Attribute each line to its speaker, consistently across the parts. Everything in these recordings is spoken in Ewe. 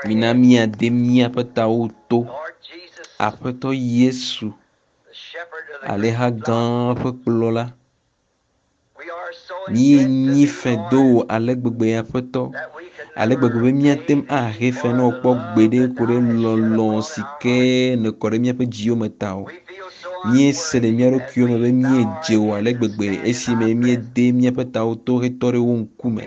Speaker 1: Mina míade míaƒe tawo to. Aƒetɔ Yesu, alẽha gã ƒe kplɔla, míenyi fe do wò ale gbegbe Aƒetɔ, ale gbegbe be míate ŋu ahe fe na wò kpɔ gbeɖe ku ɖe lɔlɔ̃ si ke nèkɔ ɖe míaƒe dziwo me ta o. Míese le mía ɖokuiwo me be míedze wò ale gbegbe esime míede míaƒe tawo to hetɔ ɖe wò ŋkume.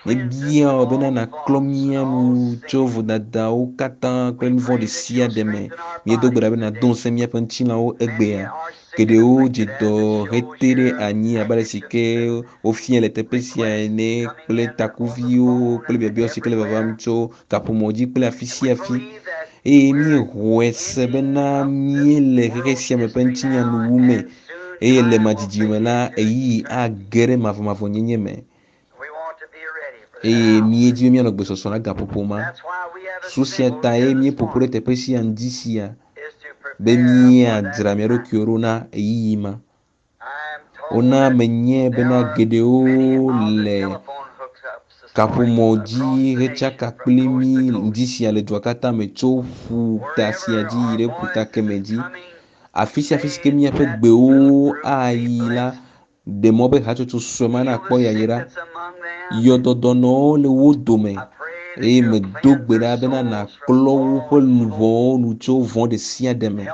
Speaker 1: Míebia wò bena nàklɔ mía nu tso vodadawo katã kple nu vɔ̃ ɖe sia ɖe me. Míedo gbe ɖa be nàdo ŋusẽ míaƒe ŋutilãwo egbea. Geɖewo dze dɔ hete ɖe anyi abe ale si ke wofiae le teƒe sia ene kple takuviwo kple biabia si ke le vavam tso kaƒomɔ dzi kple afi sia afi. Eye míexɔe se bena míele xexe sia me ƒe ŋutinya nuwu me eye le madzidzi me la, ɣeyiɣi age ɖe mavɔmavɔnyenye me. Eye míedi be míanɔ gbesɔsɔ na gaƒoƒo ma. Su sia tae míeƒo ƒu ɖe teƒe sia ŋdi sia be míadzra mía ɖokuiwo ɖo na ɣeyiɣi ma. Wona menyae bena geɖewo le kaƒomɔ dzi hetsaka kpli mí ŋdi sia le dua katã me tso ƒuta sia dzi yi ɖe ƒuta keme dzi. Afi sia afi si ke míaƒe gbewo ayi la, ɖe mɔ be hatsotso sue ma nakpɔ yayra. Yɔdɔdɔnɔwo le wo dome eye medo gbe ɖa bena nàklɔ woƒe luʋɔwo nu tso vɔ̃ ɖe sia ɖe me.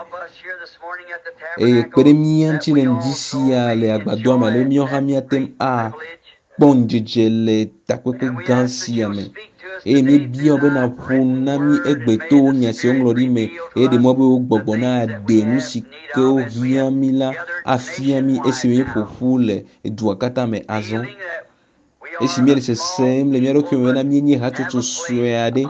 Speaker 1: Eye kpe ɖe mía ŋuti le ŋdi sia le agbadɔa me ale be míawo hã míate ŋu akpɔ ŋudzedze le takpekpe gã sia me. Eye míebia wò be nàƒo nu na mí egbe to wò nya si woŋlɔ ɖi me eye ɖe mɔ be wò gbɔgbɔ naɖe nu si ke wohiã mí la afia mí esime míeƒo ƒu le dua katã me azɔ. Esi míele sesem le mía ɖokui me bena míenye hatsotso sue aɖe,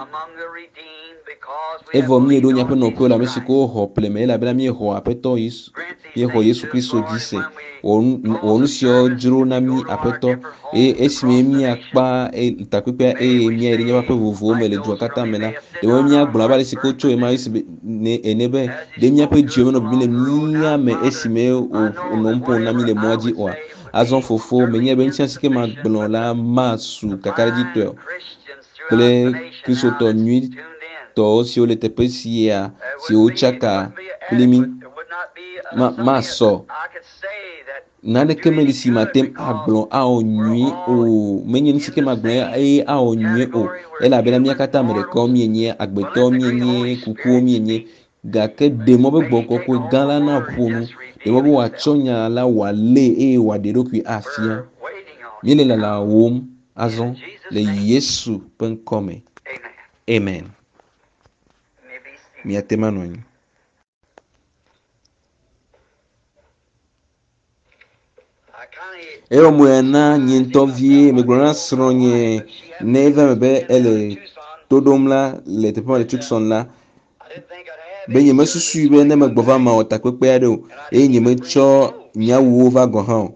Speaker 1: evɔ míeɖo míaƒe nɔƒewo le ame si ke woxɔ ƒle me elabena míexɔ Aƒetɔ Yesu, míexɔ Yesu Kristo dzi se. Wɔ nu, wɔ nu siawo dzro na mí Aƒetɔ. Eye esime míakpa e, takpekpea eye míayi ɖe míaƒe aƒe vovovowo me le dua katã me la, ɖe be míagblɔ abe ale si ke wotso ɣemaɣi si be, ne, ene be, ɖe míaƒe dziwo menɔ bibim le mía me esime wònɔ nu ƒom na mí le mɔa dzi oa? Azɔ Fofo, menyae be nu sia si ke magblɔ la masu kakaɖedzitɔe o kple Kristotɔ nyuitɔ siwo le teƒe sia siwo tsaka kpli mí. Ma, masɔ. Naneke meli si mate ŋu agblɔ awɔ nyui o. Menye nu si ke magblɔ eye awɔ nyui o. Elabena mía katã ame ɖekawo míenye, agbetɔwo míenye, kukuwo míenye. Gake ɖe mɔ be Gbɔgbɔ Kɔkɔe gã la naƒo nu. Ɖe mɔ be wòatsɔ nya la wòalée eye wòaɖe eɖokui afia. Míele lalawòm azɔ le Yesu ƒe ŋkɔ me. Amen. Miate ŋu anɔ anyi. Ewɔ mo ya na nye ŋutɔ vie. Megblɔ na srɔ̃nye ne eva eme be ele to ɖom la le teƒe ma le Tucson la be nyemesusui be ne megbɔ va mawɔ takpekpe aɖe o eye nyemetsɔ nye awuwo va gɔ̃ hã o.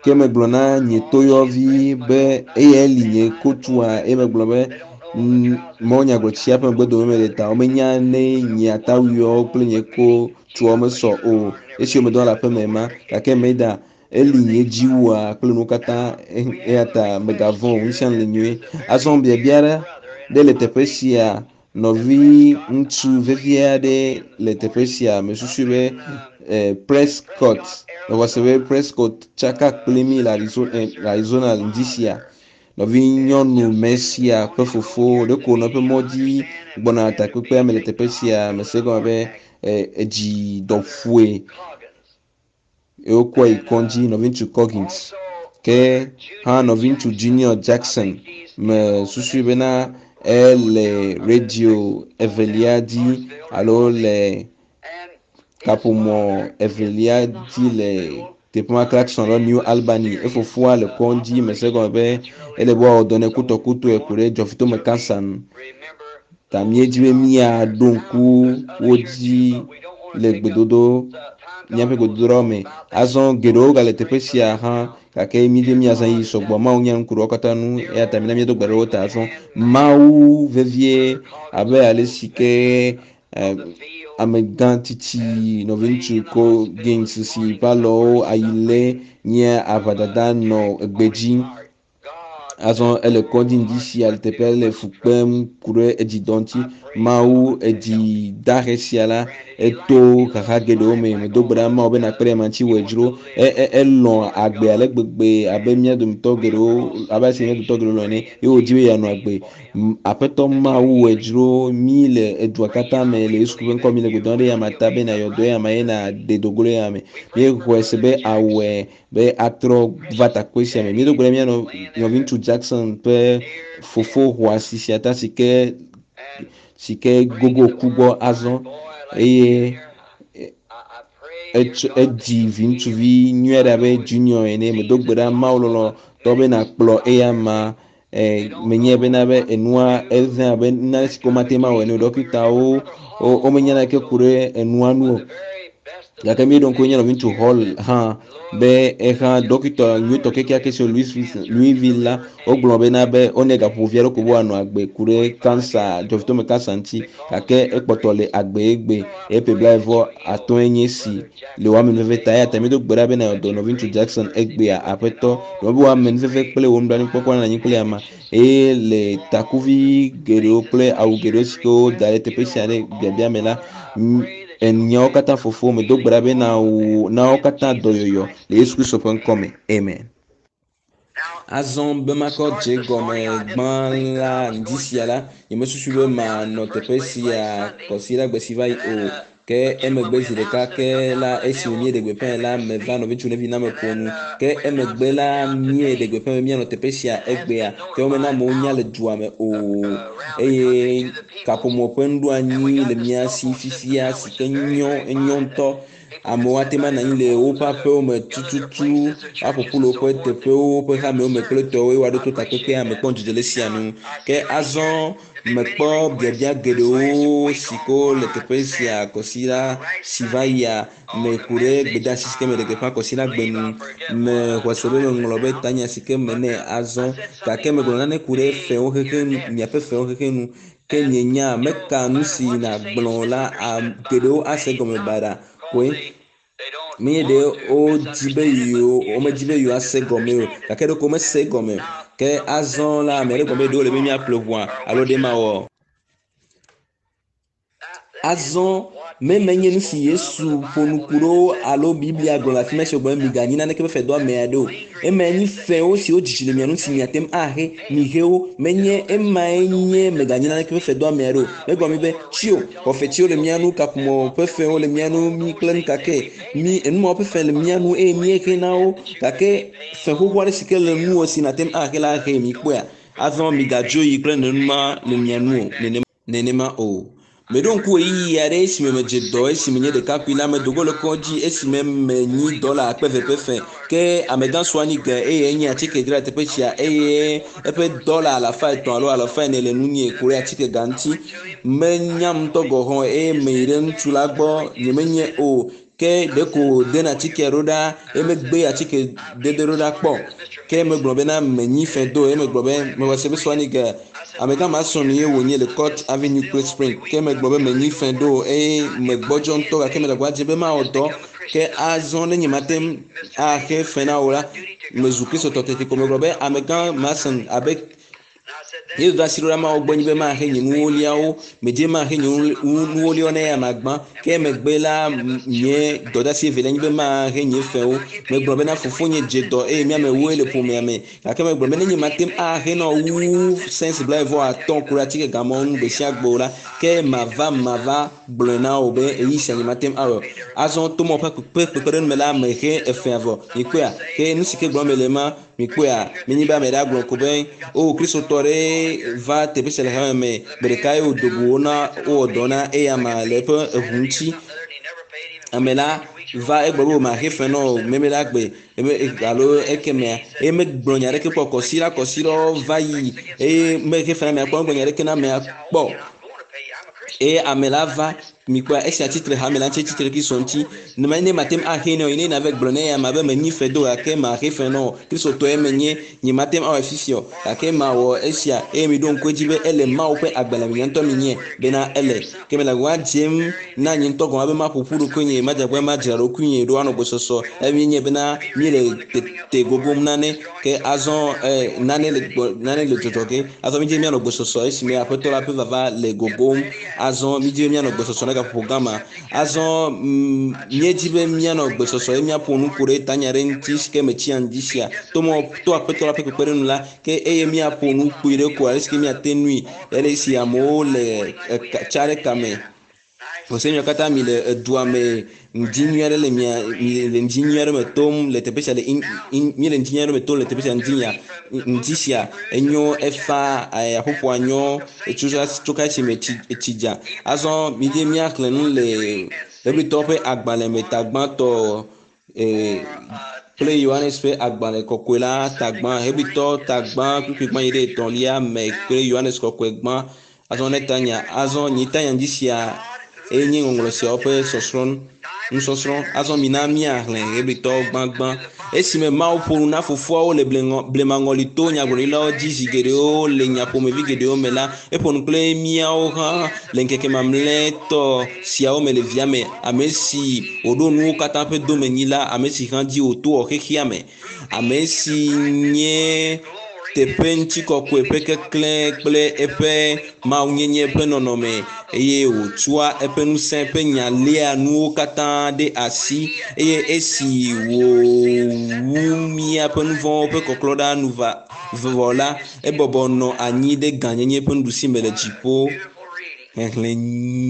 Speaker 1: Ke megblɔ na nye toyɔvi be eyae li nye kotua eye megblɔ be mawunyagblɔtsia ƒe megbedome mele ta womenya ne nye atawuiwo kple nye kotuawo mesɔ o esi womedɔ le aƒeme ma gake meda eli nye dziwua kple nuwo katã eya ta megavɔ̃ o nu sia nu le nyuie. Azɔ biabia ɖe le teƒe sia Nɔviŋutsu vevi aɖe le teƒe sia. Mesusu be eh, Prescott, mexɔ se be Prescott tsaka kpli mí le Arizona, eh, Arizona ŋdi sia. Nɔvinyɔnu Mesia ƒe fofo ɖeko nɔ eƒe mɔ dzi gbɔna takpekpea me le teƒe sia. Mese egɔme be eh, edzi dɔ ƒoe eye wokɔe yi kɔdzi, nɔviŋutsu Coggins. Ke hã nɔviŋutsu Junior Jackson me susui bena ele radio evelia dzi alo le kaƒomɔ evelia dzi le teƒe ma Clarkson alo New Albany. Efofoa le kɔdzi mese egɔme be ele be woawɔ dɔ nɛ kutɔkutɔe ku ɖe dzɔfitome kansa nu. Ta míedi be míaɖo ŋku wo dzi le gbedodo míaƒe gbedodoɖawo me. Azɔ geɖewo gale teƒe sia hã gake míedi be míazã ɣeyiɣi sɔgbɔ. Mawu nya nu ku ɖe wo katã ŋu eya ta mina míado gbe ɖe wo ta azɔ. Mawu vevie abe ale si ke eh, amegã tsitsi nɔviŋutsu ko Gaines si ƒe alɔwo ayi lé nye aʋadada nɔ gbedzi. Azɔ ele kɔdzi ŋdi sia le teƒea le fu kpem ku ɖe edzidɔ ŋuti. Mawu edzi dahe sia la eto xaxa geɖewo me. Medo gbe ɖa Mawu be nakpe ɖe ema ŋuti wòe dzro. Elɔ̃ agbe ale gbegbe abe mía dometɔ geɖewo abe ale si mía dometɔ geɖewo lɔ̃ ene ye wòdi be yeanɔ agbe. Aƒetɔ Mawu wòe dzro mí le edua katã me le Yesu ƒe ŋkɔ mi le gbe dom ɖe eyama ta be nayɔ dɔ eyama ye naɖe dogo ɖe eyama me. Míexɔe se be awɔe be atrɔ va takpe sia me. Míedo gbe ɖe mía nɔviŋutsu Jackson ƒe fofo xɔasi sia ta si ke si ke gogo ku gbɔ azɔ eye edzi vi ŋutsuvi nyui aɖe abe Junior ene. Medo gbe ɖa Mawu lɔlɔ̃tɔ be nakplɔ eyama. Menye bena be enua eze abe nane si ke womate ŋu awɔe ene o. Ɖɔkitawo womenya naneke ku ɖe enua nu o. Gake míeɖo ŋku nye nɔviŋutsu Hall hã be ehã ɖɔkita nyuitɔ kekeake si Louisville la wogblɔ bena be wonɛ gaƒoƒo vi aɖe ko be wòanɔ agbe ku ɖe kansa dzɔvitɔme kansa ŋuti gake ekpɔtɔ le agbe egbe eƒe 35 nye si le wò amenuveve ta eya ta míedo gbe ɖa be nayɔ dɔ nɔviŋutsu Jackson egbea aƒetɔ ɖe be wò amenuveve kple wò nublanuikpɔkpɔ nanɔ anyi kple ama eye le takuvi geɖewo kple awu geɖewo si ke woda ɖe teƒe sia ɖe biabia me la enyawo katã fofo medo gbe ɖa be na wo katã dɔyɔyɔ le Yesu Kristo ƒe ŋkɔ me. Amen. Azɔ be makɔ dze gɔme gbã la ŋdi sia la, nyemesusu be manɔ teƒe sia kɔsiɖagbe si va yi o. Ke emegbe zi ɖeka ke la esime míeɖe gbeƒãe la meva nɔviŋutsu Nevi na meƒo nu. Ke emegbe la míeɖe gbeƒã be míanɔ teƒe sia egbea. Ke womena amewo nya le dua me o. Eye kaƒomɔ ƒe nuɖoanyi le mía si fifia si ke nyɔ enyo ŋutɔ. Amewo ate ŋu anɔ anyi le woƒe aƒewo me tututu, aƒo ƒu le woƒe teƒewo, woƒe hamewo me kple tɔwo eye woaɖo to takpekpea me kpɔ ŋudzedze le esia nu. Ke azɔ mekpɔ biabia geɖewo si ke le teƒe sia kɔsiɖa si va yia me ku ɖe gbedeasi si ke meɖe gbeƒã kɔsiɖagbe nu. Mexɔ se be meŋlɔ be tanya si ke me nɛ azɔ gake megblɔ nane ku ɖe fewo xexe nu, miaƒe fewo xexe nu. Ke nye nya meka nu si nàgblɔ la geɖewo ase gɔme baɖa koe. Menye ɖe wodzi be yewo womedzi be yewoase gɔme o gake ɖeko womese gɔme o. Ke azɔ la ame aɖe gblɔ be ɖewo le be míaƒle ʋua alo ɖe mawɔ. Azɔ me menye nu si Yesu ƒo nu ku ɖo alo Biblia gblɔ le afi ma si wògblɔ be miganyi naneke ƒe fe do ame aɖe o. Emae nyi fewo siwo dzidzi le mia ŋu si miate ŋu ahe mihe wo. Menye emae nye meganyi naneke ƒe fe do ame aɖe o. Megblɔ mi be tsio xɔfetsiwo le mía ŋu, kaƒomɔ ƒe fewo le mía ŋu, mi kple nu kake mi enumawo ƒe fe le mía ŋu eye míehe na wo gake fe xoxo aɖe si ke le nuwò si nàte ŋu ahe la he mi kpɔea. Azɔ migadzo yi kple nenema le mia ŋu o nenema o. Meɖo ŋku ɣeyiɣi aɖe esime medze dɔ esime nye ɖekakpui la medo go le kɔdzi esime menyi dɔla akpe eve ƒe fe. Ke amegã su anyi ge eye enye atike dzra teƒe sia eye eƒe dɔla 300 alo 400 le nunye ku ɖe atike ga ŋuti. Menyam ŋutɔ gɔ̃ hã eye meyi ɖe ŋutsu la gbɔ nyemenye o. Ke ɖeko wòdena atike ɖo ɖa eye megbe atike dede ɖo ɖa kpɔ. Ke megblɔ bena menyi fe do eye megblɔ be mewɔ se be su anyi ge amegã Mason ye wònye le Court Avenue kple Spring. Ke megblɔ be menyi fe do eye megbɔdzɔ ŋutɔ gake mele agba dzem be mawɔ dɔ. Ke azɔ ne nyemate ŋu axe fe na wò la, mezu kristotɔ teti ko megblɔ be amegã Mason abe Yesu do asi ɖo ɖa Mawu gbɔ nyi be mahe nye nuwoliawo, medze mahe nye nuwoliawo ne eya magbã. Ke megbe la nye dɔdeasi evelia nyi be mahe nye fewo. Megblɔ bena fofonye dze dɔ eye míame ewoe le ƒomea me. Gake megblɔ be ne nye mate ŋu ahe nɔ wu cents 25 ku ɖe atike gamɔwo ŋu gbe sia gbe o la, ke mava mava gblɔe na wò be ɣeyiɣi sia nye mate ŋu awɔ. Azɔ to mɔ ƒe kpekpeɖeŋu me la mehe efea vɔ. Mikpɔea? Ke nu si ke gblɔm mele ma, mikpɔea? Menye be ame ɖe agblɔ ko be o kristotɔ ɖe va teƒe sia le hame me gbe ɖeka ye wòdo go wo na wowɔ dɔ na eya ma le eƒe eʋu ŋuti. Ame la va egblɔ be maxe fe nɔ o meme la gbe alo ekemea eye megblɔ nya ɖeke kpɔ kɔsiɖa kɔsiɖawo va yi eye mexe fe na amea kpɔ megblɔ nya ɖeke na amea kpɔ eye ame la va. Mikpɔa esia tsitre hame la ŋuti tsitre Kristo ŋuti. Ne ne mate ŋu axe nɛ o, ne nave gblɔ ne ya ma be menyi fe do gake maxe fe nɔ o. Kristotɔe menye, nye mate ŋu awɔe fifia o gake mawɔ esia eye miɖo ŋku edzi be ele Mawu ƒe agbalẽ me nye ŋutɔ minye bena ele. Ke mele agbagba dzem na nye ŋutɔ gɔme be maƒo ƒu ɖokuinye, madze agbagba madzra ɖokuinye ɖo anɔ gbɔsɔsɔ eye mienye bena míele tete gogom nane ke azɔ nane le gbɔ nane le dzɔdzɔ ge. Azɔ mídze míanɔ gbɔsɔsɔ esime aƒetɔ la ƒe vava le gogom. Azɔ mídze míanɔ gbɔsɔsɔ ne gaƒoƒo gã ma. Azɔ míedzi be míanɔ gbɔsɔsɔ ye míaƒo nu ku ɖe tanya ɖe ŋuti si ke metsi ŋdi sia. To mɔ to aƒetɔ la ƒe kpekpeɖeŋu la ke eye míaƒo nu kpui ɖe ko ale si ke míate nui ele esi amewo le tsa ɖe kame. Vɔse miawo katã mi le edua me ŋdi nyui aɖe le mia mi le ŋdi nyui aɖe me tom le teƒe sia le in in mi le ŋdi nyui aɖe me tom le teƒe sia ŋdi nya ŋdi sia enyo efa aƒoƒoa nyo etso tso ka esi me tsi etsi dza. Azɔ mi dze míaxlẽ nu le Hebritɔwo ƒe agbalẽ me ta gbãtɔ kple Yohanes ƒe agbalẽ kɔkɔe la ta gbã Hebritɔ ta gbã kpukpui gbã yi ɖe etɔ̃lia me kple Yohanes kɔkɔe gbã. Azɔ ne tanya azɔ nyi tanya ŋdi sia eye nye ŋɔŋlɔ siawo ƒe sɔsrɔ̃ nusɔsrɔ̃. Azɔ mina míaxlẽ Hebritɔwo gbãgbã. Esime Mawu ƒo nu na fofoawo le blemaŋɔli to nyagblɔɖilawo dzi zi geɖewo le nya ƒomevi geɖewo me la, eƒo nu kple míawo hã le ŋkeke mamlɛtɔ siawo me le via me, ame si wòɖo nuwo katã ƒe domenyila, ame si hã dzi wòto wɔ xexea me, ame si nye teƒe ŋutikɔkɔe ƒe keklẽ kple eƒe mawunyenye ƒe nɔnɔme eye wòtsɔa eƒe ŋusẽ ƒe nya léa nuwo katã ɖe asi eye esi wòwu míaƒe nu vɔ̃wo ƒe kɔklɔ ɖa nu va vɔ la, ebɔbɔ nɔ anyi ɖe gãnyenye ƒe nuɖusi me le dziƒo. Xexlẽ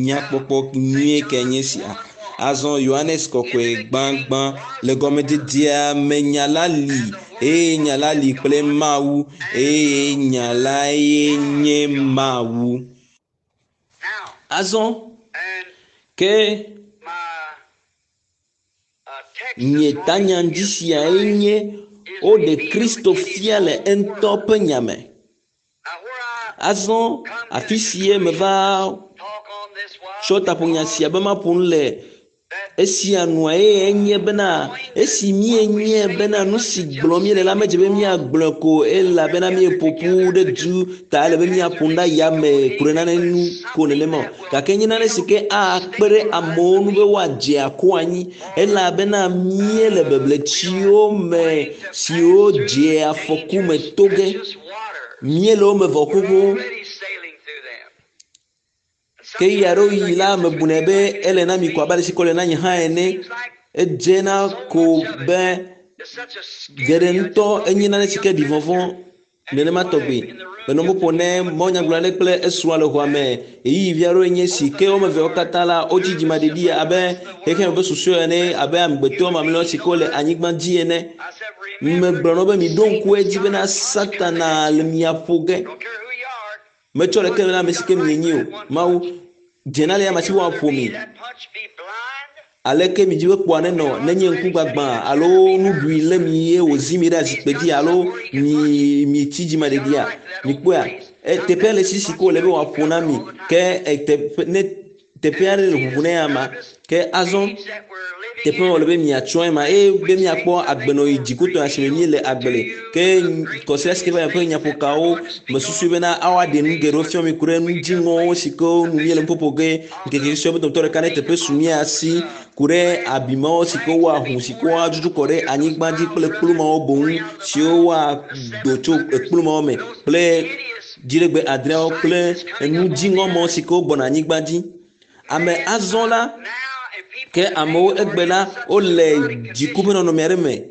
Speaker 1: nyakpɔkpɔ nyuie ke nye sia. Azɔ Yohanes kɔkɔe gbãgbã le gɔmedzedzea me nya la li eye nya la li kple Mawu eye nya lae nye Mawu. Azɔ ke nye tanya ŋdi siae nye woɖe Kristo fia le eŋutɔ ƒe nya me. Azɔ afi sie meva tsɔ taƒonya sia be maƒo nu le esia nua eye enye bena esi míenye bena nu si gblɔm míele la medze be míagblɔe ko elabena míeƒo ƒu ɖe du ta ele be míaƒo nu ɖe yame ku ɖe nane ŋu ko nenema o. Gake nye nane si ke akpe ɖe amewo ŋu be woadze ako anyi elabena míele bebletsiwo me siwo dze afɔku me to ge. Míele wo me vɔ xoxo. Ke ɣeyiɣi aɖewo yi la mebunɛ be ele na mi ko abe ale si ko le na nye hã ene. Edzena ko be geɖe ŋutɔ enye nane si ke ɖi vɔvɔ̃ nenema tɔgbi. Menɔ nu ƒom ne mawunyagblɔla aɖe kple esrɔ̃a le xɔa me. Ɣeyiɣi vi aɖewoe nye esi ke woame eveawo katã la wotsi dzimaɖeɖi abe xexeame ƒe susu ene abe amegbetɔ mamlɛawo si ke wole anyigba dzi ene. Megblɔ na wo be miɖo ŋku edzi bena Satana le mia ƒo ge. Metsɔ ɖeke le ame si ke mienyi o. Mawu dzena le ame si woaƒo mi. Aleke midzi be kpoa nenɔ nenye ŋkugbagbã alo nuɖui lé mi ye wòzi mi ɖe azikpui dzi alo mi mi tsi dzimaɖeɖia? Mikpɔea? Teƒea le sisi ke wòle be wòaƒo na mi ke teƒe ne teƒe aɖe le ʋuʋu ne ama ke azɔ teƒe ma wòle be miatsɔe ma eye be miakpɔ agbenɔɣi dzikutɔ si me míele agbe le ke kɔsiɖa si ke va yi ƒe nyaƒokawo mesusui bena awoaɖe nu geɖewo fia mi ku ɖe nu dziŋɔwo si ke nu míele nuƒoƒo ge ŋkeke susɔe be dometɔ ɖeka ne teƒe su mía si ku ɖe abimawo si ke woahu si ke woadzudzɔ kɔ ɖe anyigba dzi kple kplu mawo boŋ siwo woado tso ekplu mawo me kple dziɖegbe adreawo kple enu dziŋɔ mawo si ke wogbɔna anyigba dzi. Ame azɔ la ke amewo egbe la wole dziku ƒe nɔnɔme aɖe me.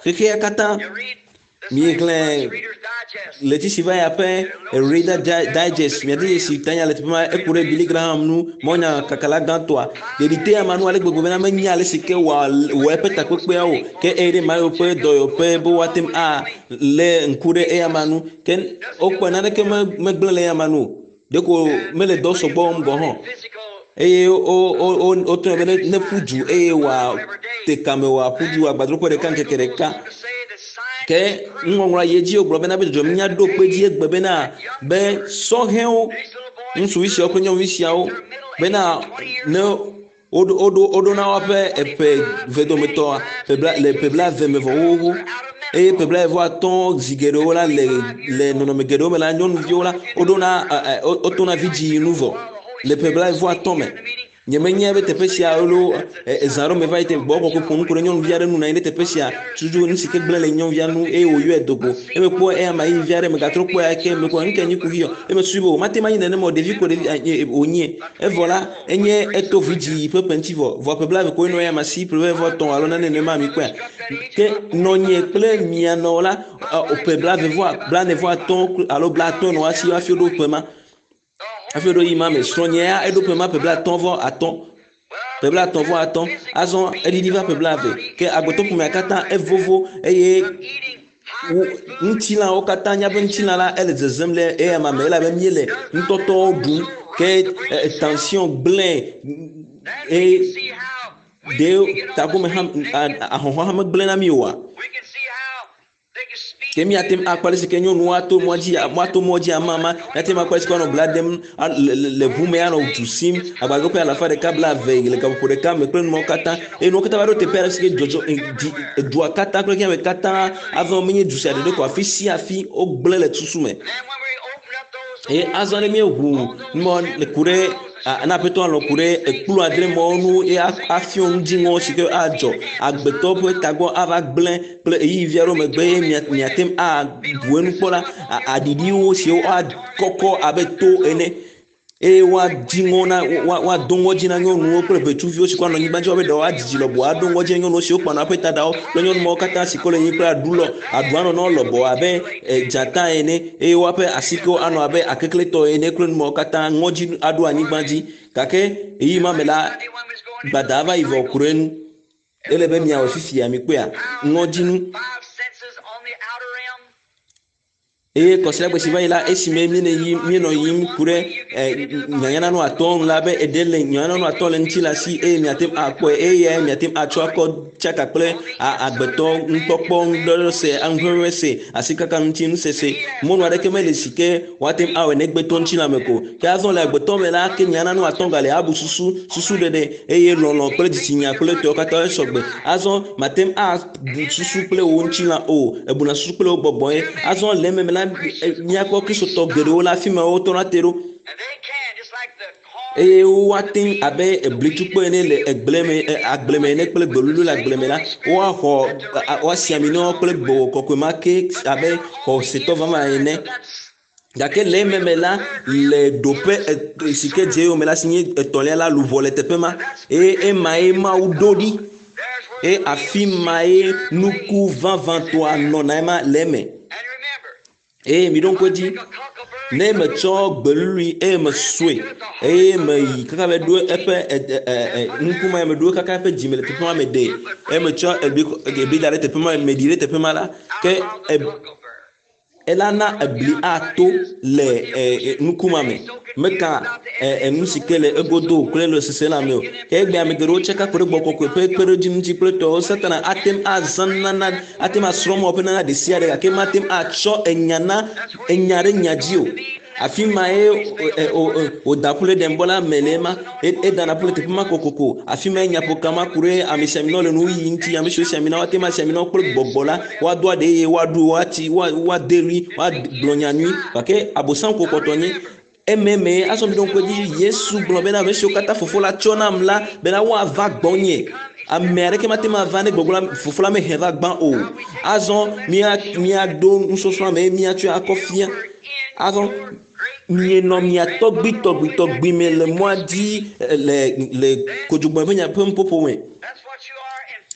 Speaker 1: Xexea katã miexlẽ ɣleti si va ya ƒe Reader Digest miade dzesi tanya le teƒe ma eku ɖe Billy Graham nu mawunyakakala gãtɔa. Ɖeɖi te ama nu ale gbegbe bena menya ale si ke wòawɔ eƒe takpekpeawo ke eye ɖe Mayo ƒe dɔyɔƒe be woate ŋu alé ŋku ɖe eyama nu ke wokpɔe naneke megblẽ le eyama nu o. Ɖeko mele dɔ sɔgbɔ wɔm gɔ̃ hã. Eye wotrɔe be ne ƒu du eye wòate kame wòaƒu du agbadroƒe ɖeka ŋkeke ɖeka. Ke nuŋɔŋlɔa yi edzi wogblɔ bena be dzɔdzɔmenunya ɖo kpe edzi egbe bena be sɔhɛwo, ŋutsuvi siawo kple nyɔnuvi siawo Bena ne woɖo woɖo woɖona woƒe eƒe vedometɔa ƒe bla le ƒe blaeve me vɔ xoxoxo eye ƒe blaeve vɔ atɔ̃ zi geɖewo la le le nɔnɔme geɖewo me la nyɔnuviwo la woɖona wotona vidzĩ nu vɔ le ƒe blaeve vɔ atɔ̃ me. Nyemenyae be teƒe sia alo ezã aɖewo me va yi te gbɔ kɔkɔe ƒo nu ku ɖe nyɔnuvi aɖe nu nɔ anyi ɖe teƒe sia tutu nu si ke gblẽ le nyɔnuvia nu eye wòyɔe do go. Eme kpɔ eya ma yi vi aɖe megatrɔ kpɔe ake mekpɔ nu ke nyi kuxi o. Eme susui be o mate ŋu anyi nenema o ɖevi ko ɖevi wònye. Evɔ la enye eto vidzĩ ƒe ƒe ŋuti vɔ vɔ ƒe blaeve koe nɔ eya ma si ƒe blaeve vɔ etɔ̃ alo nane nenema mi kpɔea. Ke nɔnye kple mia nɔ la ƒe blaeve vɔ blaene vɔ atɔ̃ alo blaatɔ̃ nɔ asi hafi woɖo ƒe ma. Hafi woɖo yi ma me srɔ̃nye ya eɖo ƒe ma ƒe blaetɔ̃ vɔ atɔ̃ ƒe blaetɔ̃ vɔ atɔ̃ azɔ eɖiɖi va ƒe blaeve ke agbetɔ ƒomea katã evovo eye wo ŋutilãwo katã míaƒe ŋutilã la ele zezem le eya ma me elabe míele nutɔtɔwo ɖum ke tension gblẽ eye ɖe tagome hã ahɔhɔ̃ hã megblẽ na mí oa? Ke míate ŋu akpɔ ale si ke nyɔnuwo ato mɔ dzi, woato mɔ dzi amama. Míate ŋu akpɔ ale si ke woanɔ bla dem le ʋu me anɔ du sim agbadɔ ƒe alafa ɖeka blaeve le gaƒoƒo ɖeka me kple numawo katã. Eye nuwo katã va ɖo teƒe aɖe si ke dzɔdzɔ dzi dua katã kple xexea me katã azɔ menye du sia ɖeɖe ko afi sia afi wogblẽ le susu me. Eye azɔ ne míeʋu numɔ ku ɖe na aƒetɔ alɔ ku ɖe ekplu adre mɔwo nu eye afiɔ nu dziŋɔ si ke adzɔ agbetɔ ƒe tagbɔ ava gblẽ kple ɣeyiɣi vi aɖewo megbe ye miate ŋu abu enu kpɔ la, aɖiɖiwo siwo akɔkɔ abe to ene eye woadzi ŋɔ na woado ŋɔdzi na nyɔnuwo kple ʋetsuviwo si kɔ anɔ anyigba dzi woabe ɖewo adzidzi lɔbɔ ado ŋɔdzi na nyɔnuwo siwo kpana woƒe taɖawo kple nyɔnu mawo katã si kɔ le anyi kple aɖu lɔ aɖu anɔ na wo lɔbɔ abe dzata ene eye woaƒe asikewo anɔ abe akekletɔ ene kple nu mawo katã ŋɔdzi aɖo anyigba dzi gake ɣeyiɣi ma me la gbada va yi vɔ ku ɖe enu. Ele be miawɔ fifia, mikpɔea, ŋɔdzinu. Eye kɔsiɖagbe si va yi la, esime míenɔ yiyim, míenɔ yiyim ku ɖe nyanyananu atɔ̃ nu la be eɖe le nyanyananu atɔ̃ le ŋuti le asi eye miate ŋu akpɔe eye eyae miate ŋu atsɔ akɔ tsaka kple agbetɔ nukpɔkpɔ, nuɖɔɖɔse, anuʋeʋẽse, asikaka ŋuti nusese. Mɔnu aɖeke mele si ke woate ŋu awɔe negbe to ŋutilã me ko. Ke azɔ le agbetɔ me la, ke nyananu atɔ̃ gale abu susu, susuɖeɖe, eye lɔlɔ̃ kple dzitsinya kple etɔwo katã esɔgbe. Azɔ mate ŋu abu susu kple wò ŋutilã o, ebuna susu kple wò gbɔgbɔ ye. Azɔ le ememe la, míakpɔ Kristotɔ geɖewo le afi ma wotɔna te ɖo eye woate ŋu abe eblitukpo ene le egble me, agble me ene kple gbelulu le agble me la, woaxɔ woasi ami na wo kple gbɔgbɔ kɔkɔe ma ke abe xɔsetɔ vavã ene. Gake le ememe la, le ɖoƒe si ke dze eyome la, si nye etɔ̃lia la, luʋɔ le teƒe ma eye emae Mawu ɖo ɖi eye afi mae nuku vavãtɔa nɔna ema le eme. Eye miɖo ŋku edzi, ne metsɔ gbelului eye mesɔe eye meyi kaka va ɖo eƒe nuku ma meɖo kaka eƒe dzime le teƒe ma meɖe eye metsɔ ebli da ɖe teƒe ma meɖi ɖe teƒe ma la ke Ela na ebli ato le nuku ma me. Meka enu si ke le egodo o kple le sese la me o. Ke egbea ame geɖewo tsaka ku ɖe gbɔgbɔ kɔkɔe ƒe kpeɖodzi ŋuti kple tɔwo. Satana ate ŋu azã nunana, ate ŋu asrɔ̃ Mawu ƒe nunana ɖesiaɖe gake mate ŋu atsɔ enya na enya ɖe nya dzi o. Afi mae wòda ƒu le Edenbɔ la me le ema. Edana ƒu le teƒe ma kokoko. Afi mae nyaƒoka ma ku ɖe amesiaminawo le nuyiyi ŋuti. Ame siwo si ami na woate ŋu asi ami na wo kple gbɔgbɔ la, woado aɖe eye woaɖu, woatsi, woade ɣli, woagblɔ nya nyui. Gake Abosam ko kpɔtɔ nye ememe. Azɔ miɖo ŋku edzi, Yesu gblɔ bena, ame siwo katã Fofo la tsɔ nam la, bena woava gbɔnye. Ame aɖeke mate ŋu ava ne gbɔgbɔ la, Fofo la mehe va gbã o. Azɔ mía, míaɖo nusɔsrɔ̃a me eye míatsɔe akɔ fia. Azɔ mienɔ mia tɔgbuitɔgbuitɔgbui me le mɔa dzi le le kodzogbe ƒe nya ƒe nuƒoƒo me.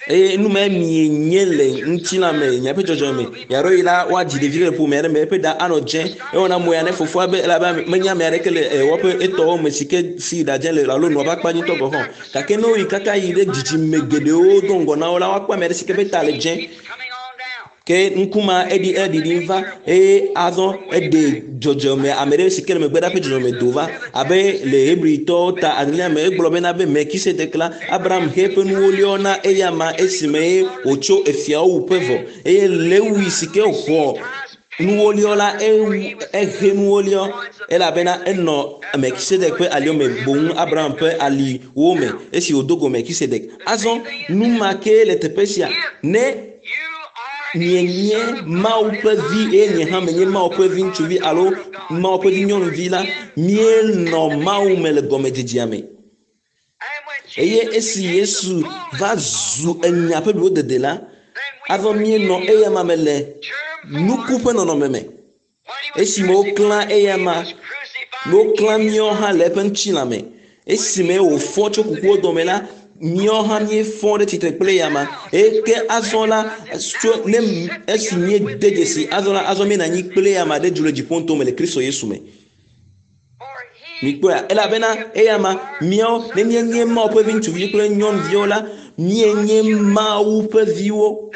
Speaker 1: Eye nu mae mienye le ŋutilã me, miaƒe dzɔdzɔme me. Ɣeaɖewoɣi la, woadzi ɖevi ɖe le ƒome aɖe me, eƒe ɖa anɔ dzẽ. Ewɔna mo ya ne fofoa be elabe menye ame aɖeke le woƒe etɔwo me si ke si ɖa dzẽ le alo nɔa ƒe akpa dzi ŋutɔ gɔ̃ hã o. Gake ne woyi kaka yi ɖe dzidzime geɖewo do ŋgɔ na wo la, woakpɔ ame aɖe si ke ƒe ta le dzẽ. Ke ŋku ma eɖi eɖiɖim va eye azɔ eɖe dzɔdzɔme ame ɖe si ke le megbe ɖa ƒe dzɔdzɔme do va abe le Hebritɔwo ta adrelia me egblɔ bena be Melkisedek la Abraham he eƒe nuwo liɔ na eyama esime ye wòtso efiawo wuƒe vɔ eye Lewi si ke xɔ. Nuwoliɔ la ewu ehe nuwoliɔ elabena enɔ Melkisedek ƒe aliwo me boŋ Abraham ƒe aliwo me esi wòdo go Melkisedek. Azɔ nu ma kee le teƒe sia ne mienye Mawu ƒe vi eye nye hã menye Mawu ƒe vi ŋutsuvi alo Mawu ƒe vi nyɔnuvi la, míenɔ Mawu me le gɔmedzedzea me. Eye esi Yesu va zu enya ƒe blibodede la, azɔ míenɔ eyama me le nuku ƒe nɔnɔme me. Esime woklã eyama, woklã míawo hã le eƒe ŋutilã me. Esime wòfɔ tso kukuwo dome la, míawo hã míefɔ ɖe tsitre kple eyama. Eye ke azɔ la, tso ne esi míede dzesi azɔ la, azɔ míenɔ anyi kple eyama ɖe du le dziƒo ŋutɔ me le Kristo Yesu me. Mikpɔea, elabena eyama míawo ne míenye Mawu ƒe vi ŋutsuvi kple nyɔnuviwo la, míenye Mawu ƒe viwo.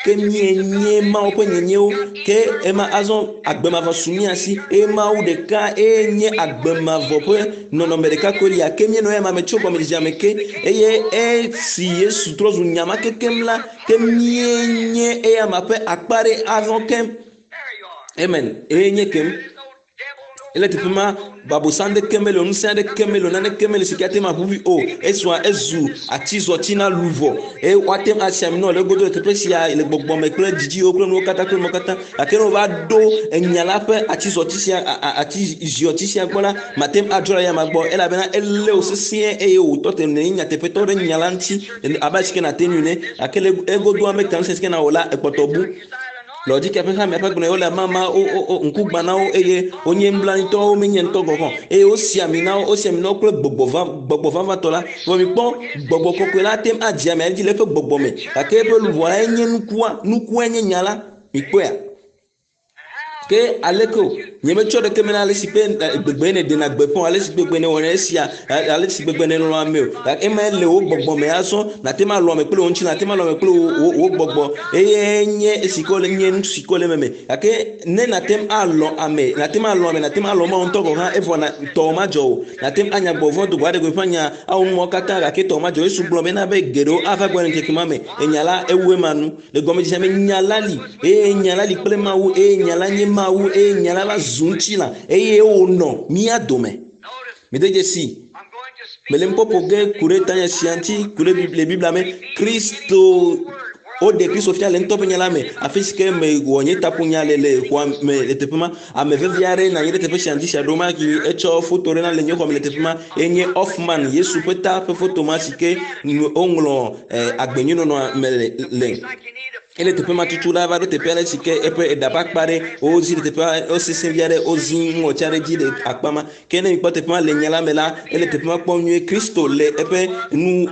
Speaker 1: Ke míenye Mawu ƒe nyenyewo. Ke ema azɔ agbe mavɔ su mía si eye Mawu ɖeka eye nye agbe mavɔ ƒe nɔnɔme ɖeka koe lia. Ke míenɔ eyama me tso gɔmedzedzea me ke eye esi Yesu trɔ zu nya ma kekem la, ke míenye eyama ƒe akpa ɖe azɔ keŋ. Amen. Eye nye kem. Ele teƒe ma, babosã ɖeke mele o, ŋusẽ aɖeke mele o, naneke mele si ke ate ŋu aʋuʋui o. Esua ezu atizɔti na luʋɔ eye woate ŋu asi ami nɔ le egodo le teƒe sia le gbɔgbɔ me kple dzidziwo kple nuwo katã kple nuwo katã. Gake ne wova ɖo enya la ƒe atizɔti sia atiziɔti sia gbɔ la, mate ŋu adzɔ le eyama gbɔ elabena elé wò sesĩe eye wòtɔ te nènye nyateƒetɔ ɖe nya la ŋuti abe ale si ke nàte ŋui ene. Gake le egodoa meka ŋusẽ si ke nawɔ la, ekpɔtɔ bu. Le ɔdzi ƒe hame ƒe gblɔ wole mama wo wo ŋku gbã na wo eye wonye nublanuitɔwo menye ŋutɔ gɔ̃ hã eye wosi ami na wo wosi ami na wo kple gbɔgbɔ va gbɔgbɔ vavãtɔ la. Vɔ mikpɔ gbɔgbɔ kɔkɔe la ate ŋu adze amea dzi le eƒe gbɔgbɔ me gake eƒe luʋɔ la enye nukua nukua nye nya la. Mikpɔea? Ke aleke o nyemetsɔ ɖeke me na ale si ƒe gbegbe nèɖena gbeƒã o ale si gbegbe nèwɔna esia ale si gbegbe nèlɔ̃ ame o gake ema le wò gbɔgbɔ me azɔ nàte ŋu alɔ̃ ame kple wò ŋutilã nàte ŋu alɔ̃ ame kple wò wò gbɔgbɔ eye nye esi ke wòle nye nu si ke wòle meme gake ne nàte ŋu alɔ̃ ame nàte ŋu alɔ̃ ame nàte ŋu alɔ̃ Mawu ŋutɔ gɔ̃ hã evɔ na tɔwò madzɔ o nàte ŋu anya gbɔgbɔ vɔ̃ do go aɖe gbeƒã nya awɔ nu mawo katã gake tɔwò madzɔ o. Yesu gblɔ bena be geɖewo ava gbɔ le ŋkeke ma me enya la ewu ema nu Le gɔmedzedzea me, nya la li, eye nya la li kple Mawu, eye nya la nye Mawu, eye nya la va zu ŋutilã, eye wònɔ mía dome. Mede dzesi, mele ŋkɔ ƒo ge ku ɖe tanya sia ŋuti, ku ɖe le Biblia me, Kristo, woɖe Kristo fia le ŋutɔ ƒe nya la me, afi si ke mewɔ nye taƒonya le le xɔa me le teƒe ma. Ame vevi aɖe nɔ anyi ɖe teƒe sia ŋdi sia ɖo ma ke etsɔ foto ɖe na le nye xɔme le teƒe ma. Enye Hoffman, Yesu ƒe ta ƒe foto ma si ke woŋlɔ eh, agbenyuinɔnɔ me le. le. Ele teƒe ma tutu la va ɖo teƒe aɖe si ke eƒe eɖa ƒe akpa ɖe wozi ɖe teƒea wosesẽ vi aɖe wozi ŋɔtsi aɖe dzi le akpa ma. Ke ne mikpɔ teƒe ma le nya la me la, ele teƒe ma kpɔm nyuie. Kristo le eƒe nu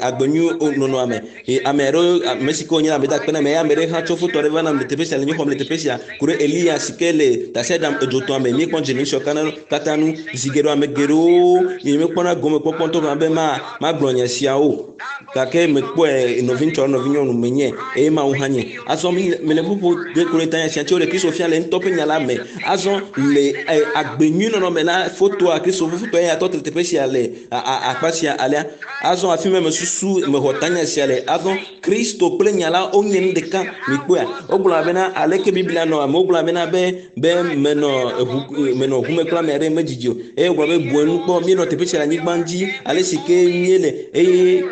Speaker 1: agbe nyui nɔnɔa me. Eye ame aɖewo, ame si ke wonye la, meda akpe na ame ya. Ame ɖe hã tsɔ foto aɖe va nam le teƒe sia, le nye xɔme le teƒe sia, ku ɖe Eliya si ke le tasiaɖam edzotɔa me. Míekpɔ dze le nu siawo katã nu. Zi geɖe ame geɖewo nyemekpɔna gomekpɔkpɔ ŋutɔ gɔ̃ be ma magblɔ nya siawo o. Gake mekpɔe nɔviŋutsu alo nɔvinyɔnu menye eye Mawu hã nye. Azɔ mele ƒoƒo ge ku ɖe tanya sia tso ɖe Kristo fia le ŋutɔ ƒe nya la me. Azɔ le agbe nyui nɔnɔ me la, fotoa Kristo ƒe fotoa eya tɔ te le teƒe sia le akpa sia alea. Azɔ afi ma mesusu mexɔ tanya sia le. Azɔ Kristo kple nya la wonye nu ɖeka. Mikpɔea? Wogblɔ bena aleke Biblia nɔ ame wogblɔ bena be be menɔ eʋu menɔ ʋu me kple ame aɖe medzidzi o. Eye wogblɔ be bu enu kpɔ míenɔ teƒe sia le anyigba dzi ale si ke míele eye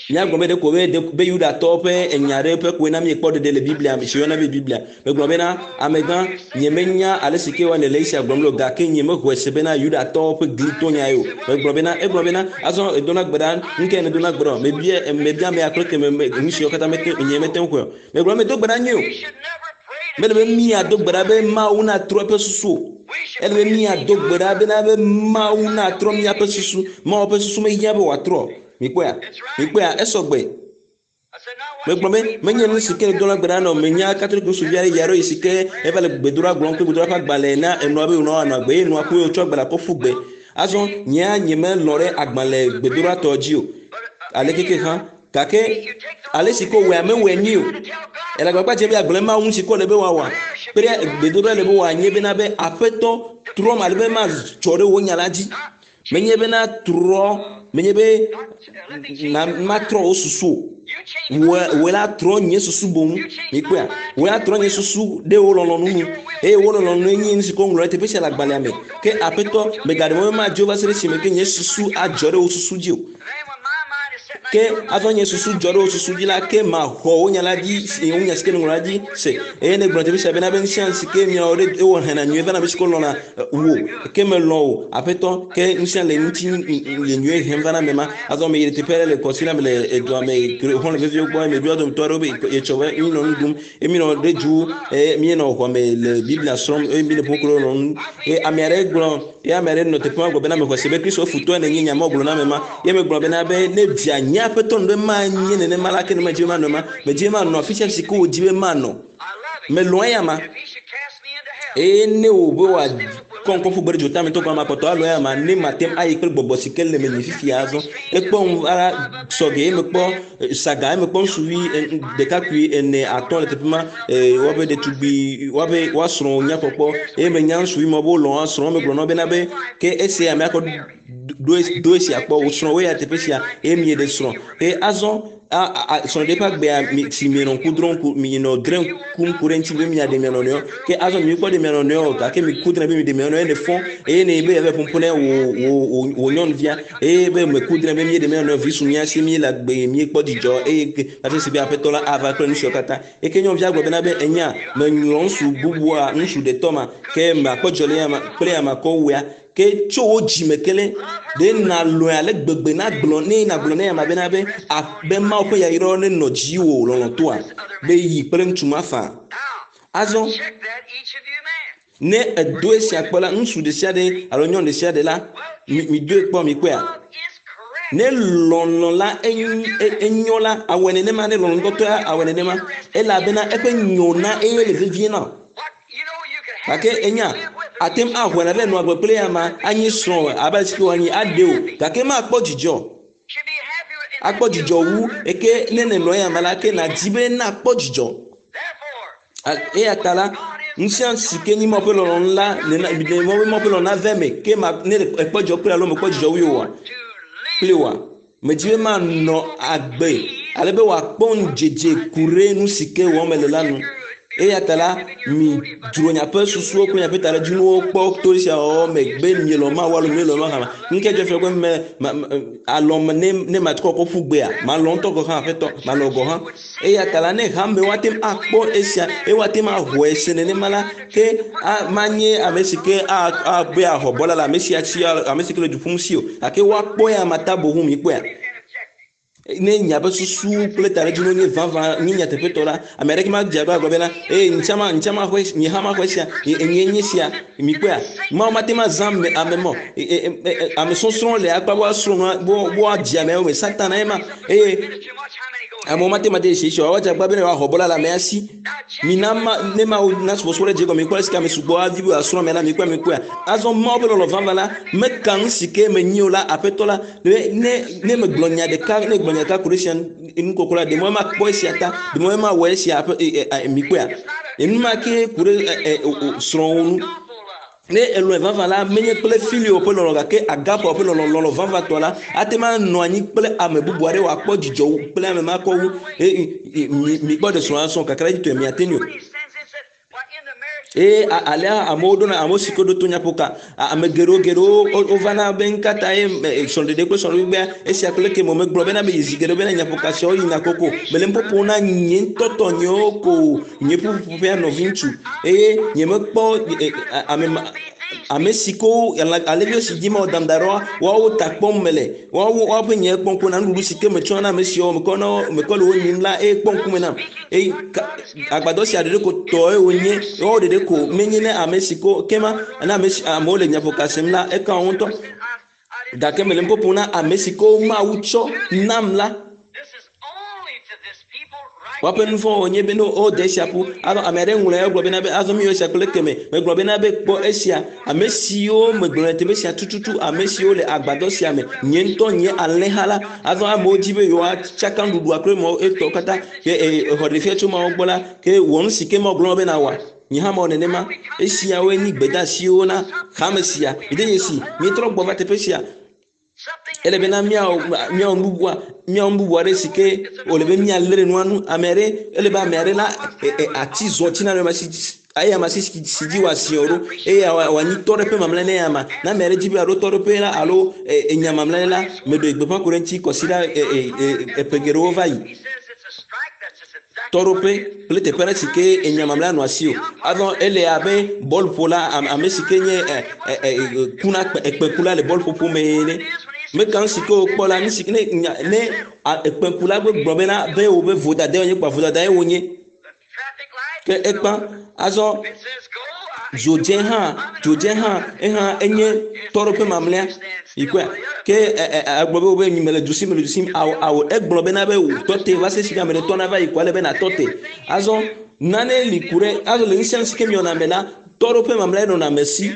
Speaker 1: míagblɔ be ɖeko be be Yudatɔwo ƒe enya aɖe ƒe koe na míekpɔ ɖeɖe le Biblia me si woyɔna be Biblia. Megblɔ bena, Amegã, nyemenya ale si ke woanɔ le esia gblɔm le o, gake nyemexɔe se bena Yudatɔwo ƒe glitonya ye o. Megblɔ bena, egblɔ bena, azɔ èdona gbe ɖa, nu kae nèdona gbe ɖa o? Mebia, mebia amea kple ke me, me, nu siwo katã mete, nye mete ŋu xɔe o. Megblɔ be, medo gbe ɖa nyuie o. Mele be míado gbe ɖa be Mawu natrɔ eƒe susu o. Ele be míado gbe ɖa bena be Mawu natrɔ míaƒe susu. Mawu ƒe susu mehiã be wòatrɔ o. Mikpɔea? Mikpɔea? Esɔ gbe. Megblɔ be menye nu si ke dona gbe ɖa nɔ menya Katolik nusuvi aɖe yi aɖo yi si ke eva le gbedoɖa gblɔm kple gbedoɖa ƒe agbalẽ na enɔa be wònɔ anɔ agbe eye nɔa ku eye wòtsɔ agbalẽa kɔ ƒu gbe. Azɔ nyea nyemelɔ̃ ɖe agbalẽ gbedoɖatɔ dzi o. Aleke ke hã gake ale si ko wòea mewɔe nyuie o. Ele agbagba dzem be yeagblɔ Mawu ŋu si ke wòle be wòawɔa kpe ɖe gbedoɖa le be wòanye bena be Aƒetɔ trɔm ale be madzɔ ɖe wò nya la dzi. Menye bena trɔ, menye be na matrɔ wo susu o. Wòe la trɔ nye susu boŋ. Mikpɔea? Wòe la trɔ nye susu ɖe wò lɔlɔ̃nu nu. Eye wò lɔlɔ̃nue nye nu si ke woŋlɔ ɖe teƒe sia le agbalẽa me. Ke Aƒetɔ, mègaɖe mɔ be madzo va se ɖe esime ke nye susu adzɔ ɖe wò susu dzi o. Ke azɔ nye susu dzɔ ɖe wò susu dzi la, ke maxɔ wò nya la dzi, wò nya si ke nèŋlɔ la dzi se. Eye nègblɔ teƒe sia bena be nu sia nu si ke miawɔ ɖe ewɔ hena nyuie va na ame si ke lɔ̃na wò. Ke melɔ̃ wò, Aƒetɔ, ke nu sia le ŋuti le nyuie hem va na ame ma. Azɔ meyi ɖe teƒe aɖe le kɔsiɖa me le edua me, xɔlɔ̃ veviwo gbɔ, eye meɖoa dometɔ aɖewo be etsɔ be míenɔ nu ɖum. Eye míenɔ ɖe dzu eye míenɔ xɔ me le Biblia srɔ̃m eye míele ƒo kple nɔ nu. Eye ame aɖe gblɔ eye ame aɖe nɔ teƒe ma gblɔ bena mexɔ se be Kristo futɔe nènye nya ma gblɔ na ame ma. Ye megblɔ bena be ne via nye aƒetɔ nu be manye nenema la ke ne medzi be manɔ ema. Medzi be manɔ afi sia afi si ke wòdi be manɔ. Melɔ̃ eya ma. Eye ne wò be wòakɔ ŋkɔ ƒu gbe ɖe dzota me ŋutɔ gɔme makpɔtɔ alɔ̃ eya ma ne mate ŋu ayi kple gbɔgbɔ si ke le menye fifia azɔ. Ekpɔ ŋu va sɔgɛ ye mekpɔ saga ye mekpɔ ŋutsuvi ɖekakpui ene atɔ̃ le teƒe ma woabe ɖetugbui woabe woasrɔ̃ nyakpɔkpɔ eye menya ŋutsuvi ma be wolɔ̃ woasrɔ̃ megblɔ na wo bena be ke esia ame akɔ do esia kpɔ wò srɔ̃ woe ya teƒe sia eye mieɖe srɔ̃ eye azɔ srɔ̃ɖeɖe ƒe agbea mi si mienɔ ŋku drɔm ku mienɔ drẽ kum ku ɖe ŋuti be miaɖe mia nɔnɔewo ke azɔ mi kpɔ ɖe mia nɔnɔewo gake mi ku drẽ be mi ɖe mia nɔnɔewo ne fɔ eye ne be yave ƒoƒo ne wò wò wò nyɔnuvia eye be me ku drẽ be mi ɖe mia nɔnɔewo vi su mia si mi le agbe mi kpɔ dzidzɔ eye hafi si be aƒetɔ la ava kple nu siawo katã eke nyɔnuvia gblɔ bena be enya menyɔ ŋutsu bubua ŋutsu ɖetɔ ma ke makpɔ dzidzɔ le ya ma kple ya makɔ wua ke tso wo dzime ke le ɖe nalɔe ale gbegbe nagblɔ ne nagblɔ ne ama bena be abe Mawu ƒe yayrawo nenɔ dziwò lɔlɔ̃tɔa be yi kple ŋutsu ma faa. Azɔ ne edo esia kpɔ la, ŋutsu ɖe sia ɖe alo nyɔnu ɖe sia ɖe la, midoe kpɔ mikpɔea. Ne lɔlɔ̃ la enyo la, awɔe nenema ne lɔlɔ̃ ŋutɔtɔa awɔe nenema elabena eƒe nyo na eye le vevie na wò. Gake enya, ate ŋu axɔe na be nɔ agbe kple ya ma anyi srɔ̃ abe ale si ke wòanyi aɖe o. Gake makpɔ dzidzɔ. Akpɔ dzidzɔ wu eke ne nènɔ eya me la ke nàdi be nakpɔ dzidzɔ. Eya ta la, nu sia nu si ke nyi Mawu ƒe lɔlɔ̃nu la, nena Mawu ƒe lɔlɔ̃nu nava eme ke ma ne èkpɔ dzidzɔ kple alo mèkpɔ dzidzɔ wui oa, kple oa. Medi be manɔ agbe ale be wòakpɔ ŋudzedze ku ɖe nu si ke wɔm mele la nu. Eya ta la, midzro miaƒe susuwo kple miaƒe taɖodzinuwo kpɔ to esia wɔwɔ me be mielɔ̃ Mawu alo mielɔ̃ Mawu hã. Nu ke dzɔ fia be me ma alɔ̃ ne ne matrɔ kɔ ƒu gbea, malɔ̃ ŋutɔ gɔ̃ hã aƒetɔ, malɔ̃ gɔ̃ hã. Eya ta la, ne hamewo ate ŋu akpɔ esia eye woate ŋu axɔe se nenema la, ke manye ame si ke abe ahɔbɔla le ame sia si ame si ke le du ƒum si o. Gake woakpɔ ya mata boŋ mikpɔea. Ne miaƒe susu kple taɖodzinu nye vavã nye nyateƒetɔ la, ame aɖeke madze agbagba agblɔ bena, ee, ŋtsã ma ŋtsã maxɔe nye hã maxɔe sia, nye nye sia. Mikpɔea, Mawu mate ŋu azã ame ame mɔ ame sɔsrɔ̃ le akpa be woasrɔ̃ nua be woadzi amewo me. Satana ye ma eye amewo mate ŋu ade dzesi esi o. Woadze agbagba be ne yewoaxɔ bɔla le amea si. Mina ma ne Mawu na subɔsubɔ ɖe dze gɔme mikpɔ ale si ke ame sugbɔ adi be yewoasrɔ̃ amea la mikpɔe mikpɔea. Azɔ Mawu ƒe lɔlɔ̃ vavã la meka nu si ke menyi o la Aƒetɔ la be ne ne megblɔ nya ɖeka ne gblɔ nya ɖeka ku ɖe esia nukɔkɔ la ɖe mɔ makpɔ esia ta ɖe mɔ mawɔ esia aƒe mikpɔea. Enuma ke ku ɖe srɔ̃wò ŋu. Ne elɔ̃e vavã la, menye kple filio ƒe lɔlɔ̃ gake agape ƒe lɔlɔ̃, lɔlɔ̃ vavãtɔ la, ate ŋu anɔ anyi kple ame bubu aɖe wòakpɔ dzidzɔ wu kple ame ma kɔ wu. Mikpɔ ɖe srɔ̃a srɔ̃ kakaɖedzitɔe miate ŋui o. Eye alea amewo ɖona amewo si ke ɖo to nyaƒoka. Ame geɖewo geɖewo wovana be ŋkata ye srɔ̃ɖeɖe kple srɔ̃ɖegbea esia kple ke me megblɔ bena meyi zi geɖe bena nyaƒoka siawo yina koko. Mele nuƒoƒo na nye ŋutɔ tɔnyewo ko nye ƒuƒoƒea nɔviŋutsu eye nyemekpɔ ame ma ame si ko alẽviwo si dzi mewɔ dam da ɖoa woawo ta kpɔm mele woawo woaƒe nye kpɔm ko na nuɖuɖu si ke metsɔna na ame siawo mekɔ na wo mekɔ le wo nyim la eye kpɔ ŋkume nam eye agbadɔ sia ɖeɖe ko tɔe wònye woawo ɖeɖe ko menye ne ame si ko kema ne ame si amewo le nyaƒoka sem la eka wo ŋutɔ gake mele nu ƒoƒom na ame si ko Mawu tsɔ nam la Woaƒe nu vɔ̃ wònye be ne wode esia ƒu. Azɔ ame aɖe ŋlɔe egblɔ bena be azɔ míeyɔ esia kple keme. Megblɔ bena be kpɔ esia. Ame siwo megblɔ le teƒe sia tututu, ame siwo le agbadɔ sia me, nye ŋutɔ nye alẽha la. Azɔ amewo di be yewoatsaka nuɖuɖua kple mɔ etɔwo katã. Ke exɔ ɖefia tso Mawu gbɔ la, ke wɔ nu si ke Mawu gblɔ be nawɔa. Nye hã mewɔ nenema. Esiawoe nyi gbedeasiwo na hame sia. Mide dzesi, míetrɔ gbɔ va teƒe sia. Ele bena míawɔ míawɔ nu bubua míawɔ nu bubu aɖe si ke wòle be míalé ɖe nua nu. Ame aɖe ele be ame aɖe na e, e, ati zɔ tsi na ame si eye ame si si dzi wòasi wò ɖo eye wòanyi tɔɖoƒe mamlɛ ne ama. Ne ame aɖe di be yeaɖo tɔɖoƒe la alo e, enya mamlɛ la, meɖe gbeƒã ku ɖe eŋuti kɔsiɖa e, e, e, eƒe geɖewo va yi. Tɔɖoƒe kple teƒe aɖe si ke enya mamlɛa nɔ asi o. Azɔ ele abe bɔluƒola ame si ke nye kuna ekpekula le bɔluƒoƒo me ene. Meka nu si ke wokpɔ la, nu si ne nya ne ekpekula gblɔ bena be wobe vodadae wonye kpa vodadae wonye. Ke ekpa azɔ dzodze hã dzodze hã ehã enye tɔɖoƒe mamlɛa yi kɔe ke egblɔ be wobe mele du sim mele du sim awo awo egblɔ bena be wò te va se si ame ɖe tɔna va yi kɔ ale be natɔ te azɔ nane li ku ɖe azɔ le ŋusẽ si ke miɔna me la tɔɖoƒe mamlɛa nɔna ame si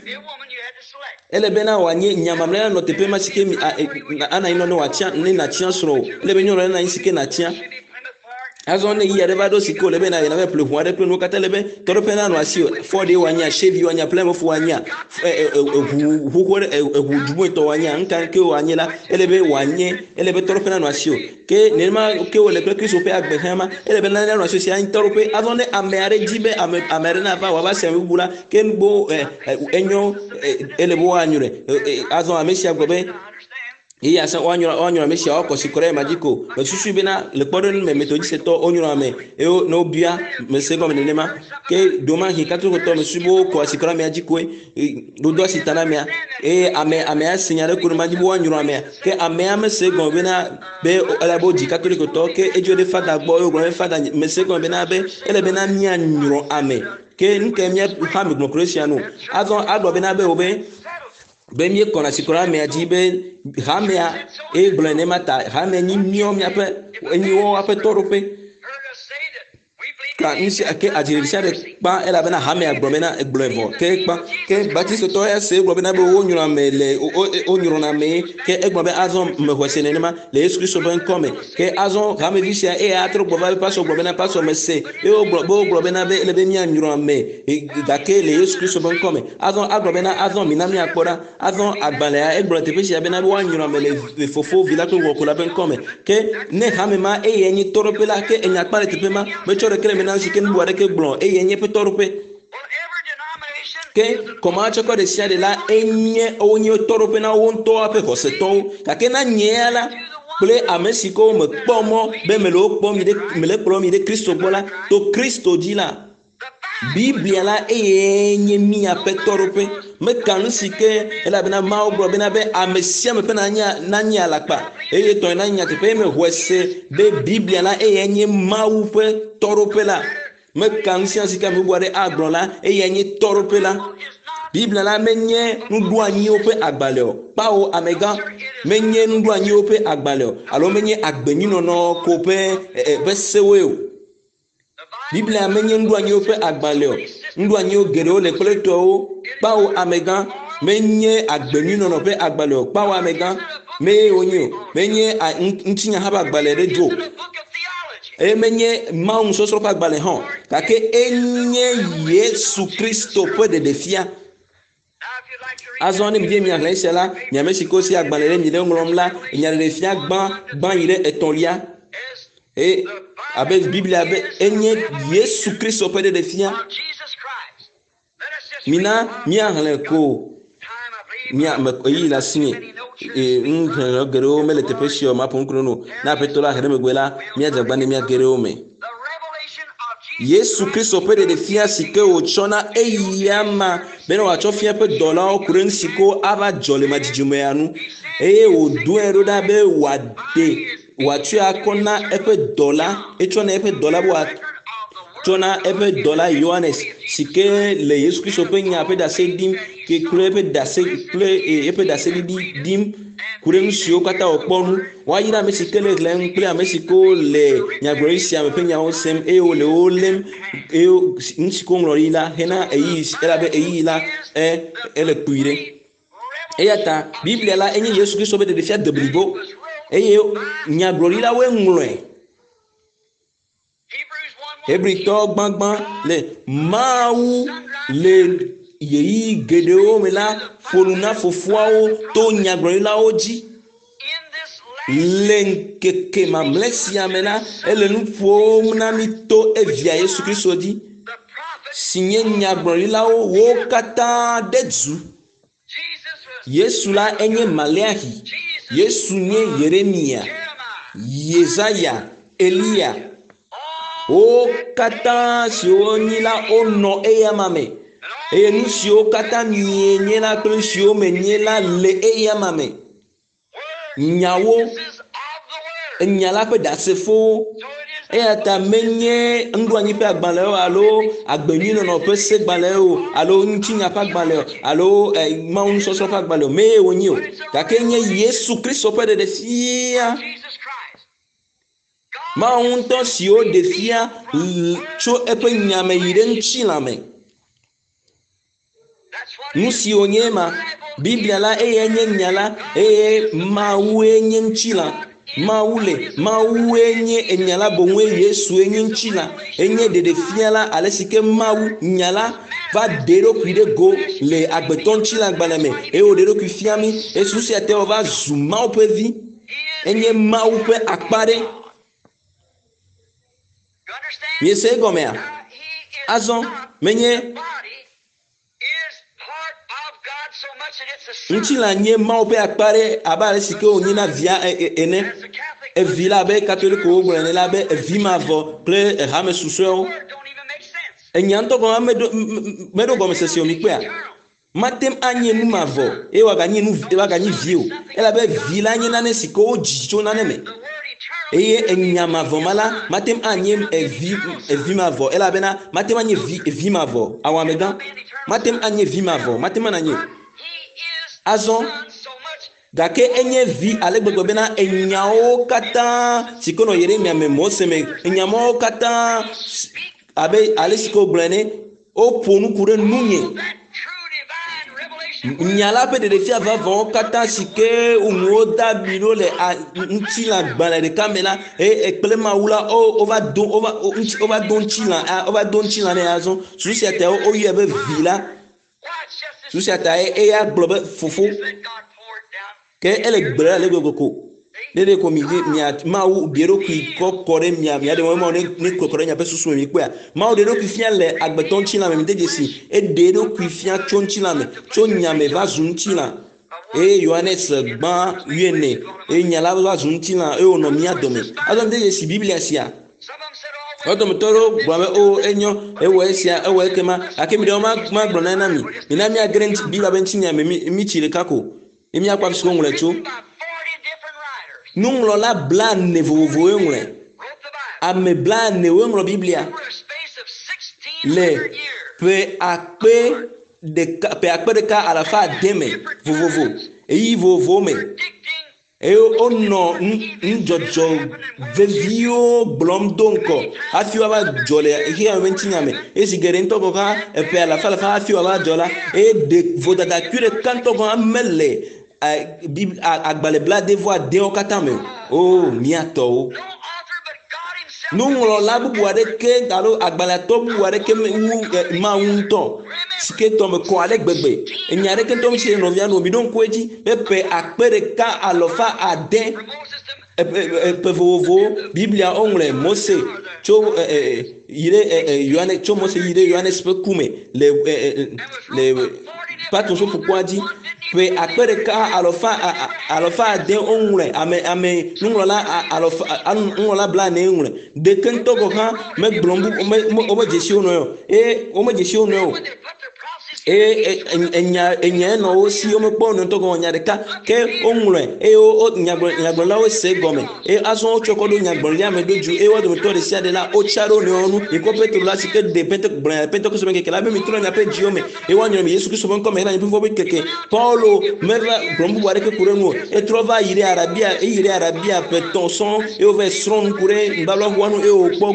Speaker 1: ele bena wòanye nya mamlɛa nɔ teƒe ma si ke ana anyi nɔ ne wòatia ne nàtia srɔ̃ o ele be nyɔnu nana anyi si ke nàtia Azɔ ne ɣeyiɣi aɖe va ɖo si ke wòle be nàyi nàva ƒle ʋu aɖe kple nuwo katã, ele be tɔɖoƒe nanɔ asiwò. Ford ye wòanyea, Chevy wòanyea, Plymouth wòanyea, eʋu xoxo aɖe, eʋu dzugbɔetɔ wòanyea, nu ka ke wòanye la, ele be wòanye, ele be tɔɖoƒe nanɔ asiwò. Ke nenema ke wòle kple Kristo ƒe agbe hã ma, ele be nane nanɔ asiwò si anye tɔɖoƒe. Azɔ ne ame aɖe di be ame ame aɖe nava wòava se ame bubu la, ke nu enyo, ele be woanyrɔe. Azɔ ame sia gblɔ be Eye ase woanyrɔ woanyrɔ ame sia woakɔ si kɔ ɖe ema dzi ko. Mesusui bena le kpɔɖeŋu me metodistɔwo wonyrɔ ame eye ne wobia mese gɔme nenema. Ke ɖewomahi katolikotɔ mesusui be wokɔ asi kɔ ɖe amea dzi koe wodo asi ta na amea eye ame amea se nya ɖe ko ɖe ma dzi be woanyrɔ amea. Ke amea mese egɔme bena be ele be wodzi katolikotɔ ke edzo ɖe fada gbɔ eye wògblɔ be fada mese egɔme bena be ele bena míanyrɔ ame. Ke nu kae mía hame gblɔ ku ɖe esia nu? Azɔ agblɔ bena be wobe be míekɔna tsi kɔ ɖe amea dzi be hamea eye gblɔe nenema ta hamea nyi míawo míaƒe enyi woawo ƒe tɔɖoƒe. Ka nu sia ke adzi ɖe sia ɖe kpa elabena hamea gblɔ bena egblɔe vɔ ke kpa ke batistotɔ ya se egblɔ bena be wonyrɔ ame le wonyrɔna ame ke egblɔ be azɔ mexɔe se nenema le Yesu Kristo ƒe ŋkɔ me ke azɔ hamevi sia eye atrɔ gbɔ va pasɔ gblɔ bena pasɔ mese eye wogblɔ be wogblɔ bena be ele be míanyrɔ ame gake le Yesu Kristo ƒe ŋkɔ me Azɔ agblɔ bena, Azɔ mina míakpɔ ɖa. Azɔ agbalẽa egblɔ le teƒe sia bena be woanyrɔ ame le Fofo, Vi la kple Gbɔgbɔ la ƒe ŋkɔ me. Ke ne hame ma eyae nye tɔɖoƒe la, ke enya kpa le teƒe ma. Metsɔ ɖeke le eme na si ke nu bubu aɖeke gblɔ o. Eyae nye eƒe tɔɖoƒe. Ke kɔmahatsɔkɔ ɖe sia ɖe la enye wonye tɔɖoƒe na wo ŋutɔ ƒe xɔsetɔwo. Gake na nye ya la, kple ame si ke womekpɔ mɔ be mele wo kpɔm yi ɖe mele kplɔm yi ɖe Kristo gbɔ la, to Kristo dzi la, Biblia la eye nye míaƒe tɔɖoƒe. Meka nu si ke elabena Mawu gblɔ bena be ame sia ame ƒe nanye nanye alakpa eye tɔe nanye nyateƒe. Eye mexɔe se be Biblia la eye nye Mawu ƒe tɔɖoƒe la. Meka nu sia si ke ame bubu aɖe agblɔ la eye nye tɔɖoƒe la. Biblia la menye nuɖoanyiwo ƒe agbalẽ o. Kpao amegã menye nuɖoanyiwo ƒe agbalẽ o alo menye agbenyuinɔnɔ ko ƒe ƒe sewoe o. Biblia menye nuɖoanyiwo ƒe agbalẽ o. Nuɖoanyiwo geɖewo le kple tɔwo. Kpao amegã menye agbenyuinɔnɔ ƒe agbalẽ o. Kpao amegã mee wonye o. Menye ŋutinya hã ƒe agbalẽ ɖe dzo. Eye menye Mawu nusɔsrɔ̃ ƒe agbalẽ hã o. Gake enye Yesu Kristo ƒe ɖeɖefia. Azɔ ne mive miaxlẽ esia la, mi ame si ke wosi agbalẽ ɖe mi ɖe ŋlɔm la, nyaɖeɖefia gbã gbã yi ɖe etɔ̃lia. Eye abe Biblia be enye Yesu Kristo ƒe ɖeɖefia. Mina míaxlẽ ko mía me ɣeyiɣi le asinye. Ee, nuxlẽxlẽ geɖewo mele teƒe sia o, maƒo nu kple nu. Ne Aƒetɔ la he ɖe megbe la, míadze agbagba ne míage ɖe wo me. Yesu Kristo ƒe ɖeɖefia si ke wòtsɔ na eyama bene wòatsɔ fia eƒe dɔlawo ku ɖe nu si ke ava dzɔ le madzidzimea nu eye wòdoe ɖo ɖa be wòaɖe wòatsɔe akɔ na eƒe dɔla etsɔ na eƒe dɔla be wòatsɔ na eƒe dɔla Yohanes si ke le Yesu Kristo ƒe nya ƒe ɖase ɖim ke kple eƒe ɖase kple eƒe ɖaseɖiɖi ɖim ku ɖe nu siwo katã wòkpɔ ŋu. Woayra ame si ke le xlẽm kple ame si ke le nyagblɔɖi sia me ƒe nyawo sem eye wole wo lém eye nu si ke woŋlɔ ɖi la hena ɣeyiɣi elabe ɣeyiɣi la e ele kpui ɖe. Eya ta Biblia la enye Yesu Kristo ƒe ɖeɖefia deblibo eye nyagblɔɖilawoe ŋlɔe. Hebritɔ gbãgbã le Mawu le ɣeyiɣi geɖewo me la ƒo nu na fofoawo to nyagblɔɖilawo dzi. Le ŋkeke mamlɛ sia me la, ele nu ƒom na mí to evia Yesu Kristo dzi, si nye nyagblɔɖilawo wo katã ɖe du. Yesu la enye Maleaxi, Yesu nye Yeremia, Yesaya, Eliya. Wo katã siwo nyi la wonɔ eyama me eye nu siwo katã mienye la kple nu siwo menye la le eyama me. Nyawo, enya la ƒe ɖasefowo. Eya ta menye nuɖoanyi ƒe agbalẽwo alo agbenyuinɔnɔ ƒe segbalẽwo alo ŋutinya ƒe agbalẽ alo eh, Mawu nusɔsrɔ̃ ƒe agbalẽ o mee wònye o. Gake nye Yesu Kristo ƒe ɖeɖefia. Mawu ŋutɔ si woɖe fia tso eƒe nya me yi ɖe ŋutilã me. Nu si wònye ema. Biblia la eyae nye nya la eye Mawue nye ŋutilã. Mawu le Mawue nye enya la boŋue Yesue nye ŋutilã. Enye ɖeɖefia la ale si ke Mawu nya la va ɖe eɖokui ɖe go le agbetɔ ŋutilã gbalẽ me eye wòɖe eɖokui fia mí. Eye susu sia te wòva zu Mawu ƒe vi. Enye Mawu ƒe akpa ɖe. Miese egɔmea? Azɔ menye ŋutilã nye Mawu ƒe akpa ɖe abe ale si ke wònye na via e, e, ene. Evi la abe Katolikowo gblɔ ene la be evi mavɔ kple hame susɔewo. Enya ŋutɔ gɔme meɖo meɖo gɔmesese o mikpɔea? Mate ŋu anye nu mavɔ eye wòaganyi nu wòaganyi vi o, elabe vi la nye nane si ke wodzi tso nane me. Eye enya mavɔ ma la mate ŋu anye evi evi mavɔ elabena mate ŋu anye vi vi mavɔ awɔ amegã mate ŋu anye vi mavɔ mate ŋu anyi o. Azɔ gake enye vi ale gbegbe bena enyawo katã si ke nɔ Yeremia me Mose me enya mawo katã abe ale si ke wogblɔe ene Woƒo nu ku ɖe nunye. Nya la ƒe ɖeɖefia vavãwo katã si ke nuwo de abi ɖo le ŋutilã gbalẽ ɖeka me la, eye kple Mawu la, wova do wova wova do ŋutilã wova do ŋutilã nɛ azɔ. Susu sia ta woyɔe be vi la. Susu sia ta eya gblɔ be fofo. Ke ele gbe ɖe ale gbegbe ko. Ne ɖe ko mi mia Mawu ɖe eɖokui kɔ kɔ ɖe mia mia ɖe Mawu ne ne kɔ kɔ ɖe miaƒe susu me mi kpɔea. Mawu ɖe eɖokui fia le agbetɔ ŋutilã me mi de dzesi. Eɖe eɖokui fia tso ŋutilã me, tso nya me va zu ŋutilã. Eye Yohanes gbã wuiene eye nya la va zu ŋutilã eye wònɔ mía dome. Azɔ mi de dzesi Biblia sia. Wo dometɔ aɖewo gblɔ be, o enyo, ewɔ esia, ewɔ ekema. Gake mi ɖewo magblɔ nane na mi. Mina míage ɖe Biblia ƒe ŋutinya me mítsi ɖeka ko. Ne míakpɔ afi si woŋlɔe tso. Nuŋlɔla blaene vovovowoe ŋlɔe. Ame blaenewoe ŋlɔ Biblia le ƒe akpe ɖeka ƒe akpe ɖeka alafa ade me vovovo, ɣeyiɣi vovovowo me. Eye wonɔ nudzɔdzɔ veviwo gblɔm do ŋgɔ hafi woava dzɔ le xexea me ƒe ŋutinya me. Eye zi geɖe ŋutɔ gɔ̃ hã, eƒe alafa alafa hafi wòava dzɔ la, eye ɖe vodada kui ɖeka ŋutɔ gɔ̃ hã mele agbalẽ blaade-vɔ-adeawo katã me o. Oo, mía tɔwo! Nuŋlɔla bubu aɖeke alo agbalẽatɔ bubu aɖeke wu Mawu ŋutɔ si ke tɔ me kɔ ale gbegbe. Enya aɖeke ŋutɔ mesi le nɔvia nu o. Miɖo ŋku edzi be ƒe akpe ɖeka alɔfa ade ƒe vovovowo Biblia woŋlɔe Mose tso yi ɖe Yohane tso Mose yi ɖe Yohanes ƒe ku me le le Patmos ƒe ƒukpoa dzi. Ƒe akpe ɖeka alɔfa alɔfa ade woŋlɔe ame ame nuŋlɔla alɔfa nuŋlɔla blaene ŋlɔe. Ɖeke ŋutɔ gɔ̃ hã megblɔ nu me womedze si wo nɔewo o eye womedze si wo nɔewo o. Eye enya enyae nɔ wo si womekpɔ wo nɔewo ŋutɔ gɔ̃ nya ɖeka ke woŋlɔe eye wo nyagblɔ nyagblɔɖilawo se egɔme eye azɔ wotsɔe kɔ ɖo nyagblɔɖia me ɖo dzu eye wo dometɔ ɖe sia ɖe la wotsa ɖe wo nɔewo nu. Mikpɔ Petro la si ke ɖe Pente gblɔ nya le Pentekoste ƒe ŋkeke la be mitrɔ miaƒe dziwo me eye woanyrɔ mi Yesu Kristo ƒe ŋkɔ me hena miaƒe ƒe keke. Paulo meva gblɔ nu bubu aɖeke ku ɖe eŋu o. Etrɔ va yi ɖe Arabia, eyi ɖe Arabia ƒe etɔ̃ sɔŋ eye wova yi srɔ̃ nu ku ɖe nubablaʋua ŋu eye wòkpɔ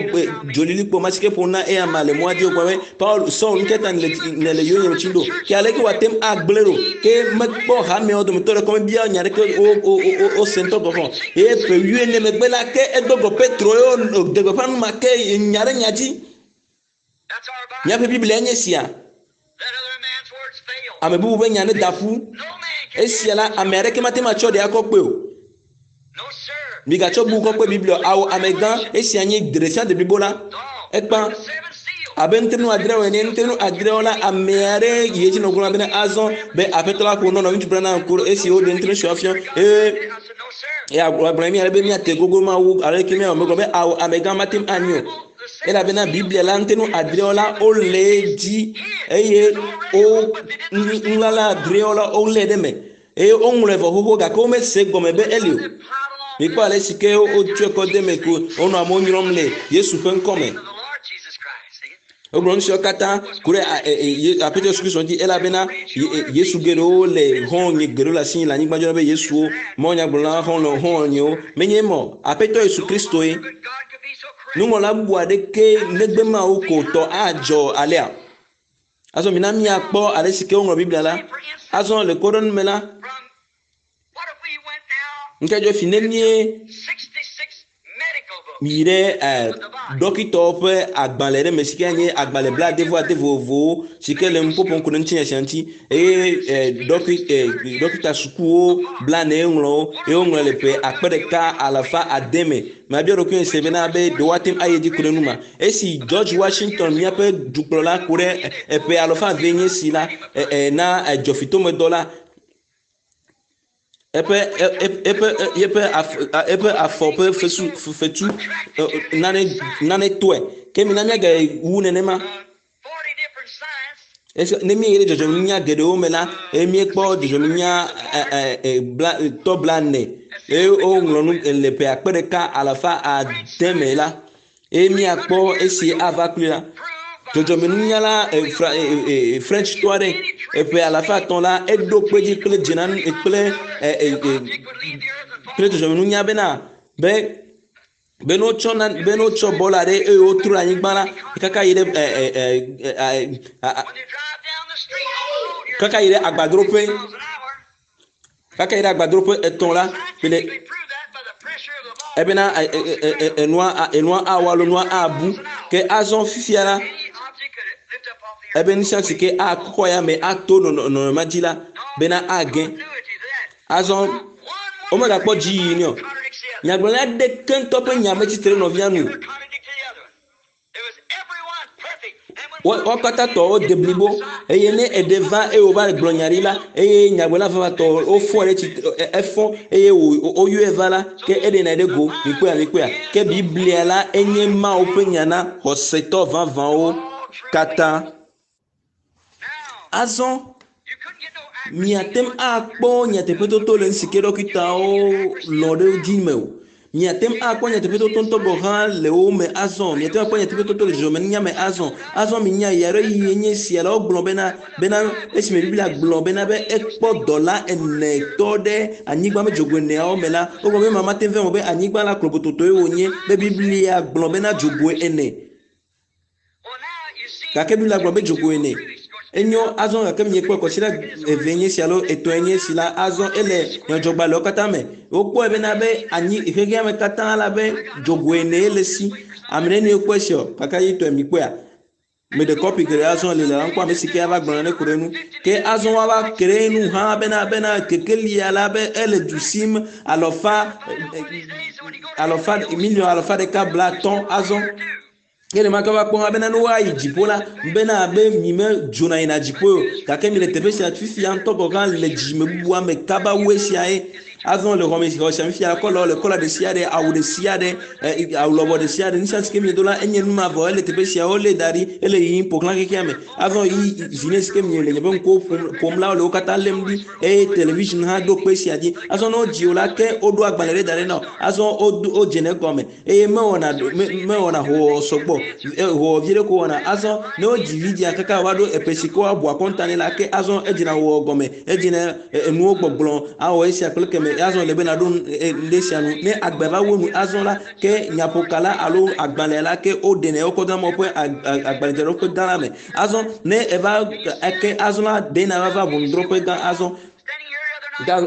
Speaker 1: dzolilikpo ma si ke ƒo na eya amea le mɔa dzi. Wogblɔ be, Paulo, Saul, nu ka ta nèle nèle yonyeme? le tsi ɖo ke aleke wòate ŋu agblẽ ɖo ke mekpɔ hameawo dometɔ ɖeke mebia nya ɖeke wo wo wo wose ŋutɔ gɔ̃ hã eye ƒe wuiene megbe la ke edo go Petro ye wòde gbeƒã nu ma ke nya ɖe nya dzi. Míaƒe Biblia nye sia. Ame bubu ƒe nya neda ƒu. Esia la, ame aɖeke mate ŋu atsɔ ɖe akɔ kpe o. Migatsɔ bubu kɔ kpe Biblia o. Ao, amegã, esia nye ɖeɖefia deblibo la. Ekpã abe nutrenu adreawo ene. Nutrenu adreawo la, ame aɖe yi edzi nɔ gblɔm bena azɔ be Aƒetɔ la ƒo nɔ nɔviŋutsu Branham ku esi woɖe nutrenu siawo fia eye eya gblɔ mi ale be míate gogo Mawu alo ke míawɔ megblɔ be ao, amegã mate ŋu anyi o. Elabena Biblia la ŋutinu adreawo la wole edzi eye wo nulala adreawo la wolé ɖe eme eye woŋlɔe vɔ xoxo gake womese gɔme be eli o. Mikpɔ ale si ke wotsɔe kɔ de eme ko wonɔ amewo nyrɔm le Yesu ƒe ŋkɔ me. Wogblɔ nu siawo katã ku ɖe Aƒetɔ Yesu Kristo ŋuti elabena Yesu geɖewo le xɔ̃nye geɖewo le asi le anyigba dzi be Yesuwo, mawunyagblɔla xɔlɔ̃ xɔ̃nyewo. Menye ema o. Aƒetɔ Yesu Kristoe. Nuŋlɔla bubu aɖeke negbe Mawu ko tɔ adzɔ alea. Azɔ mina míakpɔ ale si ke woŋlɔ Biblia la. Azɔ le kpɔɖeŋu me la, ŋke dzɔ fi ne míe yi ɖe ɖɔkitɔwo ƒe agbalẽ ɖe me si ke nye agbalẽ blaade-vɔ-ade vovovowo si ke le nuƒoƒom ku ɖe ŋutinya sia ŋuti eye ɖɔki ɖɔkita sukuwo blane ŋlɔ wo eye woŋlɔ le ƒe akpe ɖeka alafa ade me. Mabia ɖokuinye se bena be ɖe woate ŋu ayi edzi ku ɖe nu ma. Esi George Washington míaƒe dukplɔla ku ɖe eƒe alafa eve nye si la na dzɔfitomedɔ la eƒe eƒe eƒe eƒe afɔ ƒe fesu fetu nane nane tɔe ke mina míagayi wu nenema. Esi ne míeyi ɖe dzɔdzɔmenunya geɖewo me la, eye míekpɔ dzɔdzɔmenunya bla tɔ blaene eye woŋlɔ nu le ƒe akpe ɖeka alafa ade me la, eye míakpɔ esi ava kpli la. Dzɔdzɔmenunyala fra Frenchtɔ aɖe eƒe alafa etɔ̃ la eɖo kpe dzi kple dzena kple kple dzɔdzɔmenunya bena be be ne wotsɔ na be ne wotsɔ bɔl aɖe eye wotro ɖe anyigba la kaka yi ɖe ɛ ɛ ɛ kaka yi ɖe agbadroƒe kaka yi ɖe agbadroƒe etɔ̃ la kple ebena enua enua awɔ alo nua abu ke azɔ fifia la ebe nu sia si ke akɔ ya me ato nɔnɔme ma dzi la bena age Azɔ womegakpɔ dziyiyi nɛ o. Nyagblɔɖila aɖeke ŋutɔ ƒe nya metsitre ɖe nɔvia nu o. Wo katã tɔ wode blibo eye ne eɖe va eye wòva gblɔ nya ɖi la eye nyagblɔɖila vavãtɔ wofɔ ɖe tsitre efɔ eye woyɔe va la ke eɖena ɖe go. Mikpɔea mikpɔea ke Biblia la enye Mawu ƒe nya na xɔsetɔ vavãwo katã. Azɔ miate ŋu akpɔ nyateƒetoto le nu si ke ɖɔkitawo lɔ̃ ɖe dzi me o. Miate ŋu akpɔ nyateƒetoto ŋutɔ gɔ̃ hã le wo me azɔ. Miate ŋu akpɔ nyateƒetoto le dzɔdzɔmenunya me azɔ. Azɔ minya ɣe aɖe ɣi enye esia la wogblɔ bena bena esime Biblia gblɔ bena be ekpɔ dɔla ene tɔ ɖe anyigba me dzogoe eneawo me la, wogblɔ be ema mate ŋu vɛ o be anyigba la klobototoe wònye be Biblia gblɔ bena dzogoe ene. Gake Biblia gblɔ be dzogoe ene. Enyo azɔ gake miekpɔe kɔsiɖa eve nye esi alo etɔ̃e nye esi la, azɔ ele nyadzɔgbalẽwo katã me. Wokpɔe bena be anyi xexea me katã la be dzogoe ene le esi. Ame nenie kpɔe sia o? Kakaɖedzitɔe mikpɔea? Meɖe kɔpi geɖe azɔ li le ŋkɔ ame si ke ava gblɔ nane ku ɖe enu. Ke azɔ woava ke ɖe enu hã bena bena kekelia la be ele du sim alɔfa alɔfa miliɔn alafa ɖeka blaatɔ̃ azɔ. Ke ne maka va kpɔ hã bena ne woayi dziƒo la, bena abe mi me dzona yina dziƒo o, gake mi le teƒe sia fifia ŋutɔ gɔ̃ hã le dzime bubua me kaba wu esia ye. Azɔ le xɔme xɔ sia fifia kɔlɔ le kɔla ɖe sia ɖe, awu ɖe sia ɖe, awu lɔbɔ ɖe sia ɖe, nu sia si ke mi do la enye nu mavɔ ele teƒe sia wolé da ɖi ele yiyim ƒo xlã xexea me. Azɔ yi zi ne si ke mi le nye ƒe ŋkuwo ƒom la wole wo katã lém ɖi eye television hã ɖo kpe esia dzi. Azɔ ne wodzi wò la ke woɖo agbalẽ ɖe da ɖi na wò. Azɔ wodze ne egɔme. eye mewɔna mewɔna howɔwɔ sɔgbɔ howɔwɔ vi ɖe ko wɔna. Azɔ ne wodzi vidzia kaka wòva ɖo eƒe si ke woabu akɔnta nɛ la ke azɔ edzina howɔwɔ gɔme, edzina enuwo gbɔgblɔ awɔ esia kple keme. Azɔ le be naɖo nu ɖe sia nu. Ne agbe va wu nu azɔ la, ke nyaƒoka la alo agbalẽ la ke woɖenɛ wokɔ dona Mawu ƒe agbalẽdzraɖoƒe gã la me. Azɔ ne eva eke azɔ la ɖe na va va ʋɔnudrɔ̃ƒe gã azɔ.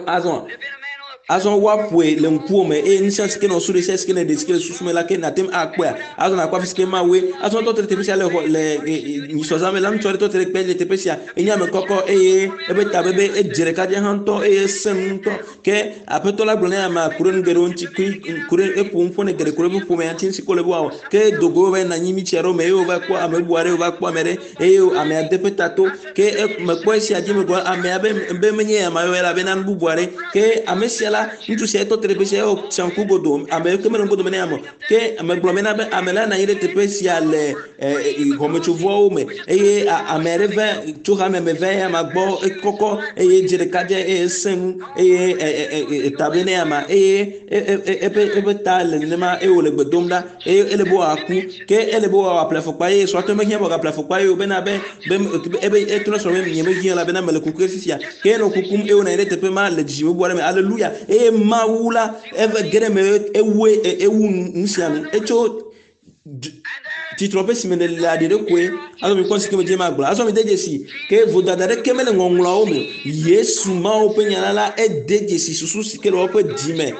Speaker 1: Azɔ azɔ woaƒoe le ŋkuwò me eye nu sia si ke nɔ su ɖe sia si ke ne ɖe si ke le susu me la ke nàte ŋu akpɔea. Azɔ nàkpɔ afi si ke Mawue. Azɔ tɔ te ɖe teƒe sia le xɔ le nyisɔzã me la ŋutsu aɖe tɔ te ɖe kpe le teƒe sia. Enye ame kɔkɔ eye eƒe ta bebe edze ɖekadze hã ŋutɔ eye esẽ nu ŋutɔ. Ke Aƒetɔ la gblɔ ne amea ku ɖe nu geɖewo ŋuti ku ɖe eƒo nu ƒo ne geɖe ku ɖe eƒe ƒomea ŋuti nu si ke wòle be wòawɔ. Ke do go va yina anyi mitsi aɖewo me eye wòva kpɔ ame bubu aɖe wòva kpɔ ame aɖe eye amea de eƒe ta to. Ke mekpɔ esia dzi megblɔ amea be be menye ame yɔ elabena nu bubu aɖe. Ke ame sia la ŋutsu sia tɔ te ɖe teƒe sia eye wòtsa ŋku godo ame ke mele ŋgodo me ne ame o. Ke megblɔ bena be ame la nɔ anyi ɖe teƒe sia le xɔmetsovɔwo me eye ame aɖe va tso hame me va eya gbɔ ekɔkɔ eye dze ɖeka dze eye esẽ nu eye eta be ne ama eye eƒe eƒe ta le nenema eye wòle gbe dom ɖa eye ele be wòaku ke ele be wòaƒle afɔkpa eye srɔ̃tɔ mehiã be wòagaƒle afɔkpa eye wòbena be be ebe etrɔ srɔ̃ be nye mehiã elabena mele kuku fifia ke enɔ kukum eye wònɔ anyi ɖe teƒe ma le dzidzime bubu aɖe me aleluya eye Mawu la eve ge ɖe eme ewue ewu nu sia nu etso tsitrɔƒe si me nèle aɖi ɖe koe. Azɔ mikpɔ si ke medze magblɔ. Azɔ mide dzesi ke vodada ɖeke mele ŋɔŋlɔawo me. Yesu Mawu ƒe nya la la ede dzesi susu si ke le woƒe dzi me.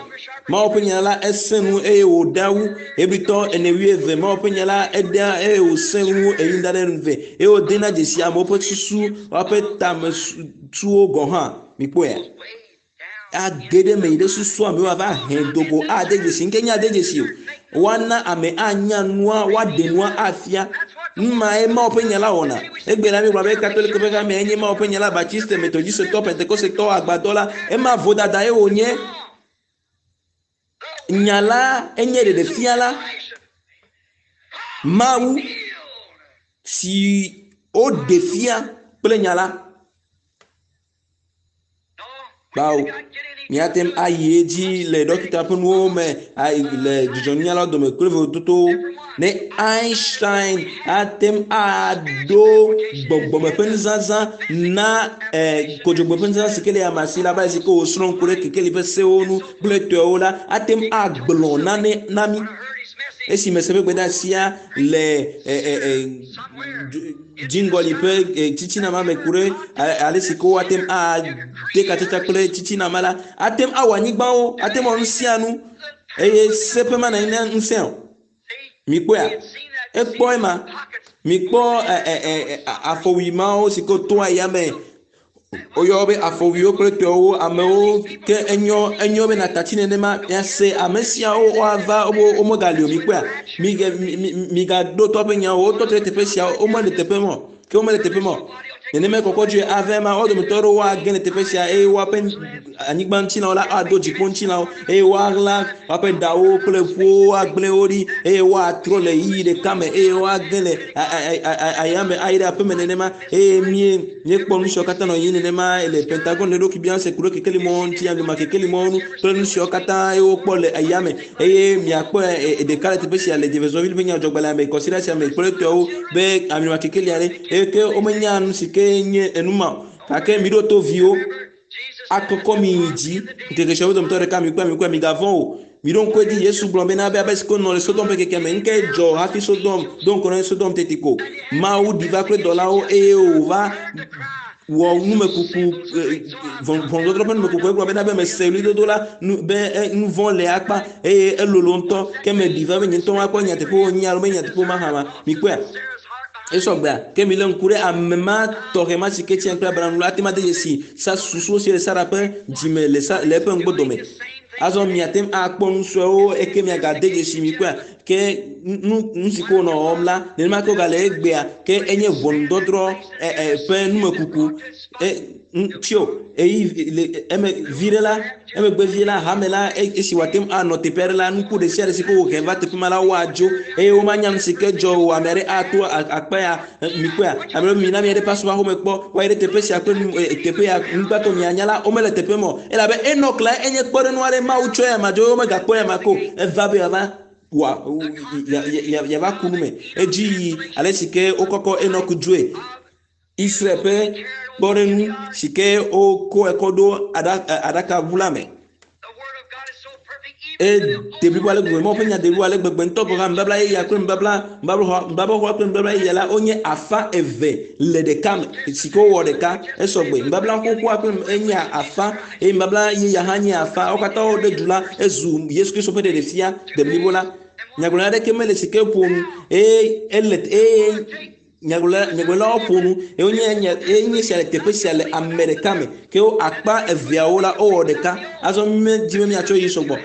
Speaker 1: Mawu ƒe nya la esẽ nu eye wòɖa wu. Hebritɔ ene wuieve Mawu ƒe nya la eɖea eye wòsẽ nu eyi ɖa ɖe eve eye wòdena dzesi amewo ƒe susu woƒe tamesusuwo gɔ̃ hã. Mikpɔea? Age ɖe eme yi ɖe susua me woava he dogo ade dzesi nke nye ade dzesi o. Woana ame anya nua, woaɖe nua afia. Nu mae Mawu ƒe nya la wɔna. Egbe la míegblɔ be Katoliko ƒe hamea enye Mawu ƒe nya la, Baptiste, Methodistetɔ, Pentekosetɔ, agbadɔ la. Ema vodada ye wònye. Nya la enye ɖeɖefia la. Mawu si woɖe fia kple nya la. Kpao, míate ŋu ayi edzi le ɖɔkita ƒe nuwo me le dzidzɔnunyalawo dome kple vovototowo. Ne Einstein ate ŋu aɖo gbɔgbɔme ƒe nuzazã na kodzogbe ƒe nuzazã si ke le ame si la, abe ale si ke wòsrɔ̃ ŋku ɖe kekeli ƒe sewo ŋu kple etɔewo la, ate ŋu agblɔ nane na mí. Esi mese ƒe gbedeasia le dziŋgɔli ƒe tsitsina ma me ku ɖe ale si ke woate ŋu ade katsatsa kple tsitsina ma la, ate ŋu awɔ anyigbawo, ate ŋu awɔ nu sia nu eye seƒe ma nanyi na ŋusẽ o. Mikpɔea? Ekpɔ ema. Mikpɔ afɔwui mawo si ke toa yame Woyɔ be afɔwuiwo kple tɔewo amewo ke enyɔ enyɔ be nàtatsi nenema miase ame siawo woava wo womegali o mikpɔea mige migaɖo tɔ ƒe nyawo wotɔ te ɖe teƒe sia womele teƒe ma o ke womele teƒe ma o nenema kɔkɔ dzoe ava ema wo dometɔ aɖewo woage le teƒe sia eye woaƒe anyigba ŋutilãwo la ado dziƒo ŋutilãwo eye woaɣla woaƒe ɖawo kple ƒuwo agblẽ wo ɖi eye woatrɔ le ɣeyiɣi ɖeka me eye woage le ayame ayi ɖe aƒeme nenema eye mie míekpɔ nu siwo katã nɔ yiyim nenema le Pentagon le ɖokui biam se ku ɖe kekeli mɔwo ŋuti alima kekeli mɔwo ŋu kple nu siwo katã ye wokpɔ le ayame eye miakpɔ ɖeka le teƒe sia le Jeffersonville ƒe nyadzɔgbalẽa me kɔsiɖa sia me kple etɔwo be alima kekeli aɖe eye ke womenya nu si ke nye enu ma o gake miɖo to viwo akɔkɔ mi yi dzi ŋkeke siawo dometɔ ɖeka mikpɔe mikpɔe migavɔ̃ o miɖo ŋku edzi Yesu gblɔ bena be abe si ke nɔ le Sodom ƒe keke me ŋke dzɔ hafi Sodom do ŋkɔ na Sodom teti ko Mawu ɖi va kple dɔlawo eye wòva wɔ numekuku ʋɔnudɔdrɔ̃ ƒe numekuku egblɔ bena be mese ɣlidodo la nu be nu vɔ̃ le akpa eye elolo ŋutɔ ke meɖi va be nye ŋutɔ makpɔ nyateƒe wònye alo menye nyateƒe mahã ma mikpɔea Esɔ gbea, ke milé ŋku ɖe ame ma tɔxɛ ma si ke tia kple Abraham la ate ŋu ade dzesi sa susuwo si le Sara ƒe dzime le sa le eƒe ŋgbodome. Azɔ miate ŋu akpɔ nu suewo eke miagade dzesi mi kpɔa ke nu nu si ke wonɔ wɔm la nenema ke wogale egbea ke enye ʋɔnudɔdrɔ̃ ɛ ɛ ƒe numekuku e tio eyi le eme viɖe la emegbe vie la hame la esi wòate ŋu anɔ teƒe aɖe la nuku ɖe sia ɖe si ke wohe va teƒe ma la woadzo eye womanya nu si ke dzɔ o ame aɖe ato akpa ya mikpɔea ame ɖe mina mia ɖe pastor xome kpɔ woayi ɖe teƒe sia kple teƒe ya nugbãtɔ mianya la womele teƒe ma o elabe Enok la enye kpɔɖeŋu aɖe Mawu tsɔe ama dzo womegakpɔe ama ko eva be yeava wa yeava ku nu me edzi yi ale si ke wokɔkɔ Enok dzoe Israel ƒe kpɔɖeŋu si ke wokɔe kɔ ɖo aɖakaʋu la me. Ede blibo ale gbegbe, Mawu ƒe nya de blibo ale gbegbe ŋutɔ gɔ̃ hã nubabla yeyea kple nubabla nubabla xoxoa kple nubabla yeyea la wonye afã eve le ɖeka me si ke wowɔ ɖeka esɔgbe. Nubabla xoxoa kple enye afã eye nubabla yeyea hã nye afã. Wo katã woɖe du la ezu Yesu Kristo ƒe ɖeɖefia deblibo la. Nyagblɔɖi aɖeke mele si ke ƒo nu eye ele eye Nyagblɔɖilawo ƒo nu eye wonye nye eye nye sia le teƒe sia le ame ɖeka me. Ke wo akpa eveawo la wowɔ ɖeka. Azɔ mímedi be míatsɔ yi sɔgbɔ.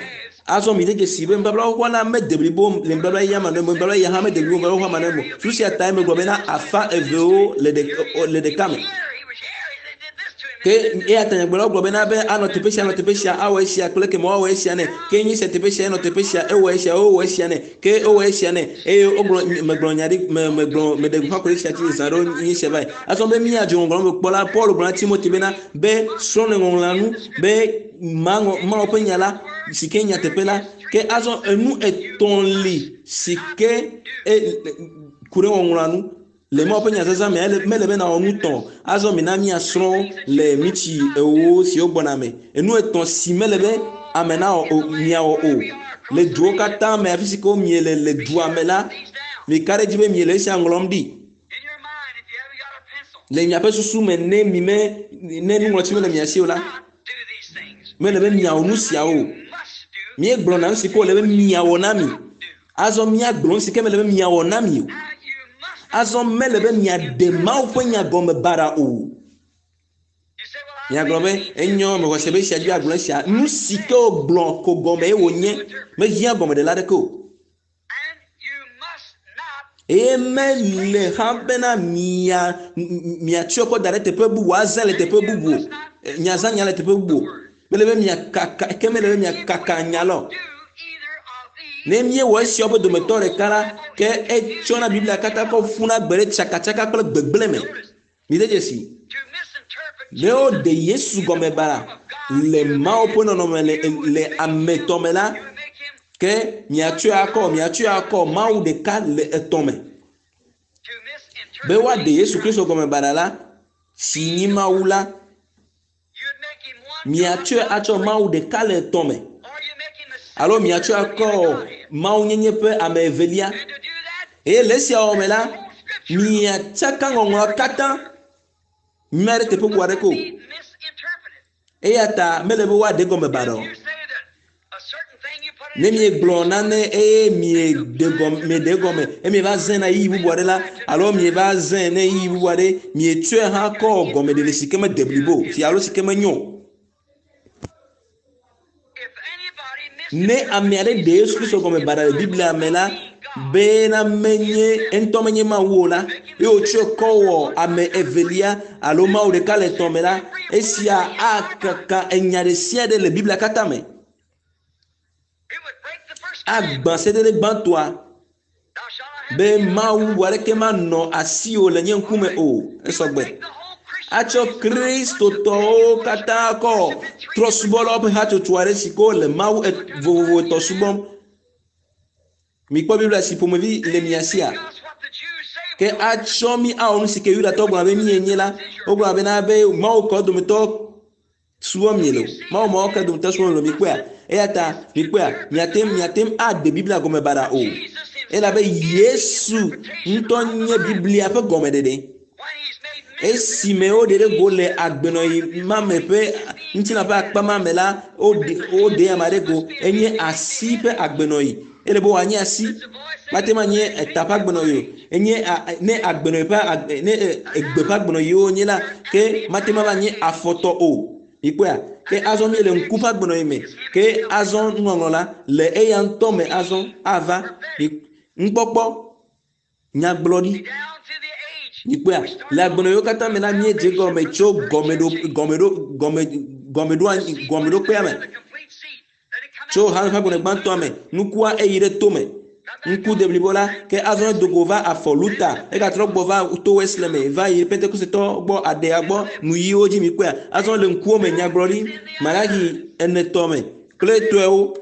Speaker 1: Azɔ mide dzesi be nubabla xoxoa la mede blibo le nubabla yeyea me nɔ nubabla yeyea hã mede blibo nubabla xoxoa me nɔ o. Susu sia tae megblɔ bena afã evewo le ɖeka le ɖeka me. Ke eya ta nyagblɔɖilawo gblɔ bena be anɔ teƒe sia anɔ teƒe sia awɔ esia kple ekema woawɔ esia nɛ. Ke nye sia teƒe sia enɔ teƒe sia ewɔ esia wowɔ esia nɛ. Ke wowɔ esia nɛ eye wogblɔ megblɔ nya ɖi me megblɔ meɖe gbeƒã ku ɖe esia dzi zã ɖewo nye esia va yi. Azɔ be míadzro ŋɔŋlɔ me kpɔ la, Paul gblɔ na Timothy bena be srɔ̃ le ŋɔŋlɔa nu be maŋɔ Mawu ƒe nya la si ke nyateƒe la. Ke azɔ enu etɔ̃ li si ke e, ku ɖe ŋɔŋlɔa nu. Le Mawu ƒe nya zazã mea, ele, mele be nàwɔ nu tɔ̃. Azɔ mina míasrɔ̃ le mitsi ewo siwo gbɔna me. Enu etɔ̃ si mele be ame nawɔ o, miawɔ o. Le duwo katã me, afi si ke miele le dua me la, mika ɖe edzi be miele esia ŋlɔm ɖi. Le miaƒe susu me ne mi me, ne nuŋlɔtsi mele mia si o la, mele be miawɔ nu siawo o. Míegblɔna nu si ke wòle be miawɔ na mi. Azɔ míagblɔ nu si ke mele be miawɔ na mi o. Azɔ mele be miaɖe Mawu ƒe nya gɔme baɖa o. Miagblɔ be, Enyo, mexɔ se be esia dzi agblɔ esia. Nu si ke wògblɔ ko gɔmee wònye. Mehiã gɔmeɖela aɖeke o. Eye mele hã bena mia miatsɔe kɔ da ɖe teƒe bubu, azã le teƒe bubu o. Miazã nya le teƒe bubu o. Mele be miakaka, ke mele be miakaka nya la o. Ne míewɔ esiawo ƒe dometɔ ɖeka la, ke etsɔna Biblia katã kɔ ƒuna gbe ɖe tsakatsaka kple gbegblẽ me. Mide dzesi. Ne woɖe Yesu gɔme bara le Mawu ƒe nɔnɔme le, le ame etɔ̃ me la, ke miatsɔe akɔ, miatsɔe akɔ Mawu ɖeka le etɔ̃ me. Be woaɖe Yesu Kristo gɔme bara la, si nyi Mawu la, Miatsɔe atsɔ Mawu ɖeka le etɔ̃ me, alo miatsɔe akɔ mawunyenye ƒe ame evelia. Eye le esia wɔwɔ me la, miatsaka ŋɔŋlɔa katã nyuie ɖe teƒe bubu aɖeke o. Eya ta mele be woaɖe egɔme baɖa o. Ne miegblɔ nane eye mieɖe gɔme, mieɖe egɔme eye mieva zãe na ɣeyiɣi bubu aɖe la, alo mieva zãe ne ɣeyiɣi bubu aɖe, mietsɔe hã kɔ gɔmeɖeɖe si ke mede blibo o, si alo si ke menyo o. Ne ame aɖe ɖe Yesu Kristo gɔme baɖa le Biblia me la, bena menye eŋutɔ menye Mawu o la, eye wòtsɔe kɔ wɔ ame evelia alo Mawu ɖeka le etɔ̃ me la, esia akaka enya ɖe sia ɖe le Biblia katã me. Agbã sedede gbãtɔa be Mawu bubu aɖeke manɔ asiwò le nye ŋkume o. Esɔgbe. Atsɔ Kristotɔwo katã kɔ trɔsubɔlawo ƒe hatsotso aɖe si ke wole Mawu vovovo etɔ̃ subɔm. Mikpɔ Biblia si ƒomevi le mia sia. Ke atsɔ mi awɔ nu si ke Yudatɔ gblɔna be míenye la. Wogblɔna bena be Mawu kɔ dometɔ subɔm miele o. Mawu mawo ke dometɔ subɔm miele o. Mikpɔea? Eya ta mikpɔea? Miate miate ŋu aɖe Biblia gɔme baɖa o. Elabe Yesu ŋutɔ nye Biblia ƒe gɔmeɖeɖe. Esime woɖe ɖe go le agbenɔɣi ma me ƒe ŋutilã ƒe akpa ma me la, woɖe woɖe ame aɖe go. Enye asi ƒe agbenɔɣi. Ele be wòanye asi. Mate ŋu anye eta ƒe agbenɔɣi o. Enye ne agbenɔɣi ƒe agbe ne egbe ƒe agbenɔɣi wonye la, ke mate ŋu ava nye afɔtɔ o. Mikpɔea? Ke azɔ míele ŋku ƒe agbenɔɣi me. Ke azɔ nuŋɔŋlɔ la le eya ŋutɔ me azɔ ava. Nukpɔkpɔ Nyagblɔɖi. Mikpɔea? Le agbenɔɣiwo katã me la, míedze egɔme tso gɔmeɖo, gɔmeɖo, gɔme, gɔmeɖoanyi, gɔmeɖokpea me. Tso hame ƒe agbenɔ gbãtɔa me. Nukua eyi ɖe to me. Ŋku deblibo la, ke azɔ edo go va afɔ Luta, egatrɔ gbɔ va to Wesley me, va yi Pentekosetɔ gbɔ, aɖea gbɔ, nuyiwo dzi mikpɔea? Azɔ le ŋkuwo me, nyagblɔɖi, Malaki enetɔ me, kple tɔewo.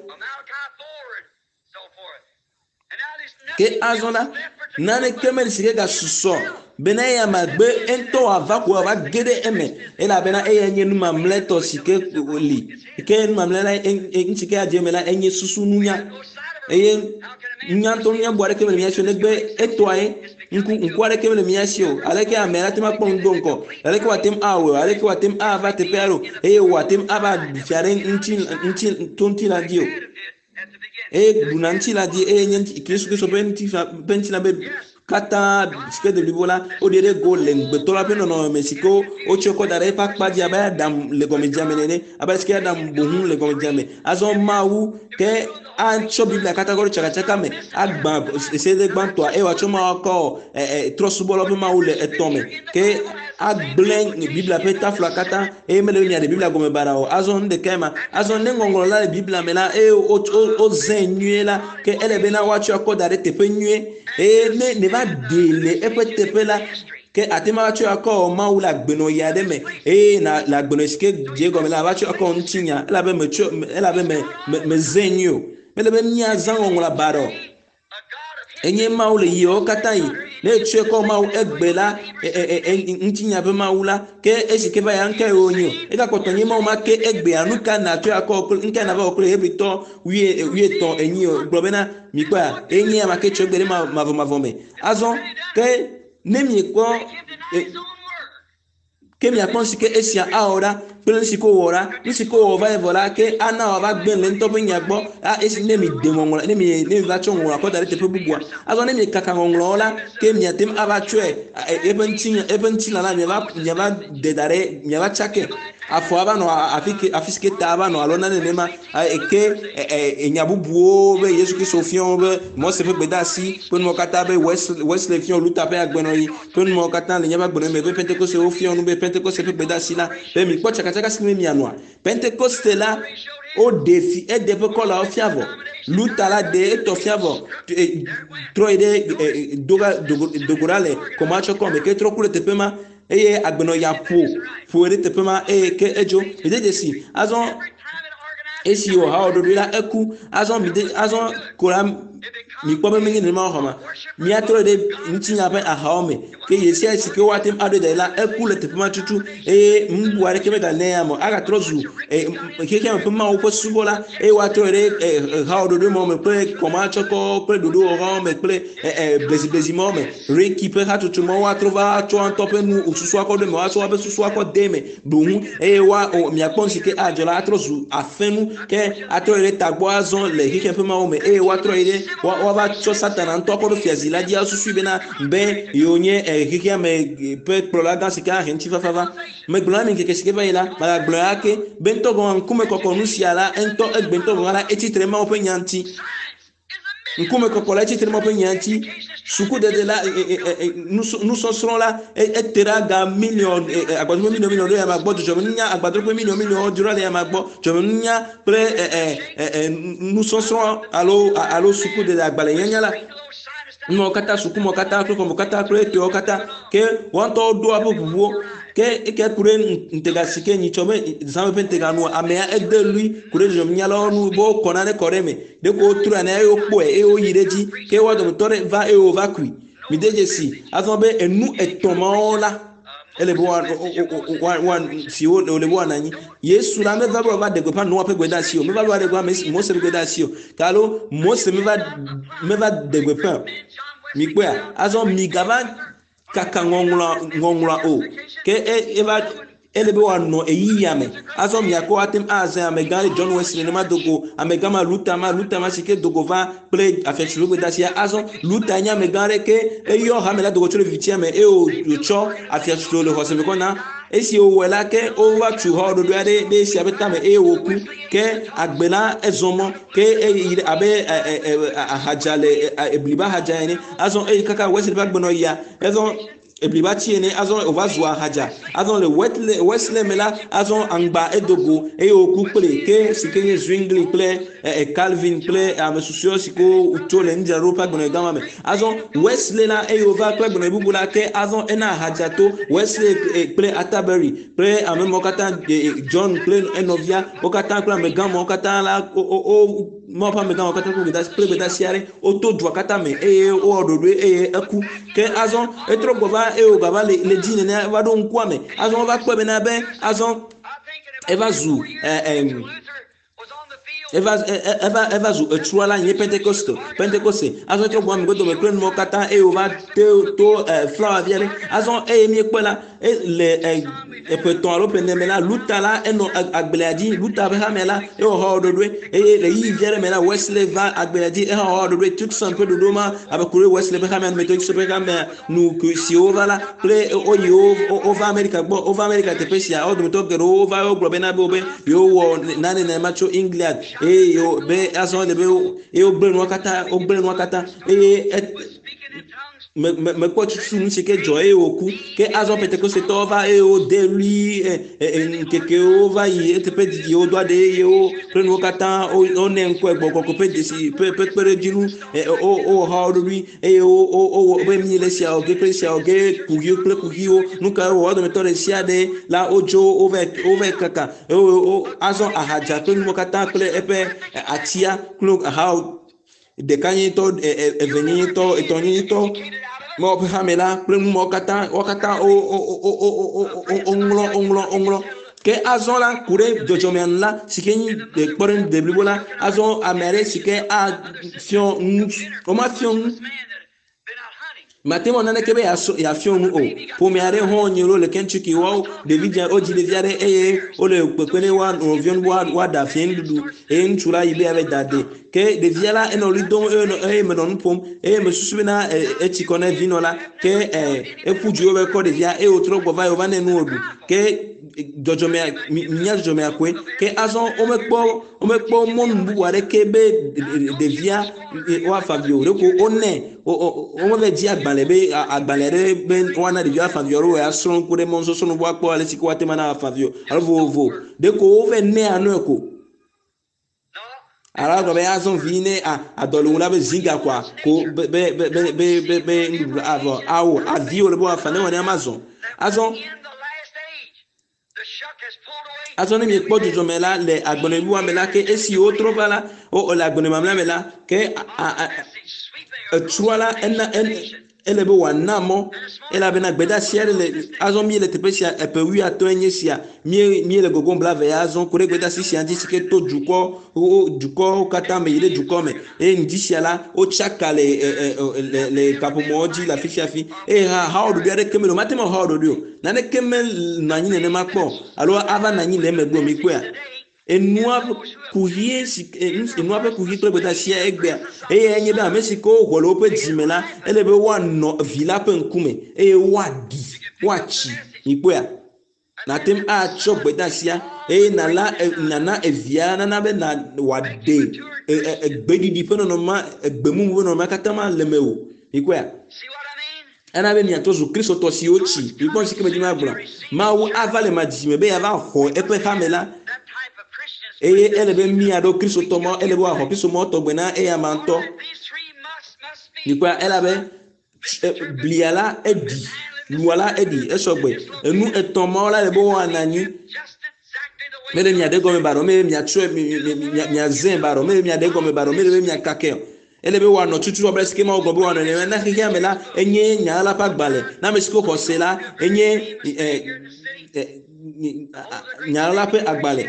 Speaker 1: Ke azɔ la, Naneke meli si ke gasusɔ bena eya magbe ŋutɔ wòava ko wòava ge ɖe eme elabena eya nye nu mamlɛtɔ si ke li. Ke nu mamlɛ la ŋuti ke adze eme la enye susu nunya eye nunya ŋutɔ nunya bu aɖeke mele mía si o negbe etɔa ye. Ŋku ŋku aɖeke mele mía si o. Aleke ame la te ŋu akpɔ nu do ŋgɔ? Aleke wòate ŋu awɔe? Aleke wòate ŋu ava teƒe aɖe o? Eye wòate ŋu ava ɖu fia ɖe ŋuti ŋuti to ŋutilã dzi o. Eye ɖuna ŋutilã dzi eye nye Yesu Kristo ƒe ŋutilã ƒe ŋutilã be katã si ke de blibo la, woɖe ɖe go le ŋugbetɔ la ƒe nɔnɔme si ke wotsɔe kɔ da ɖe eƒe akpa dzi abe Adam le gɔmedzea me nene, abe ale si ke Adam boŋ le gɔmedzea me. Azɔ Mawu ke atsɔ Biblia katã kɔ ɖe tsakatsaka me, agbã sedede gbãtɔa eye wòatsɔ Mawu akɔ trɔ̃subɔlawo ƒe Mawu le etɔ̃ me ke agblẽ Biblia ƒe tafla katã eye mele be miaɖe Biblia gɔme baɖa o. Azɔ nu ɖekae ma. Azɔ ne ŋɔŋlɔ la le Biblia me la eye wozãe nyuie la, ke ele bena woatsɔe akɔ da ɖe teƒe nyuie eye ne neva ɖee le eƒe teƒe la, ke ate ŋu atsɔe akɔ wɔ Mawu le agbenɔɣi aɖe me eye na le agbenɔɣi si ke dze egɔme la, ava tsɔe akɔ wɔ ŋutinya elabe metsɔ elabe me me mezãe nyuie o. Mele be míazã ŋɔŋlɔa baɖa o. Enye Mawu le yiwo katã yi. Ne etsɔe kɔ Mawu egbe la, ŋutinya ƒe Mawu la, ke esi ke va ya ŋkae wònye o. Egakpɔtɔ nye Mawu ma ke egbea, nu ka nàtsɔe akɔ kple ŋkae nàva wɔ kple Hebritɔ wuie wuietɔ̃ enyi o. Gblɔ bena mikpɔa, enye ame ke tsɔ egbe ɖe mavɔmavɔ me. Azɔ ke ne miekpɔ ke miakpɔ nu si ke esia awɔ ɖa kple nu si ke wòwɔ ɖa. Nu si ke wòwɔ va yi vɔ la ke ana wòava gblẽ le ŋutɔ ƒe nya gbɔ. A esi ne mi de ŋɔŋlɔ ne mi ne mi va tsɔ ŋɔŋlɔa kɔ da ɖe teƒe bubua. Azɔ ne mi kaka ŋɔŋlɔwo la ke miate ŋu ava tsɔe eƒe ŋutinya eƒe ŋutilã la miava miava de da ɖe miava tsake. Afɔ ava nɔ afi ke afi si ke ta ava nɔ alo nane nenema ke enya bubuwo be Yesu Kristo fia wo be Mose ƒe gbedeasi ƒe numawo katã be Wesley fia Luther ƒe agbenɔɣi ƒe numawo katã le míaƒe agbenɔɣi me be Pentekoste wo fia nu be Pentekoste ƒe gbedeasi la be mikpɔ tsakatsaka si me mianɔa. Pentekoste la woɖe fi eɖe eƒe kɔlawo fia vɔ. Luther la ɖe etɔ fia vɔ. Trɔ yi ɖe doga dogo ɖa le kɔmatsɔ kɔme ke trɔ ku ɖe teƒe ma eye agbenɔɣia ƒo ƒo ɖe teƒe ma eye ke edzo. Mide dzesi azɔ esi wòha wɔ ɖoɖoe la eku azɔ mide azɔ ko la mikpɔ be menye nenema wòxɔ ma. Míatrɔ ɖe ŋutinya ƒe ahawo me ke ɣe sia ɣi si ke woate ŋu aɖoe da ɖi la eku le teƒe ma tutu eye nu bubu aɖeke megale ya me o. Agatrɔ zu xexea me ƒe Mawu ƒe subɔla eye woatrɔ ɖe hawo ɖoɖoe mawo me kple kɔmatsɔkɔ kple ɖoɖowɔhawo me kple bleziblezi mawo me. Reiki ƒe hatsotso mawo woatrɔ va tsɔ ŋutɔ ƒe nu susua kɔ ɖo eme woatsɔ woƒe susua kɔ de eme boŋ eye woa miakpɔ nu si ke adzɔ la atrɔ zu afenu ke atrɔ yi ɖe tagbɔ azɔ le xexea ƒe Mawu me eye woatrɔ yi ɖe woava tsɔ Satana ŋutɔ kɔ ɖo fiazi la dzi asusui bena be yewo nye xexea me ƒe kplɔla gã si ke ahe ŋutifafa va. Megblɔ na mi ŋkeke si ke va yi la, magagblɔe ake be ŋutɔ gɔ̃ ŋkume kɔkɔ nu sia la ŋutɔ egbe ŋutɔ gɔ̃ la etsitre Mawu ƒe nya ŋuti. Ŋkume kɔkɔ la etsitre Mawu ƒe nya ŋuti. Sukudede la nusɔsrɔ̃ la ete ɖe aga miliɔn agbadroƒe miliɔn miliɔn ɖo ya ma gbɔ dzɔdzɔmenunya agbadroƒe miliɔn miliɔn dzro le ya ma gbɔ dzɔdzɔmenunya kple nusɔsrɔ̃ alo alo sukudede agbalẽnyanya la nuwo katã sukumɔ katã kple xɔmɔ katã kple etɔewo katã ke woa ŋutɔwo ɖo woƒe ʋuʋuwo ke eke ku ɖe ŋutega si ke nyitsɔ be zã ƒe ŋutega nua amea ede lui ku ɖe dzɔdzɔmenunyalawo nu be wokɔ nane kɔ ɖe eme ɖeko wotrɔe ane eye wokpɔe eye woyi ɖe edzi ke woa dometɔ ɖe va eye wova kui. Mide dzesi azɔ be enu etɔ̃ mawo la ele be woa woa si wo le be woanɔ anyi. Yesu la meva be wòava ɖe gbeƒã Noa ƒe gbedeasi o, meva be wòaɖe gbeƒã Mose ƒe gbedeasi o, ke alo Mose meva meva ɖe gbeƒã o. Mikpɔea? Azɔ migava kaka ŋɔŋlɔa ŋɔŋlɔa o. Ke eva ele be wòanɔ ɣeyiɣia me. Azɔ miakɔ ate ŋu azã amegã ɖe John Wesley nenema dogo amegã ma Luther ma Luther ma si ke dogo va kple afiatsotso gbedeasia. Azɔ Luther nye amegã ɖe ke eyɔ hame la dogo tso le vivitia me eye wòtsɔ afiatsotso le xɔse me kɔ na. Esi wòwɔe la ke wova tu xɔ ɖoɖoe aɖe ɖe esia ƒe tame eye wòku. Ke agbe la ezɔ mɔ ke eyi ɖe abe ahadza le ebliba hadza ene. Azɔ eyi kaka Wesley ƒe agbenɔɣia ezɔ. Ebliba tsi ene azɔ wòva zu ahadza. Azɔ le Wesley me la, azɔ aŋgba edo go eye wòku kple ke si ke nye Zwingli kple Calvin kple ame susɔewo si ke wotso le nudzraɖoƒe ƒe agbenɔɣi gã ma me. Azɔ Wesley la eye wòva kple agbenɔɣi bubu la ke azɔ ena ahadza to Wesley kple Atterbury kple ame mawo katã, John kple enɔvia wo katã kple amegã mawo katã la wo Mawu ƒe amegã mawo katã kple gbedeasi aɖe woto dua katã me eye wowɔ ɖoɖoe eye eku. Ke azɔ etrɔ gbɔ va eye wògava le le dzi nenea eva ɖo ŋkua me. Azɔ wova kpɔe bena be azɔ eva zu ɛ eva eva eva zu etsua la nye Pentekoste Pentekoste. Azɔ etrɔ gbɔ ame dome kple nuwo katã eye wòva te to flawa vi aɖe. Azɔ eye míekpɔe la le eƒe etɔ̃ alo ƒe ene me la, Luther la enɔ agblea dzi, Luther ƒe hame la ewɔ xɔ ɖoɖoe eye le ɣeyiɣi vi aɖe me la, Wesley va agblea dzi ehã xɔ ɖoɖoe. Tucson ƒe ɖoɖo ma abe ku ɖe Wesley ƒe hamea nu, Methodist ƒe hamea nu siwo va la kple woyi wova Amerika gbɔ, wova Amerika teƒe sia, wo dometɔ geɖewo va wogblɔ bena be wobe yewowɔ nane nenema tso England eye yewo be azɔ ele be eye wogblẽ nua katã, wogblẽ nua katã eye me me mekpɔ tutu nu si ke dzɔ eye wòku. Ke azɔ Pentekostetɔwo va eye wode ɣli ŋkekewo va yi eteƒe didi wodo aɖe eye wo kple nuwo katã wonɛ ŋkɔe gbɔgbɔ ƒe dzesi ƒe ƒe kpeɖodzinu wowɔ ha wo ɖokui eye wowɔ be mi le sia wɔ ge kple sia wɔ ge kuxiwo kple kuxiwo. Nu ka wowɔ wo dometɔ ɖe sia ɖe la wodzo wova wova kaka eye azɔ ahadza kple nuwo katã kple eƒe atia kple ahawo ɖekanyenyetɔ, evenyenyetɔ, etɔ̃nyenyetɔ, Mawu ƒe hame la kple nu mawo katã, wo katã woŋlɔ, woŋlɔ, woŋlɔ. Ke azɔ la, ku ɖe dzɔdzɔmea nu la, si ke nyi kpɔɖeŋu deblibo la, azɔ ame aɖe si ke afiɔ nu, womafiɔ nu Mate ŋu awɔ naneke be yeafiɔ nu o. Ƒome aɖe hã wonye ɖo le Kentucky woawo ɖevi dze wodzi ɖevi aɖe eye wole kpekpe ne woa nɔviwo nu be woaɖa fiẽ nuɖuɖu eye ŋutsu la yi be yeava da ade. Ke ɖevia la enɔ ɣli dom eye menɔ nu ƒom eye mesusu bena etsi kɔ ne vinɔ la ke eƒu du ye wova kɔ ɖevia eye wòtrɔ gbɔ va yi wova nɛ nu wòɖu. Ke dzɔdzɔmea nya dzɔdzɔmea koe. Ke azɔ womekpɔ womekpɔ mɔnu bubu aɖeke be ɖevia woafa vi o. Ɖeko wonɛ womeva di agbalẽ be agbalẽ aɖe be woana ɖevia afa vi alo yeasrɔ̃ ku ɖe mɔnusɔsrɔ̃ nu woakpɔ ale si ke woate ŋu ana afa vi o alo vovovo. Ɖeko wova nɛ anɔe ko. Alo agblɔ be azɔ vi ne adɔ le ŋu la be zi gakɔa ko be be be be be be nuɖuɖu avɔ awo avi wòle be woafa ne wɔ ne ama zɔ. Azɔ Azɔ ne miekpɔ dzudzɔme la le agbenɔɖuɖua me la, ke esi wotrɔ va la, wo le agbenɔ mamlea me la, ke etrɔa la ena ele be wòana mɔ elabena gbedeasi aɖe le azɔ míele teƒe sia eƒe wuiatɔ̃e nye sia mí míele gogom blaeve ya azɔ ku ɖe gbedeasi sia ŋuti si ke to dukɔ wo dukɔwo katã me yi ɖe dukɔ me eye ŋdi sia la wotsaka le le le kaƒomɔwo dzi le afi sia afi eye hã hawoɖoɖo aɖeke mele o mate ŋu awɔ hawoɖoɖo o naneke menɔ anyi nenema kpɔ o alo ava nɔ anyi le emegbe o mikpɔea enua kuxie si enua ƒe kuxi kple gbedeasia egbea eye enye be ame si ke woxɔ le woƒe dzi me la ele be woanɔ vi la ƒe ŋkume eye woaɖi woatsi mikpɔea Nàte ŋu atsɔ gbedeasia eye nàla nàna evia nana be na wòaɖe egbeɖiɖi ƒe nɔnɔme egbemumu ƒe nɔnɔmea katã ma le mewò. Mikpɔea? Ena be miatrɔ zu Kristotɔ siwo tsi. Mikpɔ nu si ke medi be magblɔa? Mawu ava le ma dzidzime be yeava xɔ eƒe hame la eye ele be míaɖo Kristotɔ ma, ele be woaxɔ Kristo mɔ tɔgbe na eyama ŋutɔ. Mikpɔea? Elabe blia la eɖi, lua la eɖi, esɔgbe. Enu etɔ̃ mawo la le be woana anyi. Mele mia ɖe gɔme baɖɔ, mele miatsɔe, miazẽ baɖɔ, mele mia ɖe gɔme baɖɔ, mele be miakakɛ o. Ele be woanɔ tutu abe sike Mawu gblɔ be woanɔ ene. Na xexea me la, enye nya la ƒe agbalẽ. Na ame si ke xɔ se la, enye nya la ƒe agbalẽ.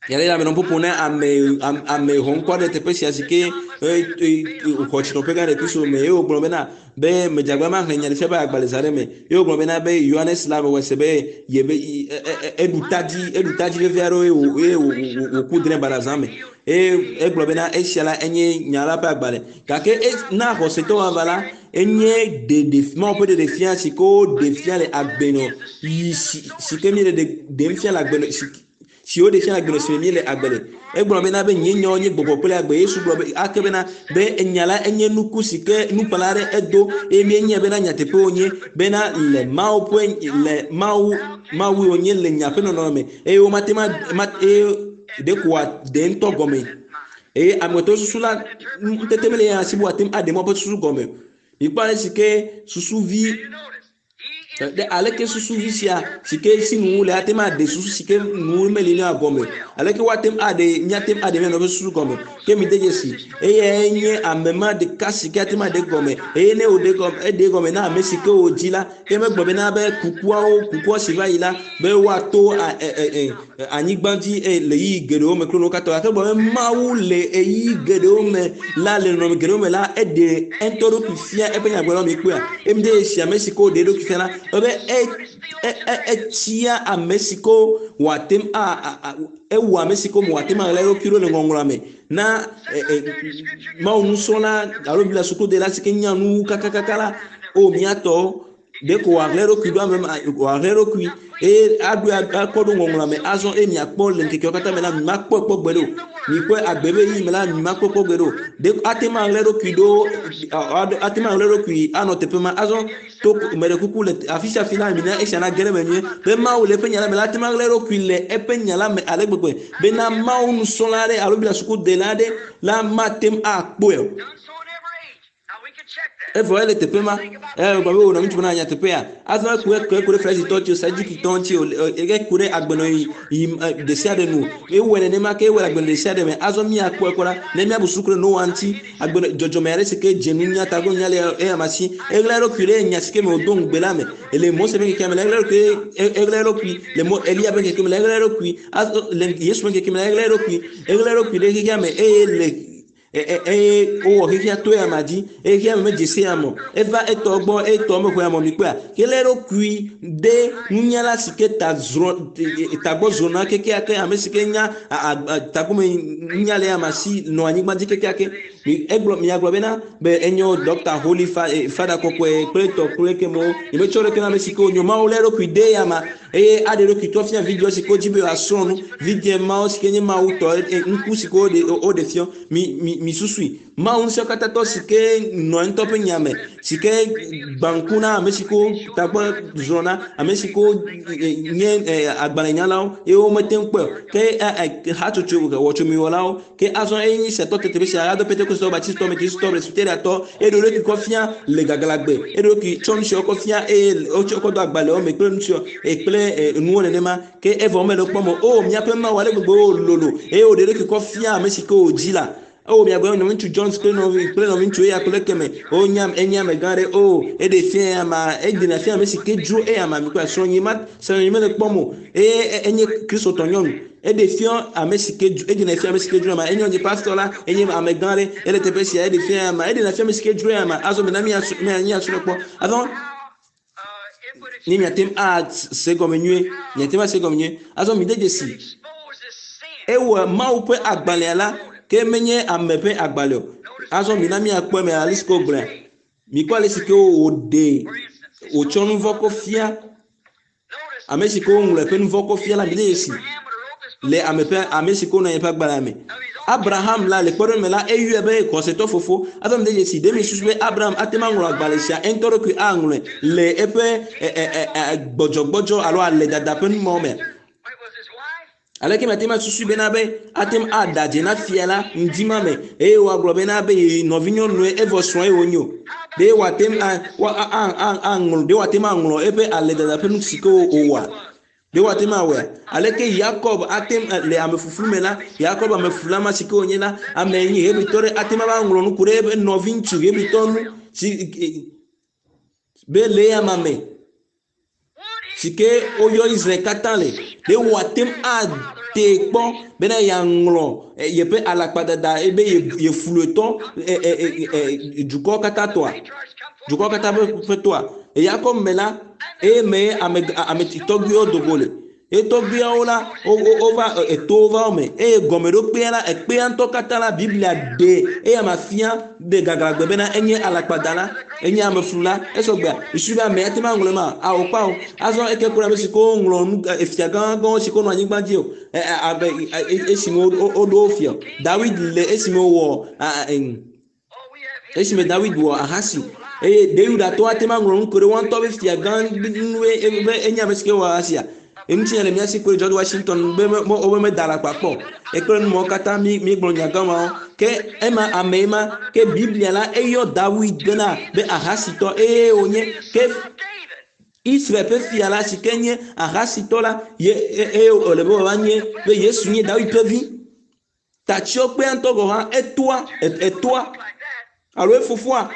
Speaker 1: Yàrá yà menɔ ƒoƒo ne ame ame xɔ ŋkɔ ɖe teƒe sia si ke xɔ tsinɔƒe gã ɖe Kristo me eye wògblɔ bena be medzagba ma xlẽ nyaɖeɖefia ƒe agbalẽ zã ɖe me eye wògblɔ bena be Yohanes la mewɔ se be yebe eɖu tadzi eɖu tadzi vevi aɖewo eye wòku drẽ baɖa zã me eye egblɔ bena esia la enye nya la ƒe agbalẽ gake na xɔsetɔ vava la enye ɖeɖe Mawu ƒe ɖeɖefia si ke woɖe fia le agbenɔ yi si ke míele ɖem fia le agbenɔ si si woɖe fia le agbenɔ si me míele agbe le. Egblɔ bena be nye nyawo nye gbɔgbɔ kple agbe. Yesu gblɔ be ake bena be enya la enye nuku si ke nukpala aɖe edo eye míenyae bena nyateƒe wonye bena le Mawu ƒe le Mawu Mawue wonye le nya ƒe nɔnɔme me eye womate ma ma eye ɖeko wòaɖe ŋutɔ gɔme eye amegbetɔ susu la ŋutete mele ya si be wòate ŋu aɖe Mawu ƒe susu gɔme o. Mikpɔ ale si ke susuvi Ɖe aleke susuvi sia si ke si nu le ate ŋu aɖe susu si ke nu meli na gɔme? Aleke woate ŋu aɖe míate ŋu aɖe mía nɔewo ƒe susu gɔme? Ke mide dzesi, eyae nye ame ma ɖeka si ke ate ŋu aɖe gɔme. Eye ne wòɖe gɔme, eɖe gɔme na ame si ke wòdzi la, ke megblɔ bena be kukuawo, kukua si va yi la, be woato anyigba dzi le ɣeyiɣi geɖewo me kple nuwo katã. Gake egblɔ be Mawu le ɣeyiɣi geɖewo me la, le nɔnɔme geɖewo me la, eɖe eŋutɔ ɖokui fia eƒe nyagblɔɖilawo mikpɔea? Eye mide dzesi ame si ke wòɖe eɖokui fia la, ebe etsia ame si ke wòate ŋu a ewɔ ame si ke wòate ŋu aɣla eɖokui ɖo le ŋɔŋlɔa me na Mawu nusrɔ̃la alo Biblia sukudela si ke nya nu kakakaka la, o míatɔwo Ɖeko wòahlẽ eɖokui ɖo ame ma, wòahlẽ eɖokui eye aɖoe akɔ ɖo ŋɔŋlɔa me azɔ eye miakpɔ le ŋkekeawo katã me la, mimakpɔe kpɔ gbeɖe o. Mikpɔe agbe be ɣeyiɣi me la, mimakpɔe kpɔ gbeɖe o. Ɖeko ate ŋu aɣla eɖokui ɖo, ate ŋu aɣla eɖokui anɔ teƒe ma. Azɔ to meɖe kuku le afi sia afi la, mina esia nage ɖe eme nyuie be Mawu le eƒe nya la me la, ate ŋu aɣla eɖokui le eƒe nya la me ale gbegbe bena Mawu nusrɔ̃la aɖe alo Biblia sukudela aɖe la mate ŋu akpɔe o. Evɔ ele teƒe ma. Eya gblɔ be wò nɔvi ŋutsu bena nyateƒea. Azɔ eku eku eku ɖe Farisitɔ ŋuti o, Sadukitɔ ŋuti o, eku ɖe agbenɔɣi yi ɖe sia ɖe nu. Ewɔe nenema ke ewɔe le agbenɔɣi ɖe sia ɖe me. Azɔ míakpɔe kpɔ ɖa ne míabu susu ku ɖe Noa ŋuti. Agbenɔ dzɔdzɔme aɖe si ke dze nunya tagbɔnunya le eya ma si. Eɣla eɖokui ɖe nya si ke me wòdo ŋugbe la me. Le Mose ƒe ŋkekea me la, eɣla eɖokui eɣla eɖokui le Mo Eliya ƒe ŋkeke me la, eɣla eɖokui. Azɔ le Yesu ƒe ŋkeke me la, eɣla eɖokui. Eɣla eɖokui ɖe xexea me eye le eye wowɔ xexea to ya ma dzi eye xexea me medze se ame o. Eva etɔ gbɔ eye etɔ mexɔe ame o. Mikpɔea? Ke lé eɖokui de nunyala si ke ta zrɔ̃ tagbɔ zrɔ̃na kekeake, ame si ke nya tagbɔme nunya le ama si nɔ anyigba dzi kekeake. Egblɔ miagblɔ bena be enyo Dɔkta Holy Fada kɔkɔe kple tɔ kple kemewo. Nyemetsɔ ɖeke na ame si ke wonyo. Mawu lé eɖokui de ya ma eye aɖe eɖokui trɔ fia vidzĩwo si ke wodzi be yewoasrɔ̃ nu. Vidzĩ mawo si ke nye Mawu tɔ, ŋku si ke woɖe woɖe fiɔ. Mi, mi, mi susui. Mawu ŋusẽkatãtɔ si ke nɔ ŋutɔ ƒe nya me, si ke gbã ŋku na ame si ke tagbɔ zrɔ̃ na, ame si ke nye agbalẽnyalawo eye womete ŋu kpɔe o. Ke hatsotso wɔtsomiwɔlawo Ke azɔ eye nyi setɔ teteƒe sia ado Pentekostɔ, Baptistɔ, Metodistɔ, Presbyteriatɔ, eɖo ɖokui kɔ fia le gaglãgbe, eɖo ɖokui tsɔ nusiawo kɔ fia eye wotsɔ kɔ do agbalẽwo me kple nusiawo kple nuwo nenema. Ke evɔ womele wokpɔm o. O, míaƒe Mawu ale gbegbe o lolo eye wòɖe eɖokui kɔ fia ame si ke wòdzi la. O, miagblɔ nɔviŋutsu Jones kple nɔvi kple nɔviŋutsu eya kple ekeme. O, nye enye amegã aɖe. O, eɖe fia eya ma, eɖena fia ame si ke dzro eya ma. Mikpɔe, srɔ̃nye ma, srɔ̃nye mele kpɔm o. Eye enye Kristotɔ nyɔnu. Eɖe fia ame si ke dzro, eɖena fia ame si ke dzro ama. Enye nye pastor la, enye ame gã aɖe, ele teƒe sia, eɖe fia ama. Eɖena fia ame si ke dzro ama. Azɔ mina míasu, míasu kpɔ. Azɔ ne miate ŋu ase gɔme nyuie, miate ŋu ase gɔme nyuie. Azɔ mide dzesi, ewɔ Mawu ƒe agbalẽa la, ke menye ame ƒe agbalẽ o. Azɔ mina míakpɔ eme ale si ke wogblɔe. Mikpɔ ale si ke wòɖe, wòtsɔ nu vɔ̃ kɔ fia Ame si ke woŋlɔ eƒe nu vɔ̃ kɔ fia la, mide dzesi le ame ƒe ame si ke wonɔ anyi ƒe agbalẽa me. Abraham la le kpɔɖeŋu me la, eyɔe be xɔsetɔ fofo. Azɔ mide dzesi, ɖe miesusu be Abraham ate ŋu aŋlɔ agbalẽ sia eŋutɔ ɖokui aŋlɔe le eƒe gbɔdzɔgbɔdzɔ alo aledada ƒe nu mawo mea? Aleke miate ŋu asusui bena be ate ŋu aɖa dze na fia la ŋdi ma me eye wòagblɔ bena be ye nɔvinyɔnue evɔ srɔ̃e wònye o? Ɖe wòate ŋu aŋlɔ ɖe wòate ŋu aŋlɔ eƒe aledada ƒe nu si ke wòwɔa? Ɖe wòate ŋu awɔea? Aleke Yakob ate ŋu le amefuflu me la, Yakob ameflula ma si ke wònye la, ame enyi Hebritɔ ɖe ate ŋu ava ŋlɔ nu ku ɖe eƒe nɔviŋutsu Hebritɔ ŋu si be le eya ma me? si ke woyɔ Israel katã le, ɖe wòate ŋu atee kpɔ bena yeaŋlɔ yeƒe alakpadada ebe yefluetɔ dukɔwo katã tɔa, dukɔwo katã ƒe ƒe tɔa. Le Yakob me la, eye mee ame ame tɔgbuiwo do go le. Etɔgbuiawo la, wova etowo va wo me eye gɔmeɖokpea la, ekpea ŋutɔ katã la, Biblia ɖe eya ma fia ɖe gaglãgbe bena enye alakpadala, enye ameflula. Esɔgbea, susu be ame ate ŋu aŋlɔe ma? Ao kpao. Azɔ eke ku ɖe ame si ke woŋlɔ nu efia gãgãwo si ke wonɔ anyigba dzi o. Abe esime woɖo wo fia. Dawid le esime wowɔ esime Dawid wɔ ahasi eye ɖe Yudatɔwo ate ŋu aŋlɔ nu ku ɖe woa ŋutɔ be fia gã nue be enye ame si ke wɔ ahasia? Eŋutinya le mía si kple George Washington be wobe meda alakpa kpɔ o. Ekple nu mawo katã mí míegblɔ nya gã mawo. Ke ema ame ma ke Biblia la eyɔ Dawid bena be ahasitɔ eye wònye ke Israel ƒe fia la si ke nye ahasitɔ la ye eye wòle be wòava nye be Yesu nye Dawid ƒe vi. Tatsyɔkpea ŋutɔ gɔ̃ hã etoa etoa alo efofoa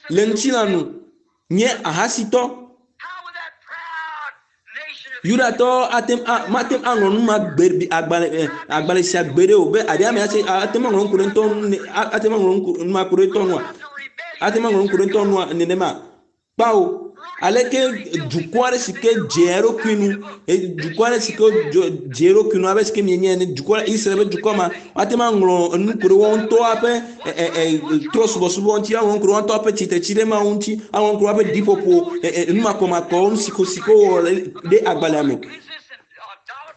Speaker 1: le ŋutilã nu nye ahasitɔ. Yudatɔwo ate ŋu a mate ŋu aŋlɔ nu ma gbe agbalẽ agbalẽ sia gbeɖe o be aɖe ame ate ate ŋu aŋlɔ nu ku ɖe ŋutɔ nu ate ŋu aŋlɔ nu ma ku ɖe ŋutɔ nua? Ate ŋu aŋlɔ nu ku ɖe ŋutɔ nua nenema? Kpao. Aleke dukɔ aɖe si ke dze eɖokui nu, dukɔ aɖe si ke dze eɖokui nu abe si ke mienye ene, dukɔ Israel ƒe dukɔ ma, woate ŋu aŋlɔ nu ku ɖe woawo ŋutɔ ƒe trɔ̃subɔsubɔ ŋuti, woaŋlɔ nu ku ɖe woawo ŋutɔ ƒe tsitretsi ɖe Mawu ŋuti, woaŋlɔ nu ku ɖe woaƒe ɖiƒoƒo, numakɔmakɔwo, nu si ko si ke wowɔ ɖe agbalẽa me.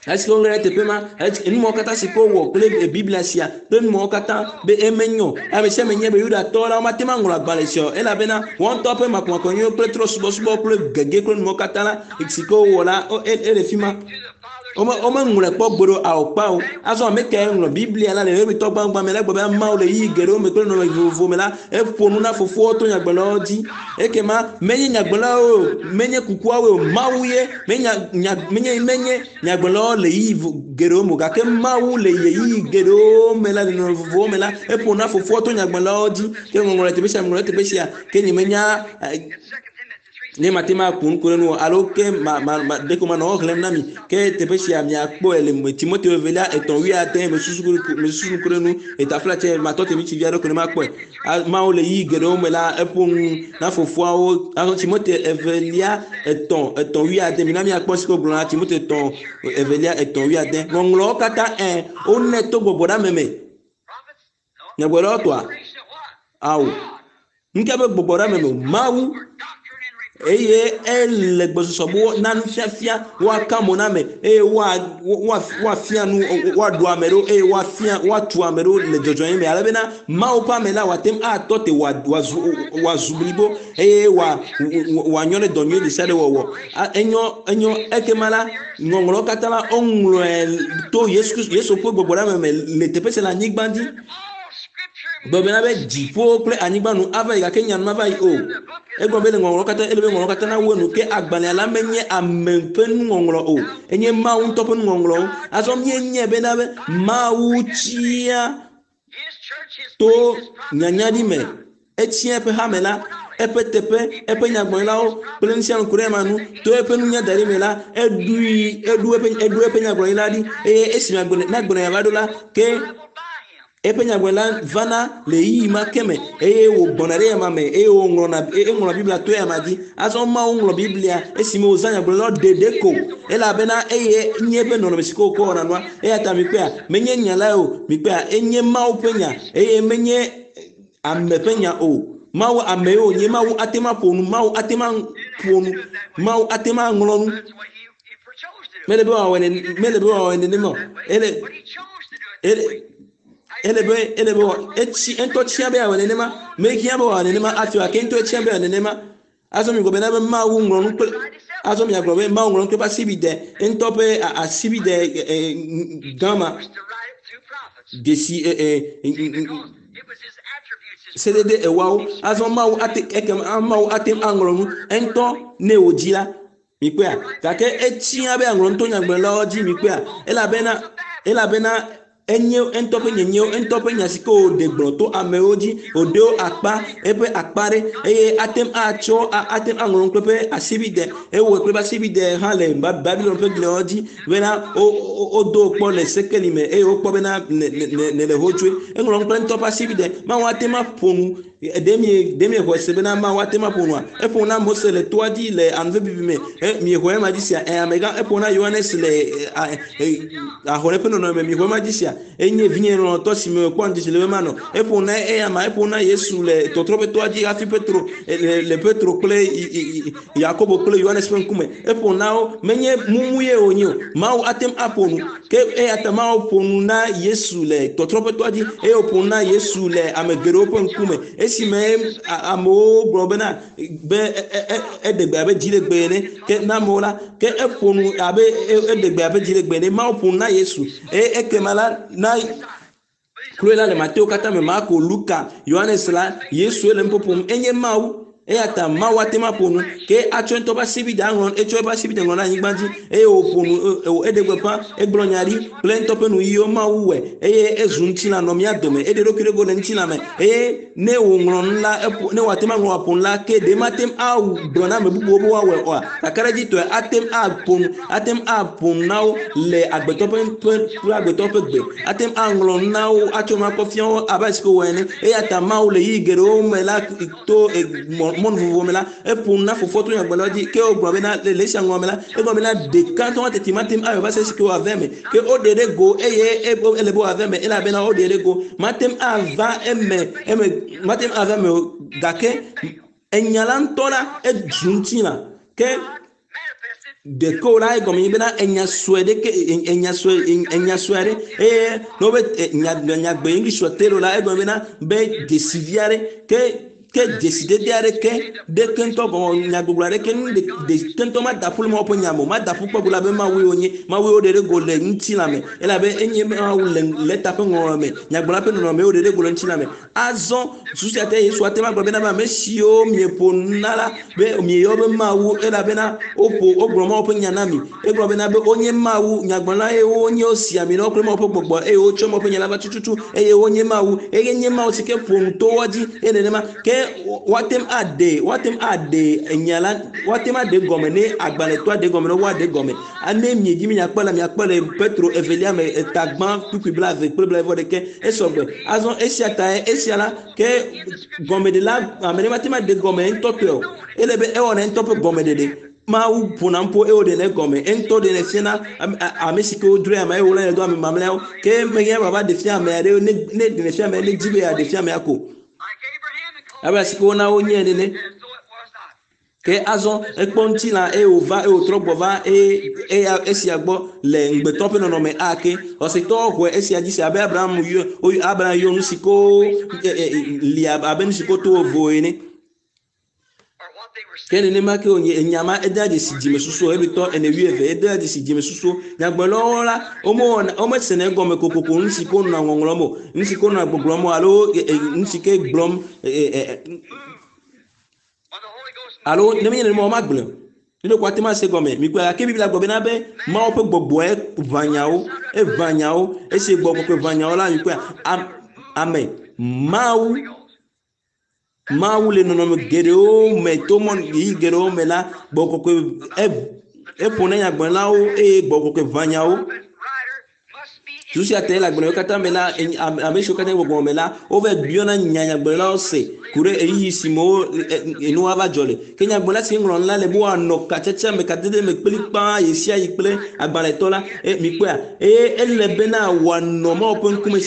Speaker 1: Esi woŋlɔ ɖe teƒe ma, nu mawo katã si ke wowɔ kple Biblia sia kple nu mawo katã be emenyo. Ame sia ame nya be Yudatɔwo la womate ŋu aŋlɔ agbalẽ sia o elabena woawo ŋutɔ ƒe makɔmakɔnyenye kple trɔ̃subɔsubɔ kple gege kple nu mawo katã la si ke wowɔ la ele fi ma. Womeŋlɔe kpɔ gbeɖe o, ao kpao. Azɔ ame kae ŋlɔ Biblia la le Hebritɔ gbãgbã me la gblɔ be Mawu le ɣeyiɣi geɖewo me kple nɔnɔme vovovo me la eƒo nu na fofoawo to nyagblɔɖilawo dzi. Ekema menye nyagblɔɖilawo o, menye kukuawoe o, Mawu ye. Menye nya, menye, menye nyagblɔɖilawo le ɣeyiɣi geɖewo me o, gake Mawu le ɣeyiɣi geɖewo me la, le nɔnɔme vovovowo me la, eƒo nu na fofoawo to nyagblɔɖilawo dzi. Ke ŋɔŋlɔ le teƒe sia, ŋɔŋlɔ le teƒe sia, ke nyemenya ne mate ŋu aku nu ku ɖe nu o alo ke ma ma ma ɖeko manɔ wo xlẽm na mi ke teƒe sia miakpɔe le me Timoteo evelia etɔ̃ wuiade mesusu mesusu nu ku ɖe nu etafla tse matɔ te mi tsi vi aɖe ko ne makpɔe Mawu le ɣeyiɣi geɖewo me la eƒo nu na fofoawo azɔ Timoteo evelia etɔ̃ etɔ̃ wuiade mina miakpɔ si ke wogblɔ na Timoteo etɔ̃ evelia etɔ̃ wuiade ŋɔŋlɔwo katã ɛ wonɛ to gbɔgbɔ ɖe ame me nyagblɔɖilawo tɔa ao Nuka be gbɔgbɔ ɖe ame me o? Mawu eye ele gbɔsɔsɔ be na nufiafia woaka mo na ame eye woafia nu woaɖo ame ɖo eye woafia woatu ame ɖo le dzɔdzɔenyenye me ale bena Mawu ƒe ame la wòate ŋu atɔ te wòazu wòazu blibo eye wòanyɔ ɖe dɔ nyui ɖe sia ɖe wɔwɔ. Enyɔ enyɔ ekema la ŋɔŋlɔwo katã la woŋlɔe to Yesu Kristo Yesu ƒe gbɔgbɔ ɖe ame me le teƒe sia le anyigba dzi. Gblɔ bena be dziƒo kple anyigba nu ava yi gake nya nu mava yi o. Egblɔ be le ŋɔŋlɔ katã ele be ŋɔŋlɔ katã nawu enu ke agbalẽa la menye ame ƒe nuŋɔŋlɔ o, enye Mawu ŋutɔ ƒe nuŋɔŋlɔwo. Azɔ míenyae bena be Mawu tsia to nyanyaɖi me Etsia eƒe hame la, eƒe teƒe, eƒe nyagblɔɖilawo kple nu sia nu ku ɖe ema nu. To eƒe nunya da ɖi me la, eɖui, eɖo eƒe, eɖo eƒe nyagblɔɖila ɖi eye esi nyagblɔɖila va ɖo la, ke eƒe nyagblɔɖila vana le ɣeyiɣi ma ke me eye wògbɔna ɖe eyama me eye wòŋlɔna, eŋlɔ Biblia to eyama dzi. Azɔ Mawu ŋlɔ Biblia esime wòzã nyagblɔɖilawo ɖeɖe ko elabena eye nye eƒe nɔnɔme si ke wòkɔ wɔna nua. Eya ta mikpɔea, menye nya lae o, mikpɔea, enye Mawu ƒe nya eye menye ame ƒe nya o. Mawu ame ye wònye. Mawu ate ŋu aƒo nu. Mawu ate ŋu aƒo nu. Mawu ate ŋu aŋlɔ nu. Mele be wòawɔe nene, mele be wòawɔe nenema o. Ele, ele, ele be, ele be etsi, eŋutɔ tia be yeawɔe nenema. Mehiã be wòawɔe nenema hafi o gake ŋutɔ etia be yeawɔe nenema. Azɔ migblɔ bena be Mawu ŋlɔ nu kple azɔ miagblɔ be Mawu ŋlɔ nu kple eƒe asibide ŋutɔ ƒe asibide gã ma dzesi sedede ewoawo. Azɔ Mawu ate ekema Mawu ate ŋu aŋlɔ nu eŋutɔ ne wòdzi la. Mikpɔea? Gake etsia be aŋlɔ nu to nyagblɔɖilawo dzi. Mikpɔea? Elabena elabena enye eŋutɔ ƒe nyenyewo, eŋutɔ ƒe nya si ke wòɖe gblɔ to amewo dzi, wòɖe wo akpa, eƒe akpa ɖe eye ate ŋu atsɔ ate ŋu aŋlɔ nu kple eƒe asibide. Ewɔe kple eƒe asibide hã le Babilon ƒe gliawo dzi bena wodo wo kpɔ le sekeli me eye wokpɔ bena nèle hodzoe. Eŋlɔ nu kple eŋutɔ ƒe asibide. Mawu ate ŋu aƒo nu. Ɖe mi ɖe mi xɔe se bena Mawu ate ŋu aƒo nua? Eƒo na Mose le toa dzi le anuvevivi me. E, miexɔe ema dzi sia? Ɛ, amegã eƒo na Yohanes le ahɔne ƒe nɔnɔme. Miexɔe ema dzi sia? Enye vinye lɔlɔ̃tɔ si me mekpɔ ŋudzedze le be manɔ. Eƒo na eyama, eƒo na Yesu le tɔtrɔ ƒe toa dzi hafi Petro le, le Petro kple Yakobo kple Yohanes ƒe ŋkume. Eƒo na wo. Menye mumu ye wònye o. Mawu ate ŋu aƒo nu. Ke eya ta Mawu ƒo nu na Yesu le tɔtrɔ ƒe toa dzi eye wòƒo nu na Yesu le ame geɖewo ƒe ŋkume. Esime amewo gblɔ bena be eɖe gbe abe dziɖegbe ene ke na amewo la, ke eƒo nu abe eɖe gbe abe dziɖegbe ene. Mawu ƒo nu na Yesu eye ekema la na kloe la le Mateo katã me, Marko, Luka, Yohanes la, Yesue le nuƒo ƒom. Enye Mawu. Eya ta Mawu ate ŋu aƒo nu. Ke atsɔ ŋutɔ ƒe asibide aŋlɔ, etsɔ eƒe asibide ŋlɔ ɖe anyigba dzi eye wòƒo nu, eɖe gbeƒã, egblɔ nya ɖi kple ŋutɔ ƒe nuyiwo Mawu wɔe eye ezu ŋutilã nɔ mía dome. Eɖe eɖokui ɖe go le ŋutilã me eye ne wòŋlɔ nu la, eƒo, ne wòate ŋu aŋlɔ aƒo nu la, ke ɖe mate ŋu agblɔ na ame bubuwo be woawɔe oa? Kakaɖedzitɔe ate ŋu aƒo nu, ate ŋu aƒo nu na wo le agbetɔ ƒe ƒe kple agbetɔ ƒe gbe. Ate ŋu aŋlɔ nu na wo, atsɔ nu akɔ fia wo abe ale si wòwɔe ene. Eya ta Mawu le ɣeyiɣi geɖewo me la to mɔnu vovovo me la, eƒo nu na fofoa to nyagblɔɖilawo dzi. Ke wogblɔ bena le esia ŋlɔ me la, egblɔ bena ɖeka ŋutɔ teti mate ŋu awɔe va se esike wòava eme. Ke woɖe ɖe go eye ele be wòava eme elabena woɖe ɖe go. Mate ŋu ava eme eme mate ŋu ava eme o gake enya la ŋutɔ la ezu ŋutilã. Ke ɖeke la egɔme nye bena enya sue ɖeke enya sue enya sue aɖe eye ne wobe nya nyagbe English telo la egɔme bena be dzesivi aɖe ke ke dzesidede aɖeke ɖeke ŋutɔ gɔme nyagbɔgblɔ aɖeke nu ɖe ɖeke ŋutɔ mada ƒu le Mawu ƒe nya me o mada ƒu kpɔ gblɔ be Mawue wònye Mawue woɖe ɖe go le ŋutilã me elabe enye Mawu le lɛta ƒe ŋɔŋlɔ me nyagblɔla ƒe nɔnɔme woɖe ɖe go le ŋutilã me. Azɔ susu sia ta Yesu ate ŋu agblɔ bena ame siwo mieƒo nu na la be mieyɔ be Mawu elabena woƒo wogblɔ Mawu ƒe nya na mi. Egblɔ bena be wonye Mawu nyagblɔla eye wonye wosi ami na wo kple Mawu ƒe gbɔgbɔ eye wotsɔ Mawu ƒe nya la va tututu eye wonye Mawu eye nye Mawu si ke ƒo nu to woa dzi eye nenema ke woate ŋu aɖe woate ŋu aɖe nya la woate ŋu aɖe gɔme ne agbalẽtɔ aɖe gɔme ne woaɖe gɔme. Ne miedi be miakpɔe la miakpɔe le Petro evelia me eta gbã kpukpui blaeve kple blaeve ɖekɛ esɔgbe. Azɔ esia tae esia la ke gɔmeɖela ame ɖe mate ŋu aɖe gɔme ŋutɔ tɔe o. Ele be ewɔna ŋutɔ ƒe gɔmeɖeɖe. Mawu ƒona nuƒo eye wòɖenɛ gɔme. Eŋutɔ ɖenɛ fiana ame si ke wodroe ame eye wòlénɛ do ame mamlɛawo. Ke mehiã be wòava ɖe fia ame aɖe ne ne ɖenɛ fia ame ne edzi be yeaɖe fia amea ko. Abe ale si ke wona wonyae nene. Ke azɔ ekpɔ ŋutilã eye wòva eye wòtrɔ gbɔ va eye eya esia gbɔ le ŋugbetɔ ƒe nɔnɔme ake. Xɔsetɔwo xɔe esia dzi se abe Abraham yɔ Abraham yɔ nu si ko li abe nu si ko to vovo ene. Ke nenema ke wònye enya ma edea dzesi dzimesusuwo Hebritɔ ene wuieve edea dzesi dzimesusuwo. Nyagblɔɖilawo la womewɔna womesena egɔme kokoko nu si ko nɔa ŋɔŋlɔm o, nu si ko nɔa gbɔgblɔm o alo nu si ke gblɔm Alo ne menye nenema o, magblɔe o. Ne ɖeko ate ŋu ase gɔme. Mikpɔe gake Biblia gblɔ bena be Mawu ƒe gbɔgbɔe ʋã nyawo. Eʋã nyawo. Esi gbɔgbɔ kɔkɔe ʋã nyawo la, mikpɔe ame Mawu Mawu le nɔnɔme geɖewo me to mɔ ɣeyiɣi geɖewo me la, gbɔgbɔ kɔkɔe eƒo na nyagblɔɖilawo eye gbɔgbɔ kɔkɔe ʋã nyawo. Susu sia tae le agbalẽwo katã me la, ame siwo katã le gbɔgbɔ me la, wova biɔna nya nyagblɔɖilawo se ku ɖe ɣeyiɣi si me wo nu ava dzɔ le. Ke nyagblɔɖila si ŋlɔ nu la le be woanɔ katsatsa me, kadede me kplikpaa ɣesiaɣi kple agbalẽtɔ la. E, mikpɔea? Eye ele bena wòanɔ Mawu ƒe ŋkume,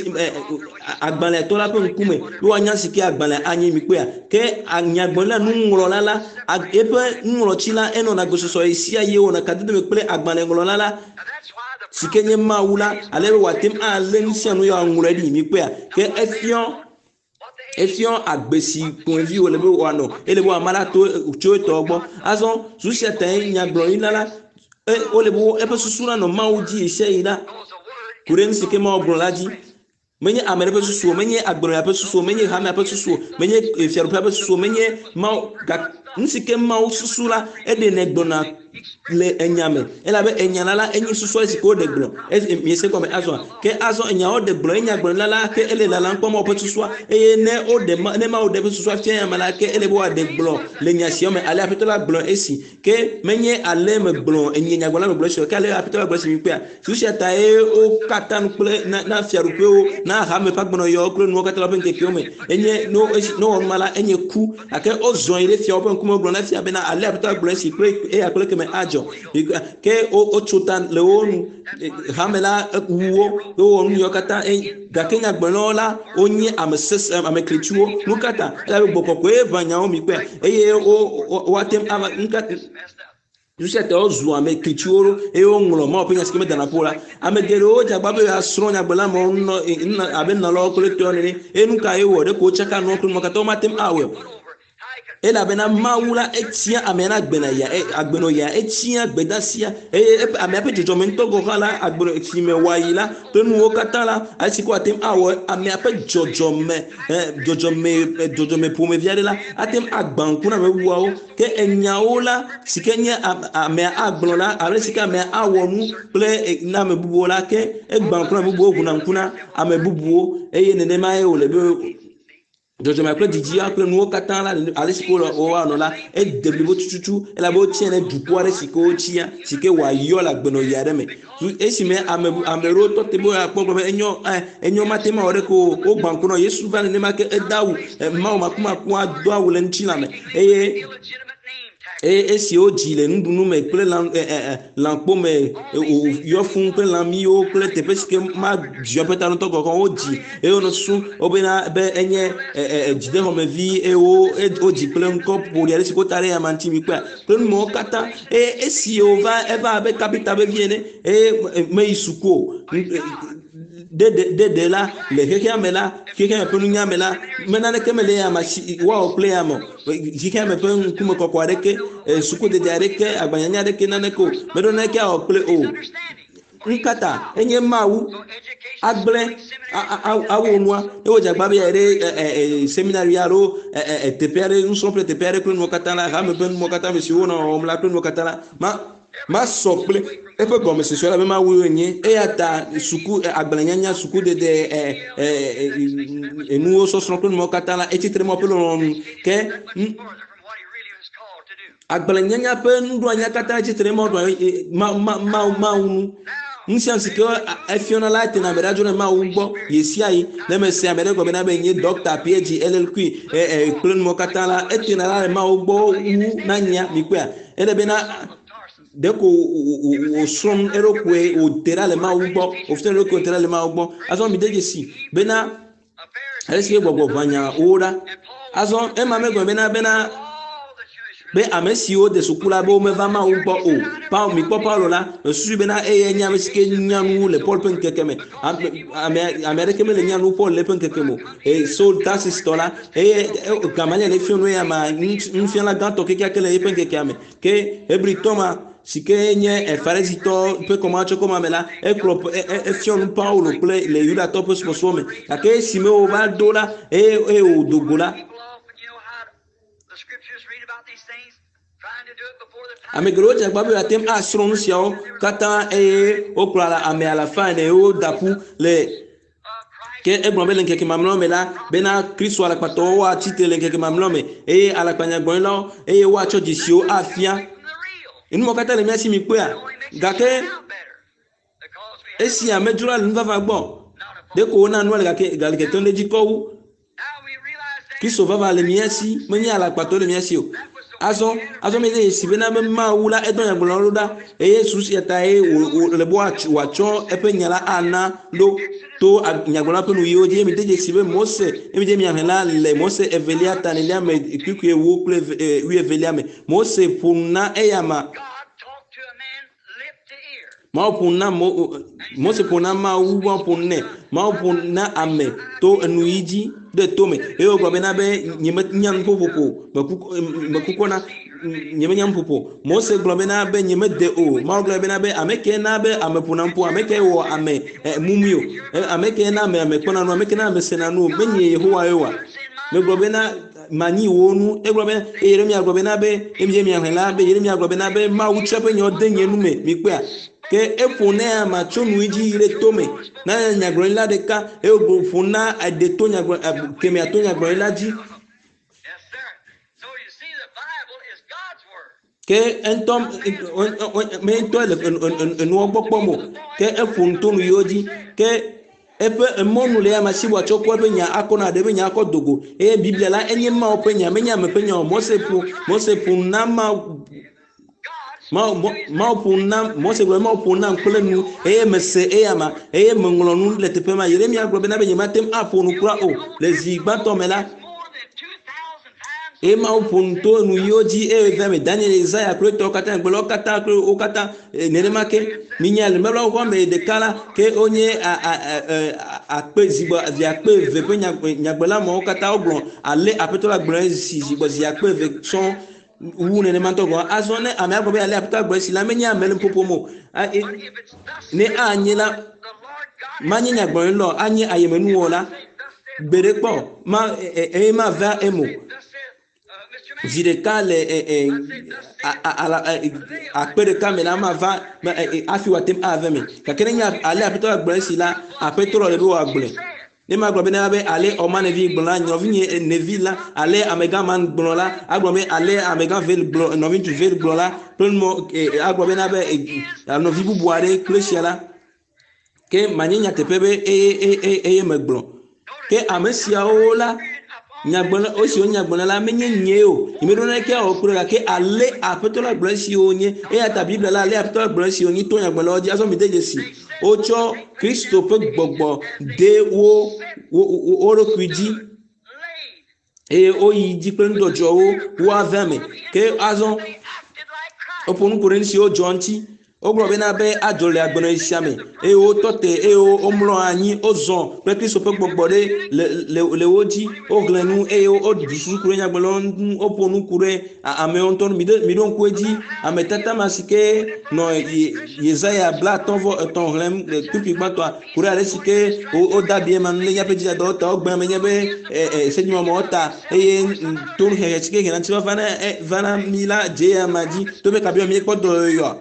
Speaker 1: agbalẽtɔ la ƒe ŋkume be woanya si ke agbalẽ anyi. Mikpɔea? Ke nyagblɔɖila nuŋlɔla la, eƒe nuŋlɔtsi la enɔna gbesɔsɔ ɣesiaɣi wònɔ kadede me kple agbalẽŋlɔla la. si ke nye Mawu la, ale be wòate ŋu alé nu sia nu ya wòaŋlɔe ɖi. Mikpɔea? Ke efiɔ efiɔ agbe si ƒomevi wòle be wòanɔ, ele be wòama ɖa to tso etɔ gbɔ. Azɔ susu sia tae nyagblɔɖila la e, wole be eƒe susu nanɔ Mawu dzi ɣesiaɣi la ku ɖe nu si ke Mawu gblɔ la dzi. Menye ame ɖe ƒe susu o, menye agbenɔya ƒe susu o, menye hamea ƒe susu o, menye fiaɖuƒea ƒe susu o, menye Mawu, nu si ke Mawu susu la, eɖenɛ gblɔna. Le enya me elabe enya la la enye susua si ke woɖe gblɔ esi miese gɔme azɔa ke azɔ enyawo ɖe gblɔ enya gblɔ la la ke ele lalam kpɔm woƒe susua eye ne woɖe ma ne mawu ɖe eƒe susua fia ya me la ke ele be woaɖe gblɔ le nya sia me ale aƒetɔ la gblɔ esi ke menye ale megblɔ enye nyagblɔla megblɔ esi o ke ale aƒetɔ la gblɔ esi mi kpea susu sia ta ye wo katã nu kple na na fiaɖuƒewo na hame ƒe agbenɔyɔwo kple nuwo katã le woƒe ŋkekewo me enye no esi ne wowɔ numa la enye ku gake wozɔ yi ɖe fiawo ƒe ŋkume wogblɔ na fia bena ale aƒetɔ la gblɔ esi kple eya kple keme adzɔ ke wotso ta le wo nu hame la wu wo wowɔ nu yiwo katã gake nyagblɔlawo la wonye ame sese ame klitsuwo nu ka ta elabe gbɔgbɔ kɔkɔe ʋã nyawo mi kpɔe eye wo woate ŋu ava nu ka nu sia ta wozu ame klitsuwo ɖo eye woŋlɔ Mawu ƒe nya si ke medana ƒo la. Ame geɖewo dze agbagba be yewoasrɔ̃ nyagblɔla mawo nɔ abe nunɔlawo kple tɔwo nene eye nu ka ye wowɔ? Ɖeko wotsaka nuwo kple nuwo katã womate ŋu awɔe o. Elabena Mawu la etia amea na agbenɔya agbenɔya etia gbedasia eye eƒe amea ƒe dzɔdzɔme ŋutɔ gɔ̃ hã la agbenɔ si me wòayi la kple nuwo katã la ale si ko wòate ŋu awɔ amea ƒe dzɔdzɔme dzɔdzɔme dzɔdzɔme ƒomevi aɖe la ate ŋu agbã ŋku na ame bubuawo. Ke enyawo la si ke nye amea agblɔ la alo si ke amea awɔ nu kple na ame bubuwo la ke egbã ŋku na ame bubuwo ʋuna ŋku na ame bubuwo eye nenema ye wòle be dzɔdzɔme kple didia kple nuwo katã la ale si ko woanɔ la ede blibo tututu elabe wotia ɖe dukɔ aɖe si ke wotsia si ke wòayɔ le agbenɔɣi aɖe me. Esime ame ame ɖewo tɔ te be woakpɔ gblɔ be enyɔ enyo mate ma wɔ ɖeke o wogbã ŋku nɔ Yesu va nenema ke ede awu Mawu makumakua do awu le ŋutilã me eye eye esi wodzi le nuɖunu me kple lã lãkpo me yɔ fũu kple lãmiwo kple teƒe si ke madziɔ ƒe ta ŋutɔ gɔgɔ wodzi eye wonɔ susu wobena be enye dzidexɔmevi eye wodzi kple ŋkɔ ƒoɖi aɖe si ke wota ɖe eyama ŋuti mi kpɔa kple nu mawo katã eye esi wòva eva abe kapita ƒe vi ene eye meyi suku o ɖeɖe la le xexea me la xexea me ƒe nunya me la me naneke mele ya ma si woawɔ kple ya me o xexea me ƒe ŋkume kɔkɔ aɖeke sukudede aɖeke agbanyanya aɖeke naneke o meɖo naneke awɔ kple o nukata enye mawu agblẽ awɔ nua ne wodze agba be yeayi ɖe seminari alo teƒe aɖe nusrɔ̃ƒe teƒe aɖe kple nuwo katã la hame ƒe nuwo katã me siwo wonɔ wɔwɔm la kple nuwo katã la ma masɔ kple eƒe gɔmesese la be Mawu enye. Eya ta suku agbalẽnyanya, sukudede, enuwo sɔsrɔ̃ kple nuwo katã la, etsi tre Mawu ƒe lɔlɔ̃nu. Ke agbalẽnyanya ƒe nuɖoanyia katã etsi tre Mawu Mawu nu. Nu sia nu si ke efiɔna la etena ame ɖe dzo ɖe Mawu gbɔ ɣesiaɣi. Ne mese ame ɖe gɔme na be nye ɖɔkta, PhD, LLQ kple nuwo katã la, etena ɖa le Mawu gbɔ wu na nyea, mikpɔea? Ele bena ɖeko wòsrɔ̃ nu eɖokui wòte ɖa le Mawu gbɔ, wòfia eɖokui wòte ɖa le Mawu gbɔ. Azɔ mide dzesi bena ale si gbɔgbɔ ʋã nya wo ɖa. Azɔ ema megblɔ bena bena be ame siwo de suku la be womeva Mawu gbɔ o. Paul mikpɔ Paulo la, mesusu bena eyae nye ame si ke nya nu le Paul ƒe ŋkeke me. Ame ame aɖeke mele nya nu Paul le eƒe ŋkeke me o. Eye Saul Tarsistɔ la, eye Gamaliel efia nu eya ma nufiala gãtɔ kekeake le eƒe ŋkekea me. Ke Hebritɔ ma si ke nye Farisitɔ ƒe kɔmatsɔkɔma me la, ekplɔ efia nu Paulo kple le Yudatɔ ƒe subɔsubɔ me. Gake esime wòva do la, eye eye wòdo go la, Ame geɖewo dze agbagba be yewoate ŋu asrɔ̃ nu siawo katã eye wokplɔ ame alafa ene woda ƒu le ke egblɔ be le ŋkeke mamlɛawo me la bena Kristo alakpatɔwo woatsi tre le ŋkeke mamlɛawo me eye alakpanyagblɔɖilawo eye woatsɔ dzesiwo afia. Nu mawo katã le mía si mikpɔea? Gake esi amedzroa le nuvava gbɔ ɖeko wona nua le gake gale kekem ɖe edzi kɔ wu. Kristo vava le mía si, menye alakpatɔ le mía si o. Azɔ, azɔ mi ɖe si bena be Mawu la edɔ nyagblɔɖilawo ɖa eye susu sia ta ye wòle be wòatsɔ eƒe nya la ana ɖo to nyagblɔɖila ƒe nuyiwo dzi. Eye mi de dzesi be Mose, eye mi dze miaxlẽ la le Mose evelia ta enelia me kpukpui ewo kple wuievelia me. Mose ƒo nu na eyama. Mawu ƒo nu na Mo, Mose ƒo na Mawu, Mawu ƒo nu nɛ. Mawu ƒo nu na ame to enu yi dzi ɖe to me. Eye wògblɔ bena be nyemenya nuƒoƒo o, meku, mekukɔ na, nyemenya nuƒoƒo. Mose gblɔ bena be nyemede o. Mawu gblɔ bena be ame ke na be ame ƒona nuƒo, ame ke wɔ ame mumui o, ame ke na ame ame kpɔna nu, ame ke na ame sena nu o, menye Yehowa ye oa? Megblɔ bena manyi wo nu. Egblɔ be eye Yeremia gblɔ bena be eye miaxlẽ la be Yeremia gblɔ bena be Mawu tsɔ eƒe nyawo de nye nu me. Mikpɔea? Ke eƒo na ya ma tso nu dzi yi ɖe tome na nyagblɔɖila ɖeka eye wòƒo na eɖe to nyagblɔ kemɛa to nyagblɔɖila dzi. Ke eŋutɔ me ŋutɔ le enuɔ gbɔ kpɔm o. Ke eƒo nu to nu yiwo dzi. Ke eƒe emɔnu le ya si wòatsɔ kɔ eƒe nya akɔ na ɖe eƒe nya akɔ do go. Eye Biblia la enye Mawu ƒe nya, menye ame ƒe nya o. Mose ƒo Mose ƒo nu na Mawu Mawu Mawu ƒo nu na Mose gblɔ be Mawu ƒo nu nam kple nu eye mese eya ma eye meŋlɔ nu le teƒe ma. Yeremia gblɔ bena be nyemate ŋu aƒo nu kura o. Le zi gbãtɔ me la, eye Mawu ƒo nu to nu yiwo dzi eye va me Daniel, Yesaya kple etɔwo katã, nyagblɔɖilawo katã kple wo katã nenema ke. Minya le nubabla xoxoa me ɖeka la ke wonye akpe zigbɔ zi akpe eve ƒe nyagblɔɖila mawo katã wogblɔ ale Aƒetɔ la gblɔe zi zigbɔ zi akpe eve sɔŋ wu nenema ŋutɔ gɔ̃. Azɔ ne amea gblɔ be ale Aƒetɔ la gblɔe si la menye ame le nuƒoƒom o. Ne anye la manye nyagblɔɖila o, anye ayemenuwɔla. Gbeɖe kpɔ ma eye mava eme o. Zi ɖeka le akpe ɖeka me la mava hafi wòate ŋu ava eme. Gake ne nye ale Aƒetɔ la gblɔe esi la, Aƒetɔ la le be wòagblɔe. Ne magblɔ bena be ale Ɔmanevi gblɔ la, nɔvinye nevi la, ale amegã man gblɔ la, agblɔ be ale amegã Vel gblɔ, nɔviŋutsu Vel gblɔ la, kple numɔ agblɔ bena be nɔvi bubu aɖe kple esia la, ke manye nyateƒe be eye eye eye megblɔ. Ke ame siawo la, nyagblɔla, esiwo nyagblɔla la menye nye o. Nyemeɖo naneke awɔ kple gake ale Aƒetɔ la gblɔ esiwo nye. Eya ta Biblia la ale Aƒetɔ la gblɔ esiwo nye to nyagblɔlawo dzi. Azɔ mide dzesi. Wotsɔ Kristo ƒe gbɔgbɔ de wo wo wo ɖokui dzi eye woyi dzi kple nudzɔdzɔwo woave ame. Ke azɔ woƒo nu ku ɖe nu siwo dzɔ ŋuti. Wogblɔ bena be adzɔ le agbenɔɣi sia me eye wotɔ te eye womlɔ anyi wozɔ kple Kristo ƒe gbɔgbɔ ɖe le le le wo dzi. Woxlẽ nu eye woɖu susu ku ɖe nyagblɔɖilawo ŋu. Woƒo nu ku ɖe amewo ŋutɔ ŋu. Miɖo miɖo ŋku edzi ame tata ma si ke nɔ Yesaya 53 xlẽm le kpukpui gbãtɔa ku ɖe ale si ke wode abi ema nu le míaƒe dzidadawo ta, wogbe ame nye be sedzimɔmɔwo ta eye tonuhehe si ke hena ŋutifafa na va na mí la dze eya dzi to be kabi míekpɔ dɔyɔyɔa.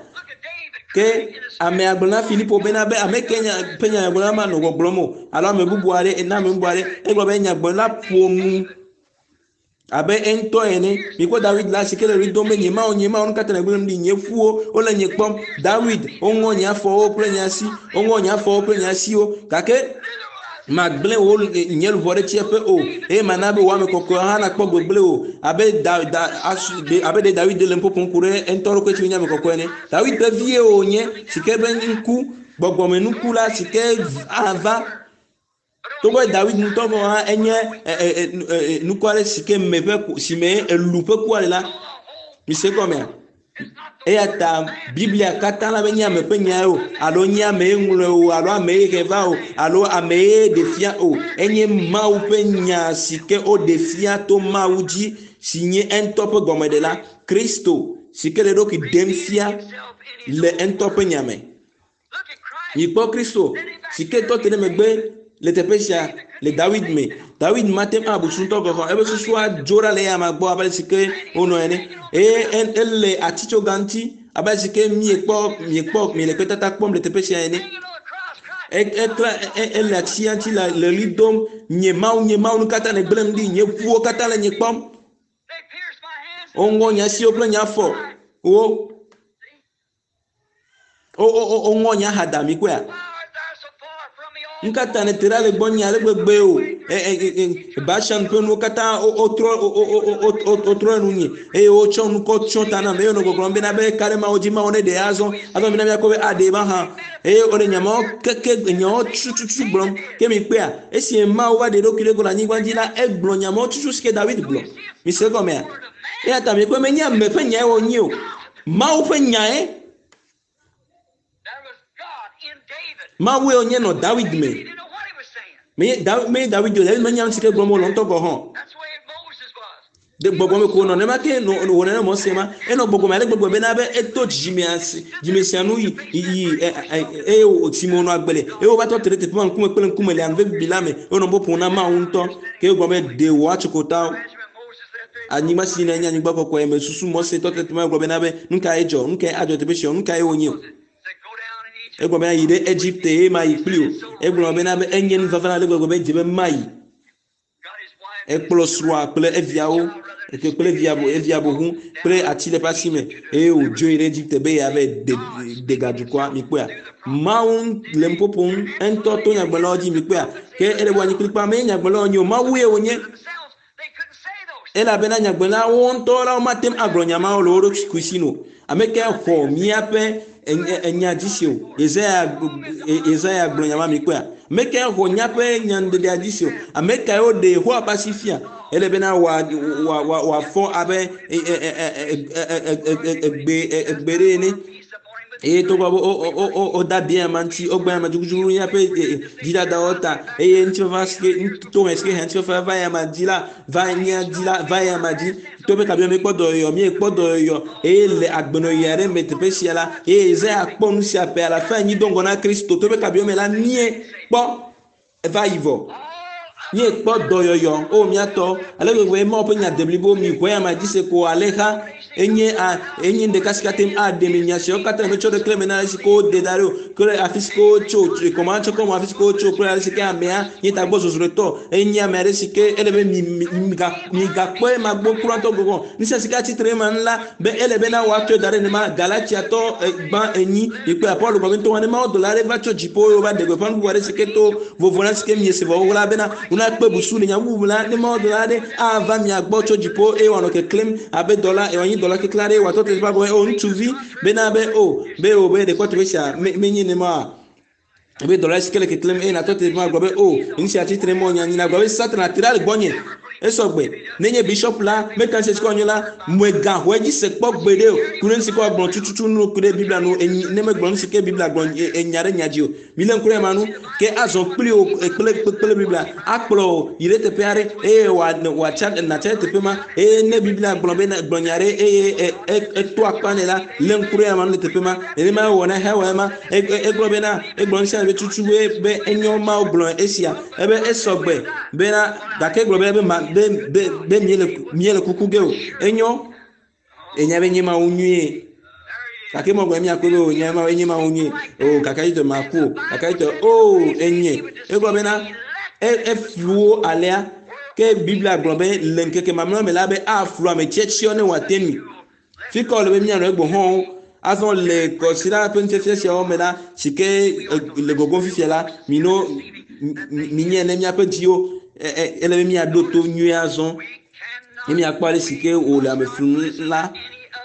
Speaker 1: Ke amea gblɔ na Filipo bena be ame ke nya ƒe nya nyagblɔɖila ma nɔ gbɔgblɔm o alo ame bubu aɖe na ame bubu aɖe egblɔ be nyagblɔɖila ƒo nu abe eŋutɔ ene. Mikpɔ Dawid la si ke le ɣli dom be nye Mawu, nye Mawu, nu ka ta nègblẽm ɖi? Nye ƒuwo wole nye kpɔm. Dawid, woŋɔ nye afɔwo kple nye asi, woŋɔ nye afɔwo kple nye asiwo. Gake magblẽ wò nye luʋɔ ɖe tsiẽƒe o, eye mana be wò ame kɔkɔewo hã nakpɔ gbegblẽ o. Abe da, da, asu, de, abe ɖe Dawid le nu ƒoƒom ku ɖe eŋutɔ ɖokui tsi nye ame kɔkɔe ene. Dawid ƒe vie wònye, si ke be ŋku, gbɔgbɔmenuku la, si ke ava Togbɔ be Dawid ŋutɔ gɔ̃ hã enye nuku aɖe si ke me ƒe si me elu ƒe kua le la, mise gɔmea? Eya ta Biblia katã la menye ame ƒe nyae o, alo nye ame ye ŋlɔe o, alo ame ye he va o, alo ame ye ɖe fia o. Enye Mawu ƒe nya si ke woɖe fia to Mawu dzi, si nye eŋutɔ ƒe gɔmeɖela, Kristo, si ke le eɖokui ɖem fia le eŋutɔ ƒe nya me. Mikpɔ Kristo si ke tɔ te ɖe megbe le teƒe sia le Dawid me. Dawid mate ŋu abu susu ŋutɔ gɔ̃ hã. Eƒe susua dzo ɖa le eya amea gbɔ abe ale si ke wonɔ ene. Eye ele atitsoga ŋuti abe ale si ke miekpɔ miekpɔ miele kpetata kpɔm le teƒe sia ene. Ekla ele atia ŋuti le le ɣli dom, nye Mawu, nye Mawu, nu ka ta nègblẽm ɖi? Nye ƒuwo katã le nye kpɔm. Woŋɔ nye asiwo kple nye afɔwo. Woŋɔ nye axada mi kpɔea? Nu ka ta nète ɖa le gbɔnye ale gbegbe o? Bashan ƒe nuwo katã wotrɔ wotrɔ nu nye eye wotsɔ nu kɔ tsyɔ ta nam eye wonɔ gbɔgblɔm bena be ka ɖe Mawu dzi Mawu neɖe azɔ azɔ mina míakpɔ be aɖee mahã eye wole nya mawo keke nyawo tututu gblɔm ke mi kpɔea esi Mawu va ɖe eɖokui ɖe go le anyigba dzi la egblɔ nya mawo tutu si ke Dawid gblɔ mise egɔmea eya ta mikpɔe menye ame ƒe nyae wònye o Mawu ƒe nyae. Mawue wònye nɔ Dawid me. Menye Dawid, menye Dawid o, Dawid menya nu si ke gblɔm wòle ŋutɔ gɔ̃ hã. Ɖe gbɔgbɔ me ko wònɔ nenema ke nɔ wò nene Mose ma. Enɔ gbɔgbɔ me ale gbegbe bena be eto dzidzimea si dzime sia nu yi yi eye wòtsi me wònɔ agbe le eye wova tɔ te ɖe teƒe ma ŋkume kple ŋkume le anuve bibi la me eye wònɔ ƒoƒom na Mawu ŋutɔ. Ke wogblɔ be ɖe wòatso kota anyigba si nye anyigba kɔkɔe me susu Mose tɔ te teƒe ma gblɔ bena be nu kae dzɔ nu kae adzɔ teƒe sia nu kae wònye o. Egblɔ bena yi ɖe Egipte eye mayi kpli o. Egblɔ bena be enye nu vava ale gbegbe be dze be mayi. Ekplɔ srɔ̃a kple eviawo kple evia evia boŋu kple ati le eƒe asi me eye wòdzo yi ɖe Egipte be yeava de de ga dukɔa. Mikpɔea? Mawu le nu ƒoƒom eŋutɔ to nyagblɔlawo dzi. Mikpɔea? Ke ele be wòanyi kplikpaa menye nyagblɔlawo wònye o, Mawue wònye. Elabena nyagblɔlawo ŋutɔ la womate ŋu agblɔ nya mawo le wo ɖokui si o. Ame kae xɔ míaƒe enya dzi se o? Yesaya Yesaya gblɔ nya ma mikpɔea? Ame kae xɔ míaƒe nyanuɖeɖea dzi se o? Ame kae woɖe Yehowa ƒe asi fia? Ele bena wòa wòa wòa wòafɔ abe egbe egbe ɖe ene. Eye togbɔ be woda abi ame ŋuti, wogbe ame dzudzudzu míaƒe dzidadawo ta eye ŋutifafa si ke tohe si ke he ŋutifafa va ya ma dzi la va mía dzi la va ya ma dzi. To be kabi míekpɔ dɔyɔyɔ, míekpɔ dɔyɔyɔ eye le agbenɔɣi aɖe me teƒe sia la eye Yesaya kpɔ nu sia ƒe alafa enyi do ŋgɔ na Kristo. To be kabi me la míekpɔ eva yi vɔ. Míekpɔ dɔyɔyɔ o mía tɔ ale gbegbe Mawu ƒe nya deblibo mi xɔe ame dzi se ko alexa enye a enye ɖeka si kate ŋu aɖe mi nya siawo katã metsɔ ɖe kle me na ale si ko wode da ɖo kple afi si ke wotso kɔma tsɔ kɔma afi si ke wotso kple ale si ke amea nye tagbɔ zɔzrɔ̃etɔ enye ame aɖe si ke ele be mi mi migakpɔe ma gbɔ kura ŋutɔ gɔgɔ nu sia si ke atsitre ema nu la be ele be na woatsɔe da ɖe nema Galatiatɔ gbã enyi mikpɔe Paul gblɔ be ŋutɔ ne Mawu dɔla aɖe va tso dziƒo eye wova ɖe gbeƒã nu bubu aɖe si ke to vovo na si ke miese vɔ xoxo la bena wonakpe busu le nya bubu la ne Mawu dɔla aɖe ava mia gbɔ tso dziƒo eye wòanɔ keklẽm abe dɔla wòanyi dɔla keklẽ aɖe wòatɔ te teƒe agblɔ be o ŋutsuvi bena be o be o be ɖekɔ teƒe sia menye nema ebe dɔla si ke le keklẽm eye nàtɔ te teƒe agblɔ be o nu sia tsitre mɔ nya nyi nagblɔ be Satana te ɖa le gbɔnye esɔ gbe nenye bishop la meka se si ke wònye la megaxɔe dzi se kpɔ gbeɖe o ku ɖe nu si ke woagblɔ tututu nu ku ɖe Biblia nu enyi ne megblɔ nu si ke Biblia gblɔ enya ɖe nya dzi o milé ŋku ɖe ema nu ke azɔ kpli wo kple kple Biblia akplɔ wò yi ɖe teƒe aɖe eye wòatsa nàtsa ɖe teƒe ma eye ne Biblia gblɔ be gblɔ nya ɖe eye eto akpa nɛ la lé ŋku ɖe ema nu le teƒe ma nenema ewɔ na Xawa ema egblɔ bena egblɔ nu sia be tutu be be enyo Mawu gblɔ esia ebe esɔ gbe bena gake egblɔ be be ma be be be miele miele kuku ge o enyo enya be nye Mawu nyuie gake mɔgblɔ miakpɔe be o nye Mawu enye Mawu nyuie o gake yitɔ maku o gake yitɔ o enye egblɔ bena eflu wo alea ke Biblia gblɔ be le ŋkeke mamlɛwo me la be aflu ame tsiatsiawo ne wòate mi fi ka wòle be míanɔ egbɔ hã azɔ le kɔsiɖa ƒe nufiafia siawo me la si ke le gogom fifia la mino minye ne míaƒe dziwo ele be míaɖo to nyuie azɔ ne míakpɔ ale si ke wòle ame flum la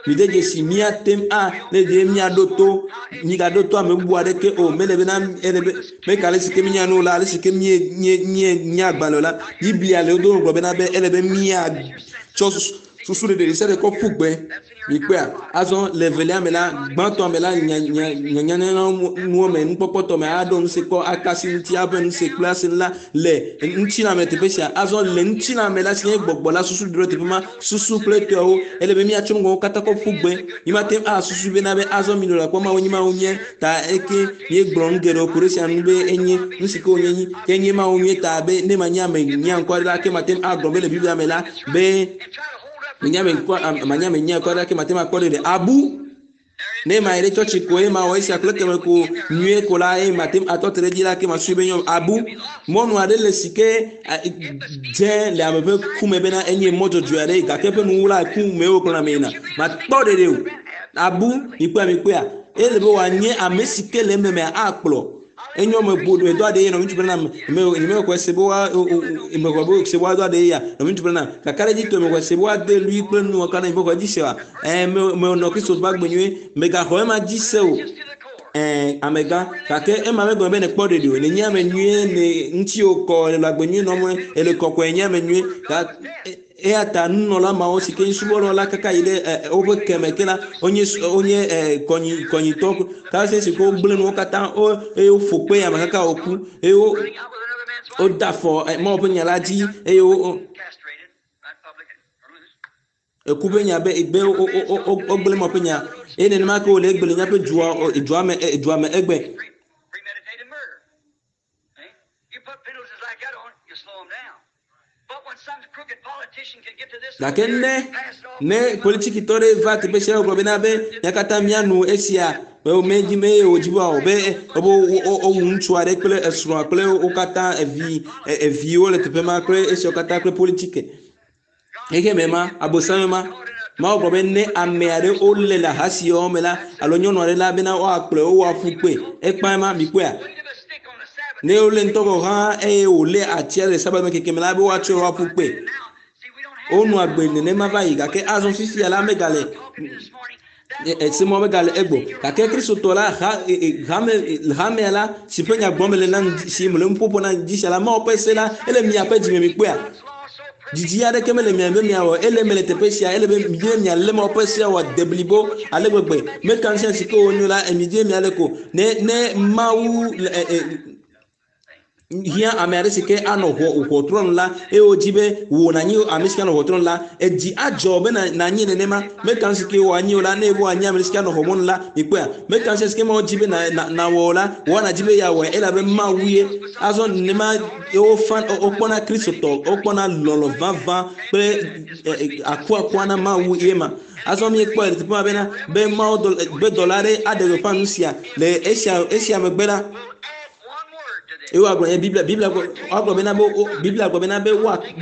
Speaker 1: mide dzesi míate ŋu a ne ɖe míaɖo to mígaɖo to ame bubu aɖeke o mele bena ele be meka ale si ke míenya nu la ale si ke míe míe míe nye agbalẽ o la Biblia le wodo gblɔ bena be ele be míatsɔ susu ɖeɖe ɖe sia ɖe kɔ ƒu gbe mikpɔea azɔ le evelia me la gbãtɔ me la nya nya nyanyanya nuwo me nukpɔkpɔtɔ me aɖo nu si kɔ akasi ŋuti aƒe nu si kple asi la le ŋutilã me teƒe sia azɔ le ŋutilã me la si nye gbɔgbɔ la susu ɖo teƒe ma susu kple tɔwo ele be míatsɔ ŋgɔwo katã kɔ ƒu gbe mímate ŋu asusu bena be azɔ mi le kpɔ Mawu nyi Mawu nye ta eke míegblɔ nu geɖewo ku ɖe sia nu be enye nu si ke wònye nyi ke nye Mawu nyuie ta be ne manye ame nyia ŋkɔ aɖe la ke mate ŋu agblɔ be le Biblia me la be menya ame ŋkɔ manye ame nyia ŋkɔ aɖe la ke mate ŋu akpɔ ɖeɖe abu ne ma yi ɖe tsɔtsi ko eye ma wɔ esia kple keme ko nyuie ko la eye mate ŋu atɔ te ɖe edzi la ke ma sui be nyɔ abu mɔnu aɖe le si ke dze le ame ƒe ku me bena enye mɔ dzɔdzɔe aɖe gake eƒe nuwuwu la ku me wokplɔna ame yina makpɔ ɖeɖe o abu mikpɔa mikpɔa ele be wòanye ame si ke le ememe akplɔ enyo me gbo do aɖe ye nɔvi ŋutsu bena me me xɔe se be wa me xɔe be se wa do aɖe ya nɔvi ŋutsu bena kaka ɖe dzi to me xɔe se be wa de lui kple nu wɔka na me xɔe dzi se wa ɛ me me nɔ Kristo ƒe agbe nyuie megaxɔ ema dzi se o ɛ amegã gake ema megblɔ be nekpɔ ɖeɖi o nenye ame nyuie ne ŋutiwò kɔ le agbe nyuie nɔm ele kɔkɔe nye ame nyuie eya ta nunɔla mawo si ke nye subɔlawo la kaka yi ɖe woƒe keme ke la wonye wonye kɔnyi kɔnyitɔ kasi si ke wogblẽ nuwo katã wo eye woƒo kpe ame kaka woku eye wo woda afɔ Mawu ƒe nya la dzi eye wo. Eku ƒe nya be be wogblẽ mɔ ƒe nya eye nenema ke wòle egbe le míaƒe dua dua me dua me egbe. Gake ne ne politikitɔ ɖe va teƒe sia wogblɔ bena be mía katã míano esia be womedzi be wòdzi be wòawɔ be be wowu ŋutsu aɖe kple esrɔ̃a kple wo katã evi eviwo le teƒe ma kple esiawo katã kple politike. Xexeme ma, abosame ma, Mawu gblɔ be ne ame aɖe wole le ahasiwɔwɔ me la alo nyɔnu aɖe la bena woakplɔe woaƒu kpe. Ekpã ma mikpɔea? Ne wolé ŋutɔ gɔ̃ hã eye wòlé atia le sabat me keke me la be woatsɔe woaƒu kpe. Wonɔ agbe nenema va yi gake azɔ fifia la megale esemɔ megale egbɔ. Gake Kristotɔ la ha hame hamea la si ƒe nya gblɔm mele na si mele nuƒoƒo na ŋdi sia la Mawu ƒe se la ele miaƒe dzime mikpɔea? Didi aɖeke mele mia be miawɔ ele mele teƒe sia ele be midi be mialé Mawu ƒe sea wòade blibo ale gbegbe. Meka nu sia si ke wònyo la midi be mialé ko. Ne ne Mawu le e, e, hiã ame aɖe si ke anɔ ʋɔ ʋɔtrɔ nu la eye wodzi be wò nànyi ame si ke anɔ ʋɔtrɔ nu la edzi adzɔ be nànyi nenema meka nu si ke wòanyi o la ne ebe wòanyi ame si ke anɔ xɔmɔnu la mikpɔea meka nu si ke Mawu dzi be nàwɔ o la wò nàdzi be yeawɔe elabe Mawu ye azɔ nenema wofa wokpɔna Kristotɔ wokpɔna lɔlɔ̃ vavã kple akuakua na Mawu ye ma azɔ míekpɔe le teƒe ma bena be Mawu be dɔla aɖe aɖe gbeƒã nu sia le esia esia megbe la eye woagblɔ nye Biblia Biblia woagblɔ bena be Biblia gblɔ bena be woakpe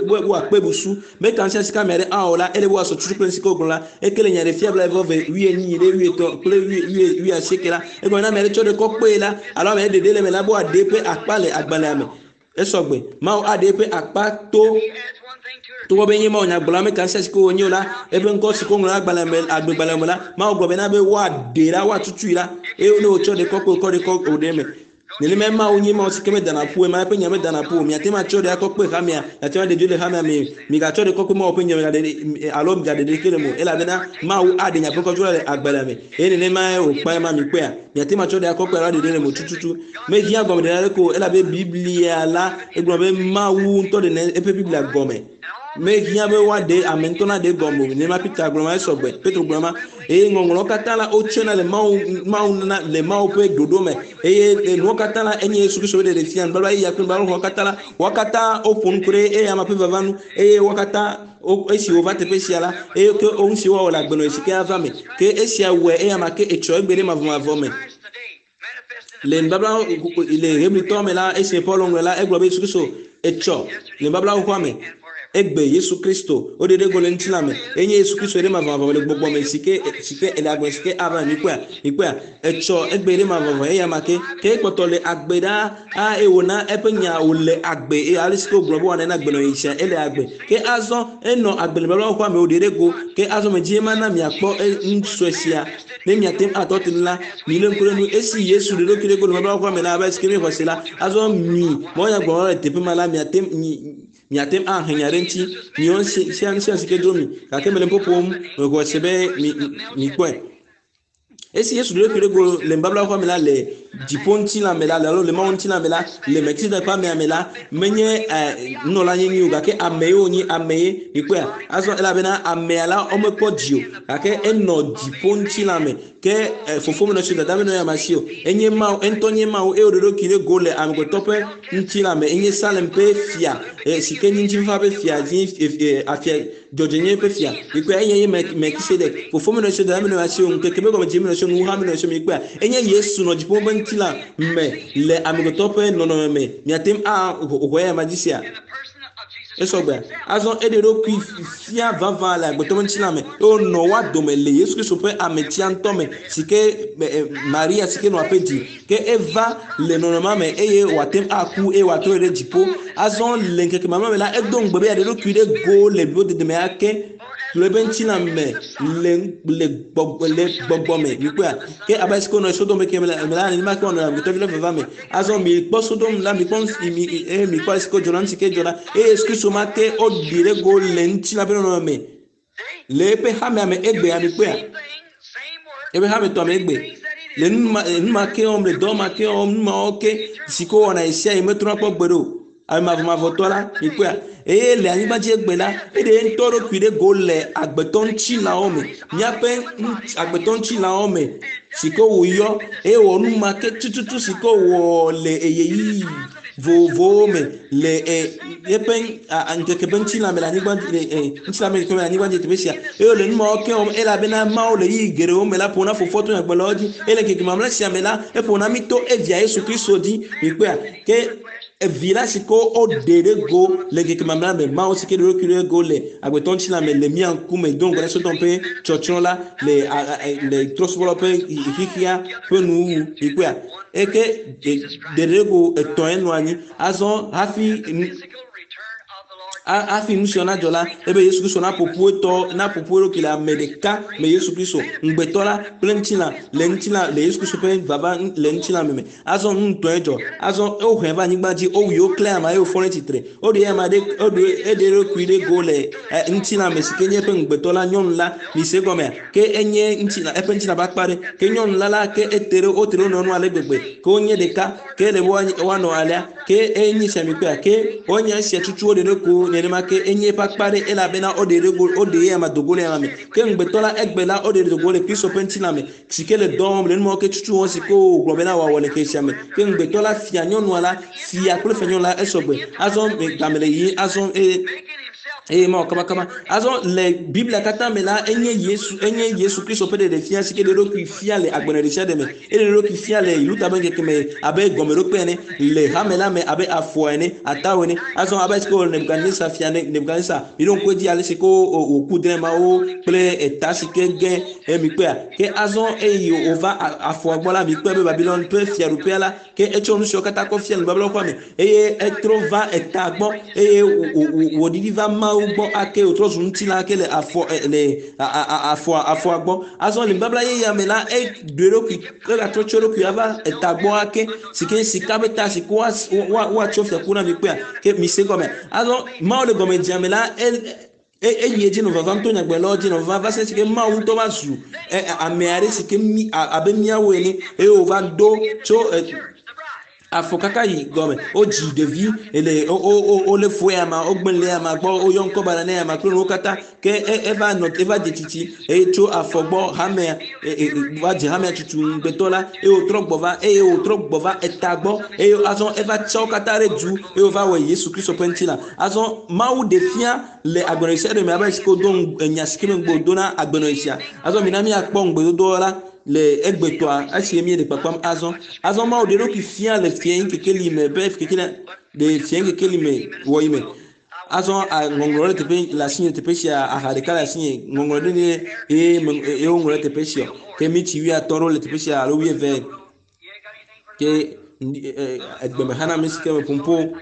Speaker 1: woakpe busu meka ŋusẽ si ke ame aɖe awɔ la ele be woasɔ tutu kple nusi ke wogblɔ la eke le nya ɖe fia blaeve ve wuienyi ɖe wuietɔ̃ kple wui wuiasieke la egblɔ na ame aɖe tsɔ ɖe kɔ kpee la alo ame aɖe ɖeɖe le eme la be woaɖe eƒe akpa le agbalẽa me esɔgbe Mawu aɖe eƒe akpa to togbɔ be nye Mawu nyagblɔla meka ŋusẽ si ke wònye o la eƒe ŋkɔ si ke woŋlɔ ɖe agbalẽ me agbegbalẽ me la Mawu gblɔ bena be woaɖee la woatutui la eye ne wotsɔ ɖe kɔ kpe wokɔ ɖe kɔ wòɖe eme nenema Mawu nye Mawu si ke medana ƒu ema eƒe nya medana ƒu o miate ŋu atsɔ ɖe akɔ kpe hamea miate ŋu aɖe dzo le hamea me migatsɔ ɖe kɔ kpe Mawu ƒe nya migaɖe alo migaɖe ɖeke le mo elabena Mawu aɖe nya ƒe kɔdzo le agbalẽa me eye nenema wòkpa ema mikpɔea miate ŋu atsɔ ɖe akɔ kpe alo aɖe ɖe le mo tututu mehiã gɔmeɖeɖe aɖeke o elabe Biblia la egblɔ be Mawu ŋutɔ ɖe eƒe Biblia gɔme mehiã be woaɖe ame ŋutɔ naɖe gɔme o nenema Peter gblɔ ma esɔgbe Petro gblɔ ma eye ŋɔŋlɔwo katã la wotsɔna le Mawu Mawu na le Mawu ƒe ɖoɖo me eye nuwo katã la enye Yesu Kristo ƒe ɖeɖefia nubabla yeyea kple nubabla xoxoa katã la wo katã woƒo nu ku ɖe eya ma ƒe vava nu eye wo katã esi wova teƒe sia la eye ke wo ŋuti woawɔ le agbenɔɣi si ke ava me ke esia wɔe eya ma ke etsɔ egbe ɖe mavɔmavɔ me le nubabla le Hebritɔwo me la esi Paul ŋlɔe la egblɔ be Yesu Kristo etsɔ le nubabla xoxoa me egbe Yesu Kristo woɖe ɖe go le ŋutilã me enye Yesu Kristo ɖe mavɔmavɔ le gbɔgbɔ me si ke si ke ele agbe si ke ava mikpɔea mikpɔea etsɔ egbe ɖe mavɔmavɔ eya ma ke ke ekpɔtɔ le agbe ɖaa a eye wòna eƒe nya wòle agbe eye ale si ke wògblɔ be wòana na agbenɔɣi sia ele agbe ke azɔ enɔ agbe le nubabla xoxoa me wòɖe ɖe go ke azɔ medzi ema na miakpɔ nu sue sia ne miate ŋu atɔ te nu la milé ŋku ɖe nu esi Yesu ɖe ɖokui ɖe go le nubabla xoxoa me la abe si ke míexɔ se la azɔ mi mawunyagblɔlawo le teƒe ma la miate miate ŋu ahe nya ɖe ŋuti miwo sia nu sia si ke dzro mi gake mele ƒoƒom mexɔ se be mi mikpɔe esi Yesu ɖe ɖokui ɖe go le nubabla xoxoa me la le dziƒo ŋutilã me la alo le Mawu ŋutilã me la le Melchizedek ƒe amea me la menye nunɔla nyenye o gake ame ye wònye ame ye mikpɔea azɔ elabena amea la womekpɔ dzi o gake enɔ dziƒo ŋutilã me ke fofo menɔ si o dada menɔ ya si o enye Mawu eŋutɔ nye Mawu eye wòɖe ɖokui ɖe go le amegbetɔ ƒe ŋutilã me enye Salem ƒe fia si ke nye ŋutifafa ƒe fia dzi afia dzɔdzɔenyenye ƒe fia mikpɔe enye ye Melchizedek fofo menɔ si o dada menɔ ya si o ŋkeke be gɔmedze menɔ si o nuha menɔ si o mikpɔea enye Yesu nɔ dziƒo ƒe ŋutilã me le amegbetɔ ƒe nɔnɔme me miate ŋu axɔ eya ma dzi sia esɔgbea azɔ eɖe ɖokui fia vavã le agbetɔ ƒe ŋutilã me eye wònɔ woa dome le Yesu Kristo ƒe ametia ŋutɔ me si ke Maria si ke nɔ aƒe dzi ke eva le nɔnɔmea me eye wòate ŋu aku eye wòatrɔ ɖe dziƒo azɔ le ŋkeke mamlɛ me la edo ŋugbe be yeaɖe ɖokui ɖe go le blibodede me ake le eƒe ŋutilã me le le gbɔgbɔ le gbɔgbɔ me mikpɔea ke abe si ke wonɔ Sodom ke me la nenema ke wonɔ amegbetɔvi la vava me azɔ mikpɔ Sodom la mikpɔ mi eye mikpɔ ale si ke wodzɔ na nu si ke dzɔ la eye Yesu Kristo ma ke woɖi ɖe go le ŋutilã ƒe nɔnɔme me le eƒe hamea me egbea mikpɔea eƒe hametɔa me egbe le nu ma ke wɔm le dɔ ma ke wɔm nu mawo ke si ke wowɔna ɣe sia ɣi metrɔna kpɔ gbeɖe o. Ame mavɔmavɔtɔ la, mikpɔea? Eye le anyigba dzi egbe la, eɖe ye ŋutɔ ɖokui ɖe go le agbetɔ ŋutilãwo me, míaƒe agbetɔ ŋutilãwo me si ke wòyɔ eye wɔ nu ma ke tututu si ke wòwɔ le ɣeyiɣi vovovowo me le e, eƒe ŋkeke ƒe ŋutilã me le anyigba dzi le e, ŋutilã me le anyigba dzi teƒe sia eye wòle nu mawo ke wɔm elabena Mawu le ɣeyiɣi geɖewo me la ƒo na fofoa to nyagblɔlawo dzi eye le ŋkeke mamlɛ sia me la eƒo na mí to evia Yesu Kristo dzi. Mikpɔea? Ke Evi la si ke woɖe ɖe go le ŋkeke mamlɛa me, Mawu si ke ɖe eɖokui ɖe go le agbetɔ ŋutilã me le mía ŋkume do ŋgɔ na Sodom ƒe tsɔtsrɔ̃ la le le trɔ̃subɔlawo ƒe xexea ƒe nuwuwu. Mikpɔea? Eke ɖe ɖe go etɔ̃e nɔ anyi. Azɔ hafi hafi nu sia nadzɔ la, ebe Yesu Kristo naƒo ƒu etɔ, naƒo ƒu eɖokui le ame ɖeka me Yesu Kristo, ŋugbetɔ la kple ŋutilã le ŋutilã le Yesu Kristo ƒe vava le ŋutilã me me. Azɔ nu ŋutɔe dzɔ. Azɔ wohɔe va anyigba dzi, wowui, woklẽ ama eye wofɔ ɖe tsitre. Woɖe ama ɖe, woɖe, eɖe eɖokui ɖe go le e, ŋutilã me si ke nye eƒe ŋugbetɔ la, nyɔnu la. Mise egɔmea? Ke enye ŋutilã, eƒe ŋutilã ƒe akpa ɖe. Ke nyɔnu la la, ke ete ɖe, wote ɖe wo nɔewo nu ale gbegbe. Ke wonye ɖeka. Ke ele be woanɔ alea. Ke enye sia mikpɔea? Ke wonye esia tutu woɖe ɖe go nenema ke enye eƒe akpa ɖe elabena woɖe ɖe go, woɖe eya do go le ema me. Ke ŋugbetɔ la egbe la, woɖe do go le Kristo ƒe ŋutilã me. Si ke le dɔ wɔm le numawo ke tutu wɔm si ke wògblɔ bena wòawɔ le xexea me. Ke ŋugbetɔ la fia nyɔnua la, fia kple fia nyɔnu la esɔgbe. Azɔ game le yiyim azɔ eye eye mawɔ kabakaba. Azɔ le Biblia katã me la, enye Yesu, enye Yesu Kristo ƒe ɖeɖefia si ke ɖe eɖokui fia le agbenɔnɔ ɖesiaɖe me. Eɖe eɖokui fia le Luther ƒe ŋkeke me abe gɔmeɖokpe ene, le hame la me abe afɔ ene, atawo ene. Azɔ abe ale si ke wòle Nebukadnezar fia Nebukadnezar, miɖo ŋku edzi ale si ke wòku drɔ̃e mawo kple eta si ke ge Eye mikpɔea? Ke azɔ eye wòva afɔa gbɔ la, mikpɔe be Babilon ƒe fiaɖuƒea la, ke etsɔ nu siawo katã kɔ fia nubabla ƒe me, eye etrɔ va eta gbɔ, eye wòɖiɖi va Mawu gbɔ ake, wòtrɔ zu ŋutilã ake le afɔ le afɔa afɔa gbɔ. Azɔ le nubabla yeyea me la, eɖo eɖokui, egatrɔ tsɔ eɖokui ava eta gbɔ ake, si ke sika ƒe ta si ke woatsɔ fiakuku na mikpɔea? Ke mise gɔme. Azɔ Mawu le gɔmedzea me la, Eyi edzi nɔ vavam to nyagblɔɖilawo dzi nɔ vavam va se ɖe esime Mawu ŋutɔ va zu ame aɖe si ke mí abe míawo ene eye wòva do tso afɔ kaka yi gɔme. Wodzi ɖevi le wolé fu eyama, wogblẽ le eyama gbɔ, woyɔ ŋkɔ baɖa na eyama kple nuwo katã. Ke eva nɔ eva dze tsitsi eye tso afɔ gbɔ hamea va dze hamea tutu ŋugbetɔ la eye wòtrɔ gbɔ va eye wòtrɔ gbɔ va eta gbɔ eye azɔ eva tsɔ wo katã ɖe du eye wòva wɔ Yesu Kristo ƒe ŋutilã. Azɔ Mawu ɖe fia le agbenɔɣi sia ɖe me abe si ke wodo enya si ke me ŋugbe wòdo na agbenɔɣi sia. Azɔ mina míakpɔ ŋugbedodoa la le egbetɔa esi míele kpakpam azɔ. Azɔ Mawu ɖe eɖokui fia le fiẽ kekeli me be kekeli le fiẽ kekeli me wɔyi me. Azɔ ŋɔŋlɔ ɖe teƒe le asinye teƒe sia aha ɖeka le asinye ŋɔŋlɔ ɖe ne eye me eye woŋlɔ ɖe teƒe sia ke mitsi wuiatɔ̃ ɖewo le teƒe sia alo wuieve ke egbeme xana mi si ke me ƒom ƒo.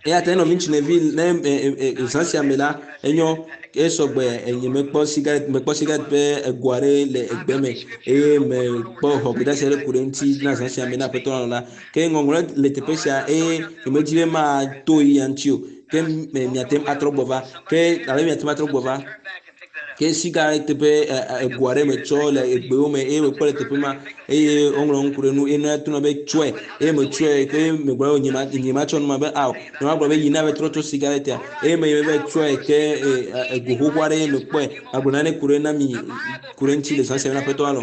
Speaker 1: Eya ta nɔvi ŋutsu nɔvi ne zã sia me la enyo esɔgbe enye mekpɔ sigaret mekpɔ sigaret ƒe ego aɖe le egbe me eye mekpɔ xɔ gbedeasi aɖe ku ɖe eŋuti na zã sia me na aƒetɔ la la ke ŋɔŋlɔ le teƒe sia eye nyemedi be mato yi ya ŋuti o ke miate ŋu atrɔ gbɔ va ke alo miate ŋu atrɔ gbɔ va. Ke sigaret ƒe ego aɖe me tsɔ le egbewo me eye mekpɔ le teƒe ma eye woŋlɔ nu ku ɖe nu eye nua tona be tsɔe eye metsɔe ke megblɔ be nye ma nye matsɔ nu ma be ao nye ma gblɔ be yi na be trɔ tso sigaretia eye me yi be tsɔe ke ego xoxo aɖe ye mekpɔe magblɔ nane ku ɖe na mi ku ɖe ŋuti le zã sia me na aƒetɔ alɔ.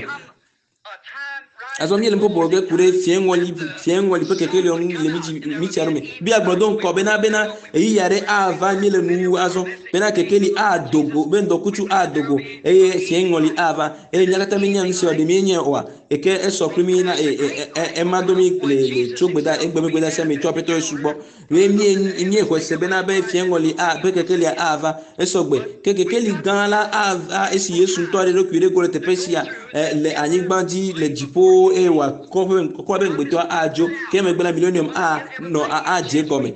Speaker 1: Azɔ míele nu ƒoƒo ge ku ɖe fiẽŋɔli fiẽŋɔli ƒe kekeliɔ ŋu le mídzi mítsia ɖo me. Biblia gblɔ do ŋkɔ bena bena ɣeyiɣi aɖe ava míele nuwuwu azɔ bena kekeli ado go be ŋdɔkutsu ado go eye fiẽŋɔli ava eye mía katã míenya nu sia ɖe míenyae oa? Eke esɔ kple mí na e e e ema do mí le le tso gbeda egbe be gbedeasia me tso Aƒetɔ Yesu gbɔ. Ye mí míexɔe se bena be fiẽŋɔli a be kekelia ava esɔgbe. Ke kekeli gã la ava esi Yesu ŋutɔ aɖe eɖokui ɖe go le teƒe sia e, le anyigba dzi le dziƒo eye wòakɔ ƒe kɔ eƒe ŋugbetɔa adzo. Ke emegbe la milenium anɔ adze egɔme.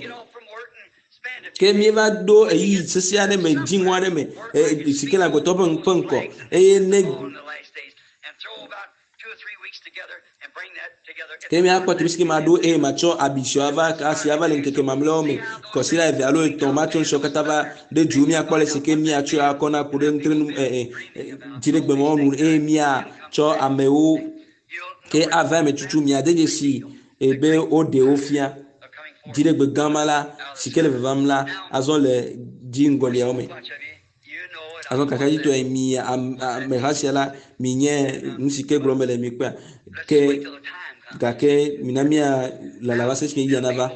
Speaker 1: Ke míeva ɖo ɣeyiɣi sesẽ aɖe me dziŋɔ aɖe me e, si ke le agbetɔ ƒe ƒe ŋkɔ eye ne Ke míakpɔ teƒe si ke maɖo eye matsɔ abi siwo ava asi ava le ŋkeke mamlɛawo me, kɔsiɖa eve alo etɔ̃, matsɔ nu siawo katã va ɖe du míakpɔ ale si ke míatsɔe akɔ na ku ɖe ŋutrenu ɛ ɛ dziɖegbemɔwo nu eye míatsɔ amewo ke ava eme tutu miade dzesi be woɖe wo fia. Dziɖegbe gã ma la si ke le vavam la azɔ le dziŋgɔliawo me. Azɔ kakaɖedzitɔe mi ameha sia la mi nye nu si ke gblɔm mele mi kpɔa ke gake mina mía lala va se esime ɣeyiɣia nava.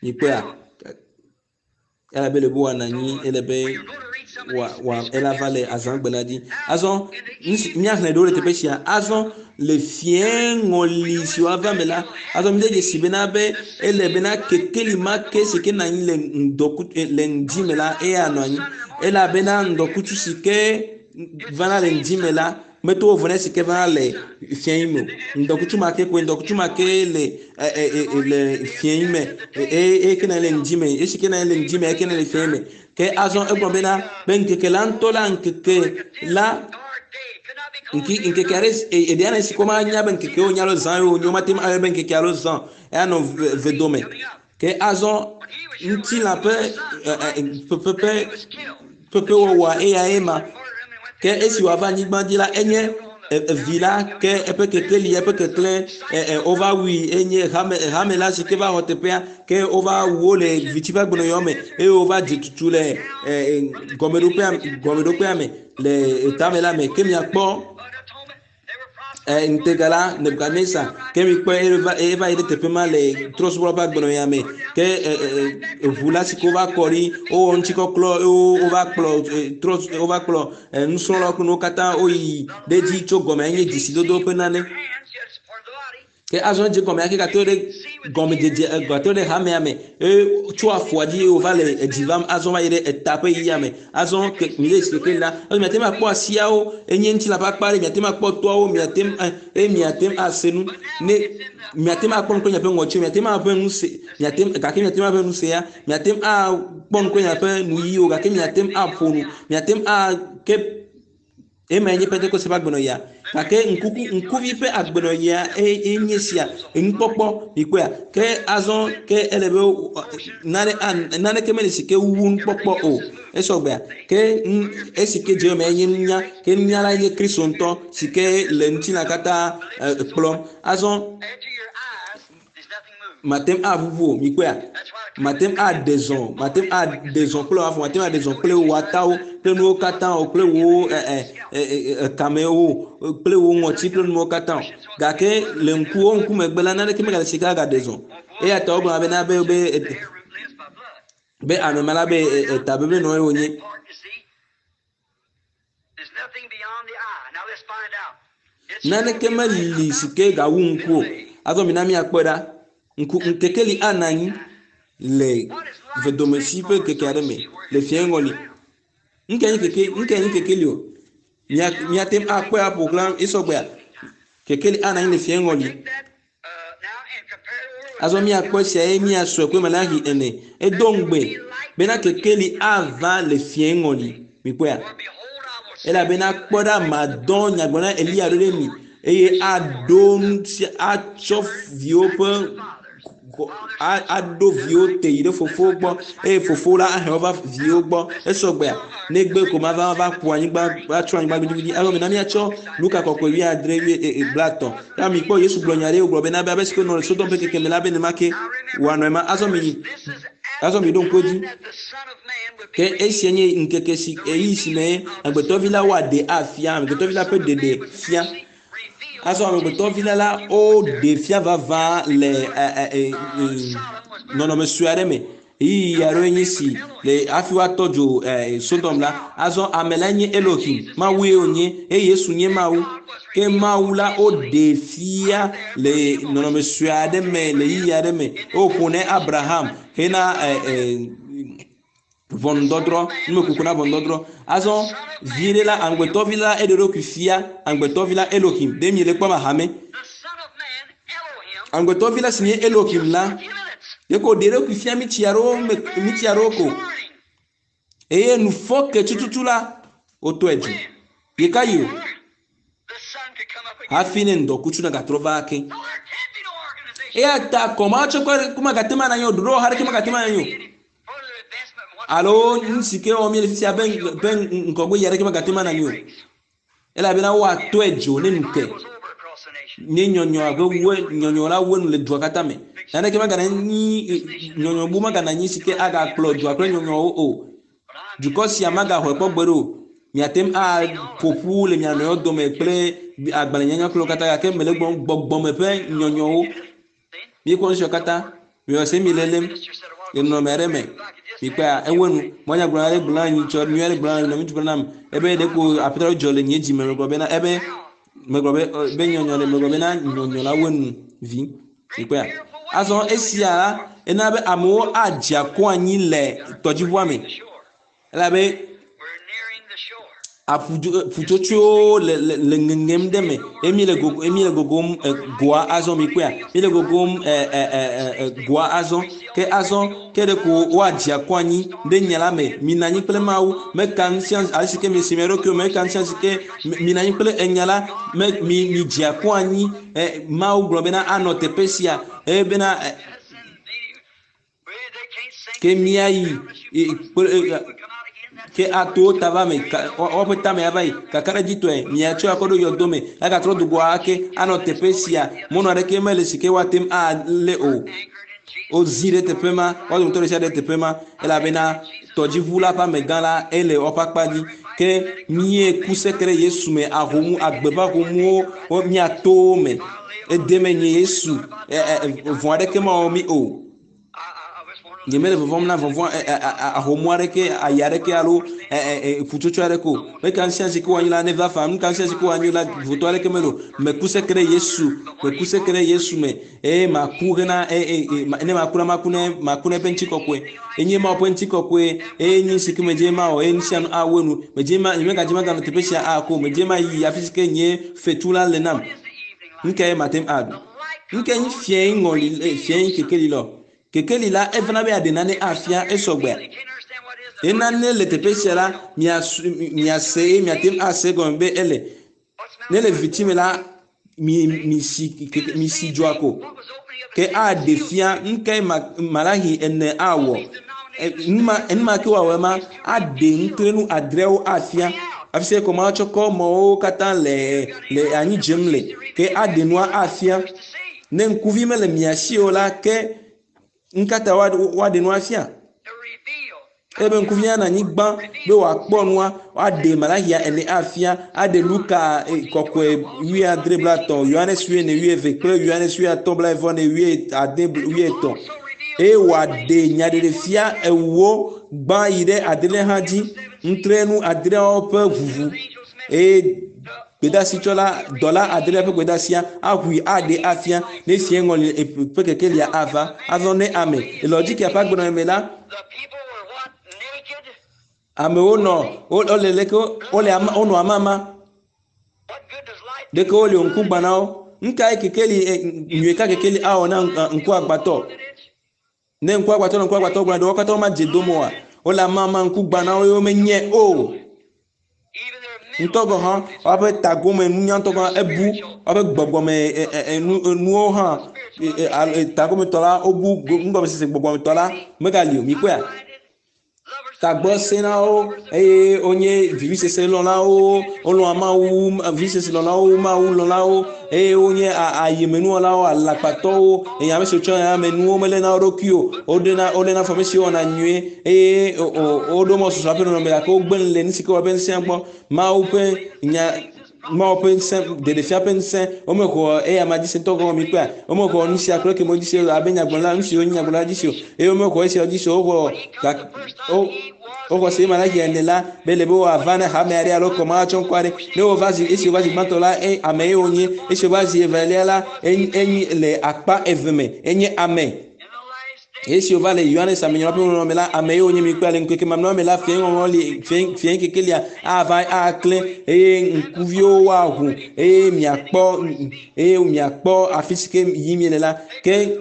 Speaker 1: Mi kpɔea elabe le be wòanɔ anyi ele be wòa wòa ela va le azãgbe la dzi. Azɔ nu si míaxlẽ ɖewo le teƒe sia. Azɔ le fiẽ ŋɔli si woava me la, azɔ míde dzesi bena be ele bena kekeli ma ke si ke nɔ anyi le ŋdɔku le ŋdi me la eya nɔ anyi elabena ŋdɔkutsu si ke vana le ŋdi me la meto vovo na esi ke vana le fiẽ me o. Ŋdɔkutsu ma ke koe ŋdɔkutsu ma ke le e, e, e, e, le fiẽ me eye eye ke nɔ anyi le ŋdi me esi ke nɔ anyi le ŋdi me eke nɔ le fiẽ me. Ke azɔ egblɔ bena be ŋkeke la ŋutɔ la ŋkeke la ŋki ŋkeke aɖe eɖe aɖe si ke womanya be ŋkeke wonye alo zã ye wonye womate ŋu ayɔe be ŋkeke alo zã o eya nɔ vedome. Ke azɔ ŋutilã ƒe ƒe ƒeƒewɔwɔa eyae ma. Ke esi wòava anyigba dzi la, enye vi la ke eƒe kekeli, eƒe keklẽ wova wui enye hame hame la si ke va xɔ teƒea ke wova wu wo le viti ƒe agbenɔyɔ me eye wova dze tutu le gɔmeɖokpea gɔmeɖokpea me le tame la me ke miakpɔ ŋutega la Nebukadnezar ke mikpɔe eva eva yi ɖe teƒe ma le trɔ̃subɔla ƒe agbenɔɣia me ke eʋu la si ke wova kɔ ɖi wowɔ ŋutikɔklɔ eye wova kplɔ trɔ wova kplɔ nusrɔ̃lawo kple nuwo katã woyi ɖe edzi tso gɔme enye dzesidodo ƒe nane. Ke azɔ edze gɔme ake gatrɔ ɖe gɔmedzedze gatrɔ ɖe hamea me eye tso afɔa dzi eye wòva le edzi vam azɔ va yi ɖe eta ƒe yiyia me. Azɔ ke mi ɖe keke la, azɔ miate ŋu akpɔ asiawo enye ŋutilã ƒe akpa ɖe, miate ŋu akpɔ toawo, miate ŋu eye miate ŋu ase nu ne miate ŋu akpɔ nu kple miaƒe ŋɔtiwo, miate ŋu aʋẽ nu se, miate ŋu gake miate ŋu aʋẽ nu se ya, miate ŋu akpɔ nu kple miaƒe nuyiwo gake miate ŋu aƒo nu, miate ŋu ake Emae nye Pentekoste ƒe agbenɔɣia. Gake ŋkuku, ŋkuvi ƒe agbenɔɣia enye sia, enukpɔkpɔ, mikpɔea. Ke azɔ ke ele be nane, naneke mele si ke wu nukpɔkpɔ o. Esɔgbea. Ke esi ke dze eme enye nunya. Ke nunya la nye Kristo ŋutɔ si ke le ŋutilã katã kplɔm. Azɔ mate ŋu aʋuʋu o, mikpɔea? Mate ŋu aɖe zɔ, mate ŋu aɖe zɔ kple wò afɔ, mate ŋu aɖe zɔ kple wò atawo, kple nuwo katã o, kple wò ekamewo, kple wò ŋɔti kple nuwo katã o. Gake le ŋkuwo ŋkumegbe la, naneke megale si ke agaɖe zɔ. Eya ta wogblɔna bena be be be ame ma la be eta beblenɔ ye wònye. Naneke meli si ke gawu ŋku o. Azɔ mina míakpɔe ɖa. Ŋku ŋkekeli anɔ anyi le vedomesi ƒe ŋkeke aɖe me le fiẽ ŋɔli. Ŋke nye keke, ŋke nye kekeli o. Mía míate ŋu akpɔe aƒo xlã esɔgbea. Kekeli anɔ anyi le fiẽ ŋɔli. Azɔ míakpɔ esia eye míasɔe kple Malaxi ene. Edo ŋugbe bena kekeli ava le fiẽ ŋɔli. Mikpɔea? Elabena kpɔ ɖa, madɔ nyagblɔɖila Eliya ɖo ɖe mi eye aɖo ŋuti atsɔ viwo ƒe aɖo viwo te yi ɖe fofowo gbɔ eye fofowo la ahe wo va viwo gbɔ. Esɔgbea? Negbe ko mava va ƒo anyigba, va trɔ anyigba gbidigbidi. Azɔ mina míatsɔ Luka kɔkɔe wuiadre wui e, e, blaetɔ̃. Ya mikpɔ Yesu gblɔ nya ɖe wògblɔ bena be abe si ke nɔ le Sodom ƒe keke me la be nenema ke wòanɔ ema. Azɔ mi azɔ mi ɖo ŋku edzi. Ke esia nye ŋkeke si ɣeyiɣi si me amegbetɔvi la woaɖe afia, amegbetɔvi la ƒe ɖeɖe fia. Azɔ amegbetɔvi la la woɖe fia vavã le nɔnɔme sue aɖe me. Ɣeyiɣi aɖewoe nye si le hafi woatɔ dzo Sodom la. Azɔ ame la nye Elohim, Mawue wònye, eye Yesu nye Mawu. Ke Mawu la woɖe fia le nɔnɔme sue aɖe me le ɣeyiɣi aɖe me. Woƒo ne Abraham hena ʋɔnudɔdrɔ̃, numekuku na ʋɔnudɔdrɔ̃. Azɔ vi ɖe la, amegbetɔvi la, eɖe eɖokui fia, amegbetɔvi la, Elohim. Ɖe miele kpɔm ahame? Amegbetɔvi la si nye Elohim la, ɖeko wòɖe eɖokui fia mitsi aɖewo me, mitsi aɖewo ko. Eye nufɔke tututu la, wotɔe dzo. Ɣekaɣi o? Hafi ne ŋdɔkutsu nagatrɔ va ake. Eya ta kɔmatsɔkpe aɖeke magate ŋu anɔ anyi o, ɖoɖowɔha aɖeke magate ŋu anɔ anyi o. Alo nu si ke wɔm míele fifia ƒe ƒe ŋgɔgbe yi aɖeke magate ŋu anɔ anyi o. Elabena woatɔe dzo ne nu ke. Ne nyɔnyɔ ƒe we nyɔnyɔ la we nu le dua katã me. Naneke megana nyi nyɔnyɔ bu megana nyi si ke agakplɔ dua kple nyɔnyɔwo o. Dukɔ sia magaxɔe kpɔ gbe ɖe o. Miate ŋu aƒo ƒu le mia nɔewo dome kple agbalẽnyanya kple wo katã gake mele gblɔm gbɔgbɔme ƒe nyɔnyɔwo. Míekpɔ nu siawo katã. Miwɔ se mi lélem le nɔnɔme aɖe me. Mikpɔa ewe nu. Mɔnyagblɔ aɖe gblɔ na nyitsɔ nyui aɖe gblɔ na nɔvi gblɔ nam ebe ɖeko aƒetɔ dzɔ le nye dzi me megblɔ bena ebe megblɔ be be nyɔnyɔ ɖe megblɔ bena nyɔnyɔ la we nu vi. Mikpɔa. Azɔ esia la ena be amewo adze akɔ anyi le tɔdziʋua me elabe aƒutsotsoewo le le le ŋeŋem ɖe me eye mi le gogo mi le gogom goa azɔ mi kpɔea mi le gogom goa azɔ ke azɔ ke ɖe ko woadze akɔ anyi ɖe nya la me mina anyi kple Mawu meka nu sia ale si ke mi si mia ɖokuiwo meka nu sia si ke mina anyi kple enya la me mi mi dze akɔ anyi Mawu gblɔ bena anɔ teƒe sia eye bena ke míayi kple ke ato ta va me woƒe tame ava yi kakaɖedzitɔe miatsɔ akɔ ɖo yɔdo me agatrɔ do goa ake anɔ teƒe sia mɔnu aɖeke mele si ke woate ŋu alé o. Wozi ɖe teƒe ma, woa dometɔ ɖe sia ɖe teƒe ma elabena tɔdziʋu la ƒe amegã la ele woƒe akpa dzi. Ke míeku seke ɖe Yesu me ahomu agbe ƒe ahomuwo míato wo me. Edeme nye Yesu vɔ̃ aɖeke mawɔ mí o. Nyemele vɔvɔ̃m na vɔvɔ̃ ahomu aɖeke, ayi aɖeke alo ƒutsotso aɖeke o. Meka nu sia si ke woanyi la neva faa. Nu ka nu sia si ke woanyi la votɔ aɖeke mele o. Meku seke ɖe Yesu, meku seke ɖe Yesu me eye maku hena ne maku la maku ne maku ne eƒe ŋutikɔkɔe. Enye Mawu ƒe ŋutikɔkɔe eye nyi si ke medze mawɔ eye nu sia nu awɔe nu. Medze ma nyemegadze maganɔ teƒe sia ako o. Medze mayi afi si ke nye fetu la le nam. Nu kae mate ŋu aɖu? Nu kae nye fiẽ ŋɔli fiẽ kekeli lɔ? Kekeli la evana be yeaɖe nane afia esɔgbea. Ye nane le teƒe sia la miase eye miate ŋu ase egɔme be ele. Ne le viviti me la mi mi si mi si dzoa ko. Ke aɖe fia nu kae Malaxi ene awɔ. Nu ma ke wòawɔ ma aɖe nutrenu adreawo afia. Afi sia kɔ matsɔ kɔ mɔwo katã le le anyi dzem le. Ke aɖe nua afia. Ne ŋkuvi mele mia si o la ke ŋkata woaɖe nua fia. Ebe ŋkuvia na anyigba be wòakpɔ nua, woaɖe Malaxia ene afia, aɖe Luka kɔkɔe wuiadre blaetɔ̃, Yohanes wuiene wuieve kple Yohanes wuiatɔ̃ blaeve ne wuiade wuietɔ̃. Eye wòaɖe nyaɖeɖefia ewo gbã yi ɖe adrelia hã dzi, nutrenu adreawo ƒe ʋuʋu. Eye gbedasitsɔla dɔla adrelia ƒe gbedasia aʋui aɖe afia ne fia ŋɔli ƒe kekelia ava. Azɔ ne ame le Laodikea ƒe agbenɔnɔ me la, amewo nɔ wole leke wole wonɔ amama ɖeke wole ŋku gbã na wo. Nu kae kekeli nyui ka kekeli awɔ na ŋku agbatɔ? Ne ŋku agbatɔ nɔ ŋku agbatɔ gblɔ ɖe wo katã womadze dome oa? Wole amama ŋku gbã na wo ye womenye o. Ŋutɔ gɔ̃ hã woaƒe tagome nunyatɔ gɔ̃ hã ebu woaƒe gbɔgbɔme nuwo hã tagometɔ la wobu nugɔmesese gbɔgbɔmetɔ la megali o. Mikpɔea? Tagbɔ sẽnawo eye wonye vivisese lɔ̃lawo, wolɔ̃a Mawu, vivisese lɔ̃lawo, Mawu lɔ̃lawo eye wonye ayemenuwɔlawo, alakpatɔwo eye ame siwo tsɔ amenuwo meléna wo ɖokui o. Woɖena woléna fɔ ame siwo wɔna nyuie eye woɖo mɔ susɔ ƒe nɔnɔme gake wogbe nu le nu si ke wɔ ƒe ŋusẽ gbɔ. Mawu ƒe nya Mawu ƒe ŋusẽ ɖeɖefia ƒe ŋusẽ womexɔ eya ma dzi se ŋutɔ gɔme mi kpɔa womexɔ nu sia kple keme dzi se abe nyagblɔla nu siwo nye nyagblɔla dzi se o eye womexɔ esiawo dzi se o woxɔ woxɔ se Malaxi ene la be le be woava ne hame aɖe alo kɔma atsɔ ŋkɔ aɖe ne wova zi esi wova zi gbãtɔ la ame ye wonye esi wova zi evelia la enye le akpa eve me enye ame. Esi wova le Yohanes amenyrɔ̃ ƒe ŋɔŋlɔ me la, ame yiwo nye mi kpɔe le ŋkeke mamlɛawo me la, fiẽ ŋɔŋlɔ li, fiẽ fiẽ kekelia ava aklẽ eye ŋkuviwo woaʋu eye miakpɔ eye miakpɔ afi si ke yim miele la. Ke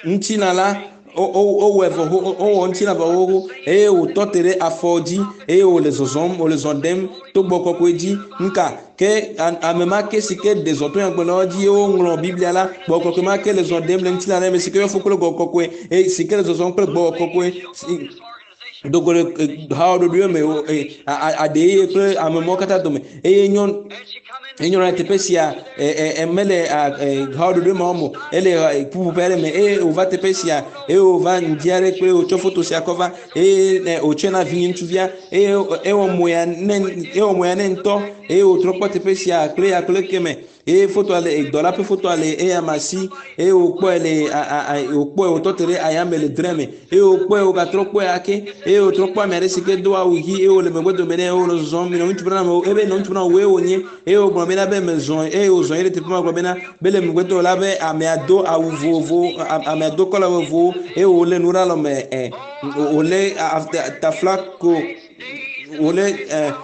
Speaker 1: ŋutilã la wowɔe vɔ wowɔ ŋutilã vɔ xoxo eye wòtɔ te ɖe afɔ dzi eye wòle zɔzɔm wòle zɔ ɖem to gbɔ kɔkɔe dzi. Nuka? Ke ame ma ke si ke ɖe zɔ to nyagblɔɖilawo dzi ye woŋlɔ Biblia la, gbɔgbɔ kɔkɔe ma ke le zɔ ɖem le ŋutilã ɖe me si ke yɔ fũ kple gbɔgbɔ kɔkɔe eye si ke le zɔzɔm kple gbɔgbɔ kɔkɔe. Dogo le hawoɖoɖoe me aɖe eye kple ame mɔwo katã dome eye nyɔnu eye nyɔnua le teƒe sia mele hawoɖoɖoe ma wɔm o ele ƒuƒoƒe aɖe me eye wòva teƒe sia eye wòva ŋdi aɖe kple wòtsɔ foto sia kɔ va eye wòtsɔe na vinye ŋutsuvia eye ewɔ mo ya ne ewɔ mo ya ne ŋutɔ eye wòtrɔ kpɔ teƒe sia kple ya kple keme eye fotoa le dɔla ƒe fotoa le eya ma si eye wòkpɔe le wòkpɔe wòtɔ te ɖe ayame le drɛ me eye wòkpɔe wògatrɔ kpɔe ake eye wòtrɔ kpɔ ame aɖe si ke do awu ɣi eye wòle megbe dome nɛ eye wònɔ zɔzɔm nɔ ŋutsu bena ebe nɔ ŋutsu bena wòe wònye eye wògblɔ bena be mezɔ eye wòzɔ yi ɖe teƒe ma gblɔ bena be le megbe do la be amea do awu vovovo amea do kɔla vovovowo eye wòlé nu ɖe alɔme ɛ wòlé taflako wòlé ɛ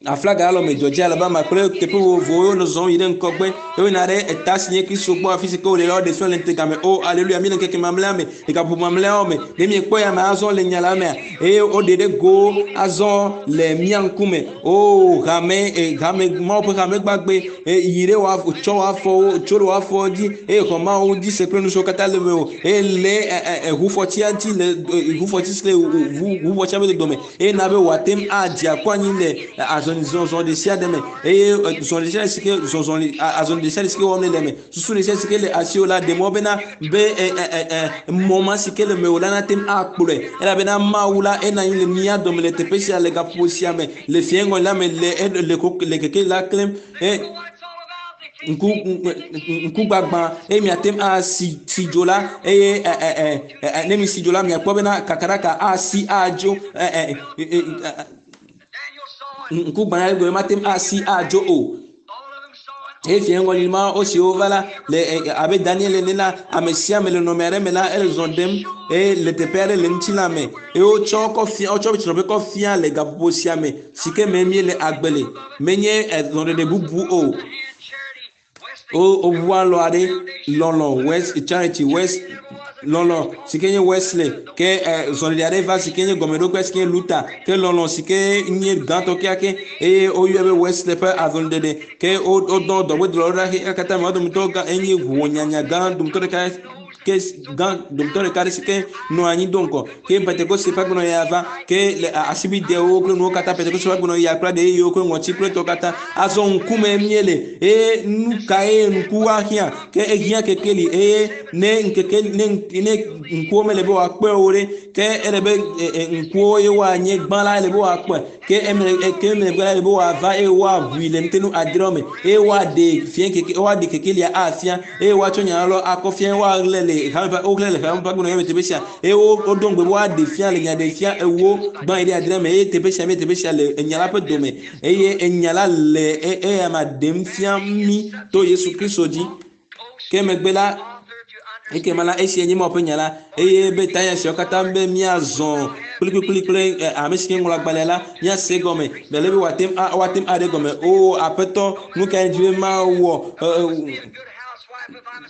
Speaker 1: aflaga alɔ me dzɔdzi Alabama kple teƒe vovovowo wonɔ zɔm yi ɖe ŋgɔgbe eye woyina ɖe eta si nye Kristo gbɔ afi si ke wole la woɖe fia le ŋutega me. O aleluya mi le ŋkeke mamlɛa me le gaƒoƒo mamlɛawo me ne miekpɔ ya me azɔ le nya la mea eye woɖe ɖe go azɔ le mía ŋkume. O hame hame Mawu ƒe hame gbagbe yi ɖe wò tsɔ wò afɔwo tso ɖe wò afɔwo dzi eye xɔ Mawu dzi se kple nu siwo katã le mewò eye le ʋufɔtia ŋuti le ʋufɔti si le ʋufɔtia ƒe dodome eye na be wòate ŋu adze akɔ anyi le azɔlizɔzɔ ɖe sia ɖe me eye zɔ ɖe sia ɖe si ke zɔzɔ azɔli ɖe sia ɖe si ke wɔm nèle me susu ɖe sia ɖe si ke le asiwò la ɖe mɔ bena be mɔ ma si ke le mewò la nate ŋu akplɔe elabena Mawu la enɔ anyi le mía dome le teƒe sia le gaƒoƒo sia me le fiẽ la me le le le keke la klẽm ŋku ŋkugbagba eye miate ŋu asi si dzo la eye ɛ ɛ ɛ ne mi si dzo la miakpɔ bena kakaɖaka asi adzo ɛ ɛ ŋkugbã gɔme mate ŋu asi adzo o. Eye fia ŋgɔli ma wo siwo va la le abe Daniel ene la ame sia ame le nɔnɔme aɖe me la ele zɔ ɖem eye le teƒe aɖe le ŋutilã me eye wotsɔ kɔ fia wotsɔ tsrɔ̃ƒe kɔ fia le gaƒoƒo sia me si ke me míele agbe le menye zɔɖeɖe bubu o. Woʋu alɔ aɖe lɔlɔ West Charity West lɔlɔ si ke nye Wesley ke zɔɖeɖe aɖe va si ke nye gɔmeɖokpe si ke nye Luther ke lɔlɔ si ke nye gãtɔ kekeake eye woyɔe be Wesley ƒe azɔliɖeɖe ke wodɔ dɔgbedɔlawo ɖa xexea katã me wo dometɔ gã enye ʋunyanya gã dometɔ ɖeka ke gã dometɔ ɖeka ɖe si ke nɔ anyi do ŋgɔ ke Pentekoste ƒe agbenɔɣi ya va ke le asibidewo kple nuwo katã Pentekoste ƒe agbenɔɣi ya kple ɖeyiwo kple ŋɔti kple tɔ katã azɔ ŋkume míele eye nu kae ŋku ahiã ke ehiã kekeli eye ne ŋkeke ne ne ŋkuwo mele be wòakpɔe o ɖe ke ele be ŋkuwo ye woanye gbã la ele be woakpɔe ke eme ke emegbe la ele be woava eye woaʋui le ŋutenu adreawo me eye woaɖe fia keke woaɖe kekelia afia eye woatsɔ nya lɔ akɔ fia woaxlẽ le hame ƒe woxlẽ le hame ƒe agbenɔɣi me teƒe sia eye woɖo ŋugbe be woaɖe fia le nya ɖe fia ewo gbã yi ɖe adre me eye teƒe sia me teƒe sia le enya la ƒe dome eye enya la le eya ma ɖem fia mí to Yesu Kristo dzi ke megbe la ekema la esia nye Mawu ƒe nya la eye be tanya siawo katã be míazɔ kplikplikpli kple ame si ke ŋlɔ agbalẽ la míase gɔme bele be wòate ŋu woate ŋu aɖe gɔme o aƒetɔ nu kae dzi be mawɔ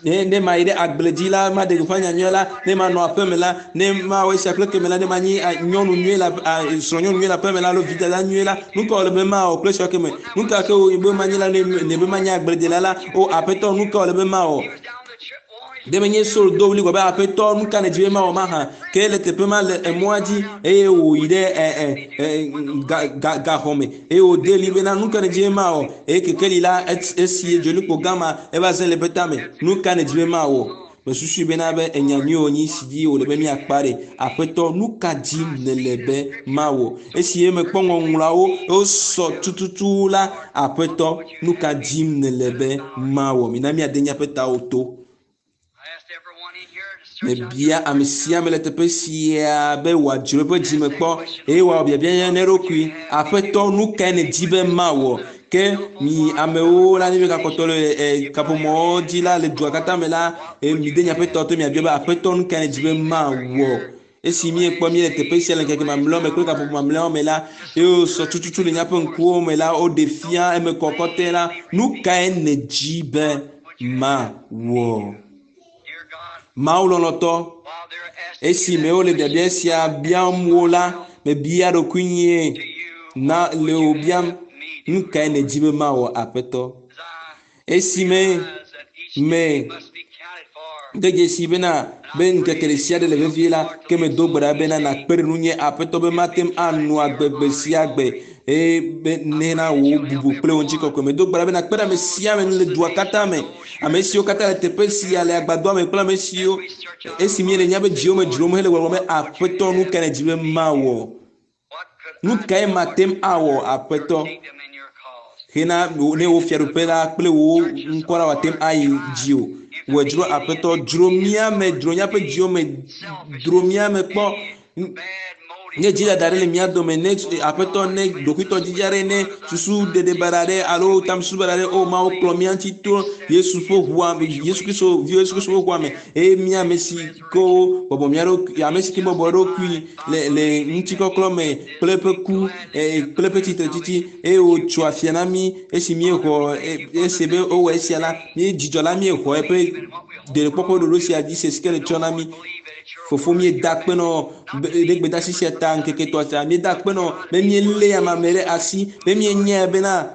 Speaker 1: ne ne mayi ɖe agble dzi la maɖe gbeƒã nyanyui la ne manɔ aƒe me la ne mawɔ esia kple keme la ne manyi nyɔnu nyui la srɔ̃nyɔnu nyui le aƒe me la alo vidada nyui la nu ka wòle be mawɔ kple esia keme nu ka ke wòle be manyi la ne ne be manyi agbledela la o aƒetɔ nu ka wòle be mawɔ ɖe menye Saul do ɣli gblɔ be aƒetɔ nu ka nèdi be mawɔ mahã ke le teƒe ma le emɔa dzi eye wòyi ɖe ɛ ɛ ɛ ga ga gaxɔ me eye wòde ɣli bena nu ka nèdi be mawɔ eye kekeli la esi dzolikpo gã ma eva ze le eƒe tame nu ka nèdi be mawɔ mesusui bena be enya nyui wònyi si dzi wòle be míakpa ɖe aƒetɔ nu ka dim nèle be mawɔ esi mekpɔ ŋɔŋlɔawo wosɔ tututu la aƒetɔ nu ka dim nèle be mawɔ mina míade míaƒe tawo to mebia ame sia ame le teƒe sia be wòadzro eƒe dzime kpɔ eye wòawɔ biabia ne eɖokui aƒetɔ nu kae nèdi be mawɔ ke mi amewo la ne miegakpɔtɔ le kaƒomɔwo dzi la le dua katã me la mide miaƒe tɔ to miabia be aƒetɔ nu kae nèdi be mawɔ esi miekpɔ míele teƒe sia le ŋkeke mamlɛawo me kple gaƒoƒo mamlɛawo me la eye wosɔ tututu le míaƒe ŋkuwo me la woɖe fia eme kɔkɔtɔe la nu kae nèdi be mawɔ Mawu lɔlɔ̃tɔ esime wole biabia sia biam wo la mebia ɖokuinye na le wò biam nu kae nèdi be mawɔ aƒetɔ esime me De dzesi bena be ŋkeke ɖe sia ɖe le vevie la, ke medo gbe ɖa bena nàkpe ɖe nunye Aƒetɔ be mate ŋu anɔ agbe gbe sia gbe eye be nena wò bubu kple wò ŋutikɔkɔe. Medo gbe ɖa be nàkpe ɖe ame sia ame ŋu le dua katã me, ame siwo katã le teƒe sia le agbadɔa me kple ame siwo esi míele míaƒe dziwo me dzrom hele gbɔgblɔm be Aƒetɔ nu kae nèdi be mawɔ? Nu kae mate ŋu awɔ Aƒetɔ hena ne wò fiaɖuƒe la kple wò ŋkɔ la wòate ŋu ayi dzi o? Wòe dzro Aƒetɔ, dzro mía me, dzro míaƒe dziwo me, dzro mía me kpɔ. Ne dzidada ɖe le mía dome, ne Aƒetɔ ne ɖokuitɔdidi aɖe, ne susu ɖeɖe baɖa aɖe alo tamesusu baɖa aɖe, o Mawu kplɔ mía ŋuti to Yesu ƒe ʋua, Yesu Kristo, vi Yesu Kristo ƒe ʋua me eye mía ame si ke wobɔbɔ mía ɖokui, ame si ke bɔbɔ eɖokui le le ŋutikɔklɔ me kple eƒe ku kple eƒe tsitretsitsi eye wòtso afia na mí esi míexɔ ese be wowɔ esia la, mí dzidzɔ la míexɔ eƒe ɖeɖekpɔkpɔ ɖoɖo sia dzi se si ke nètsɔ na mí. Fofo míeda akpe nɔ ɖe gbedeasi sia ta ŋkeke etɔ̃ sia. Míeda akpe nɔ be míelé ame ame ɖe asi be míenyae bena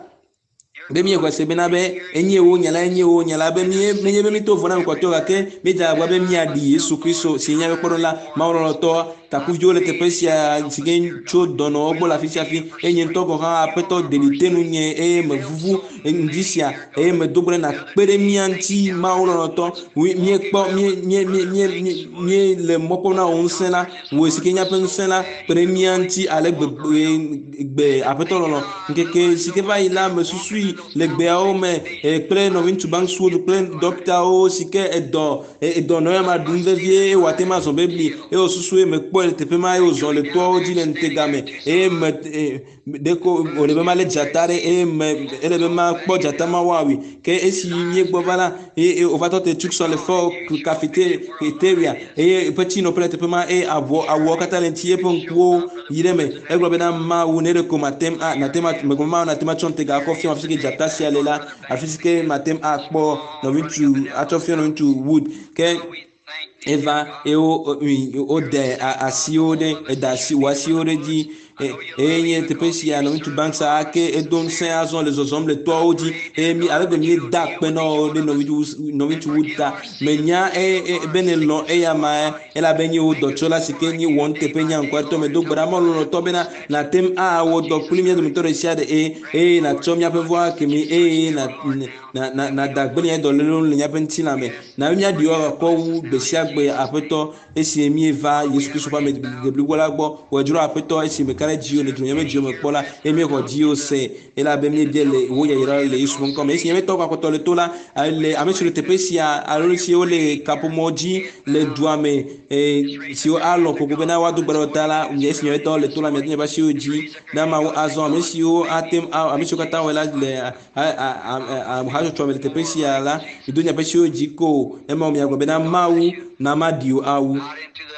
Speaker 1: be míexɔe se bena be enye wò nya la, enye wò nya la, be mí menye be míto vo na ame kpɔtɔewo gake míedze agbagba be míaɖi Yesu Kristo si nye míaƒe kpɔɖeŋu la. Mawu lɔlɔ̃tɔ, takuviwo le teƒe sia si ke tso dɔnɔwo gbɔ le afi sia afi eye nye ŋutɔ gɔ̃ hã Aƒetɔ ɖeɖi te ŋunye eye mevuvu ŋdi sia eye medo gbe ɖe nàkpe ɖe mía ŋuti Mawu lɔlɔ̃tɔ. Míekpɔ mí mí mí mí mí míele mɔ kpɔm na wò ŋusẽ la, wò si ke nye míaƒe ŋusẽ la, kpe ɖe mía ŋuti ale gbegbe gbe aƒetɔ lɔlɔ ŋkeke si ke va yi la mesusui le gbeawo me kple nɔviŋutsu Banks Wood kple ɖɔktawo si ke edɔ edɔ nɔ ya ma ɖum vevie eye wòate ŋu azɔ bebli eye wòsusui eye mekpɔe le teƒe ma eye wòzɔ le toawo dzi le ŋutega me eye me ɖeko wòle be malé dzata ɖe eye me ele be makpɔ dzata ma woawui ke esi míegbɔ va la eye wòva tɔ te Tucson le fɔ cafeteria eye eƒe tsinɔƒe le teƒe ma eye avɔ awuawo katã le ŋuti eƒe ŋkuwo yi ɖe eme. Egblɔ bena, Mawu, ne ɖeko mate ŋu a, nate ŋu a, megblɔ Mawu nate ŋu atsɔ ŋutega akɔ fiam afi si ke dzata sia le la, afi si ke mate ŋu akpɔ nɔviŋutsu, atsɔ fia nɔviŋutsu Wood. Ke eva eye wo, wode asiwo ɖe, eda asi, wò asiwo ɖe edzi eye nye teƒe sia nɔviŋutsu Banks ake edo ŋusẽ azɔ le zɔzɔm le toawo dzi eye mi ale gbe míeda akpe na wò ɖe nɔviŋutsu Wood ta. Menya be nèlɔ̃ eya ma elabe nye wò dɔtsɔla si ke nye wɔ nuteƒe nye anukwatɔ. Medo gbe ɖa Mawu lɔlɔ̃tɔ bena nàte ŋu awɔ dɔ kpli mía dometɔ ɖe sia ɖe eye eye nàtsɔ míaƒe vɔ̃ ake mí eye na na na nàda gbe le nye dɔlélewo ŋu le míaƒe ŋutilã me. Na be míaɖi wò akɔ wu gbe sia gbe, Aƒetɔ, esi míeva Yesu Kristo ƒe ame deblibo la gbɔ. Wòe dzro Aƒetɔ, esi meka ɖe dziwò, nèdzro míaƒe dziwo me kpɔ la, eye míexɔ dziwò se elabe míebia le wò yayra le Yesu ƒe ŋkɔ me. Esi míaƒe tɔwo gakpɔtɔ le to la, le ame siwo le teƒe sia alo siwo le kaƒomɔ dzi le dua me siwo alɔ̃ koko bena woado gbe ɖe ta la, esi míaƒe tɔwo le to la, miado miaƒe asiwo dzi na Mawu azɔ. Ame siwo ate ŋu, ame siwo katã wɔe la le hatsotsoa me le teƒe sia la, mido miaƒe asiwo dzi ko. Ema miagblɔ bena Mawu na maɖi wò awu.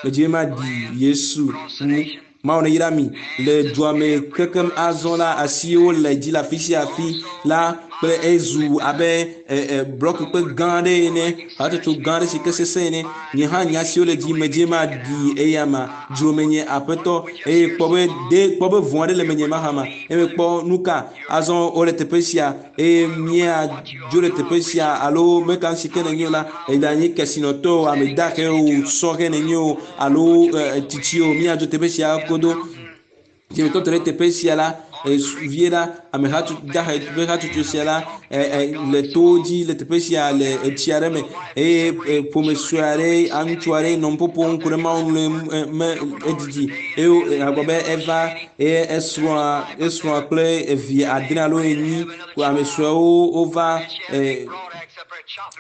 Speaker 1: Medzi be maɖi Yesu wu. Mawu neyra mi le dua me kekem azɔ la asiwo le dzi le afi sia afi la kple ezu abe blɔkikpe gã aɖe ene, hatsotso gã aɖe si ke sesẽ ene. Nye hã nye asiwo le dzi medze maɖi eya ma. Dzro menye Aƒetɔ eye kpɔ be de kpɔ be vɔ̃ aɖe le menye mahã ma. Eye mekpɔ nu ka azɔ wole teƒe sia eye míadzo le teƒe sia alo meka si ke nènye o la, èɖanye kesinɔtɔ o, ame dahe o, sɔhɛ nènye o alo tsitsi o, míadzo teƒe sia godo. Si metɔ te ɖe teƒe sia la, vie la, ame dahe ƒe hatsotso sia la le towo dzi le teƒe sia le etsi aɖe me eye ƒome sue aɖe, ŋutsu aɖe nɔ nuƒoƒo ŋku ɖe Mawu ŋu le me edidi eye agblɔ be eva eye esrɔ̃a esrɔ̃a kple evi adre alo enyi ame suewo wova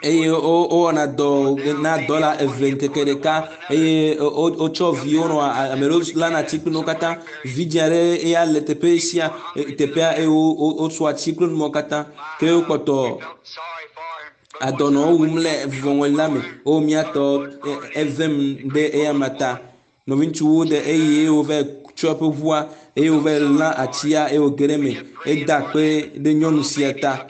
Speaker 1: eye wowɔna dɔ na dɔla eve ŋkeke ɖeka eye wotsɔ viwo nɔ ame ɖewo lana atsi kple nuwo katã. Vidzĩ aɖe eya le teƒe sia teƒea eye wotsɔ atsi kple nuwo katã ke wokpɔtɔ adɔnɔwo wum le vuvɔŋɔli la me. Wo míatɔ evem ɖe eya ma ta. Nɔviŋutsuwo ɖe eye wova tsɔ eƒe ʋua eye wova lã atsia eye wòge ɖe eme. Eda akpe ɖe nyɔnu sia ta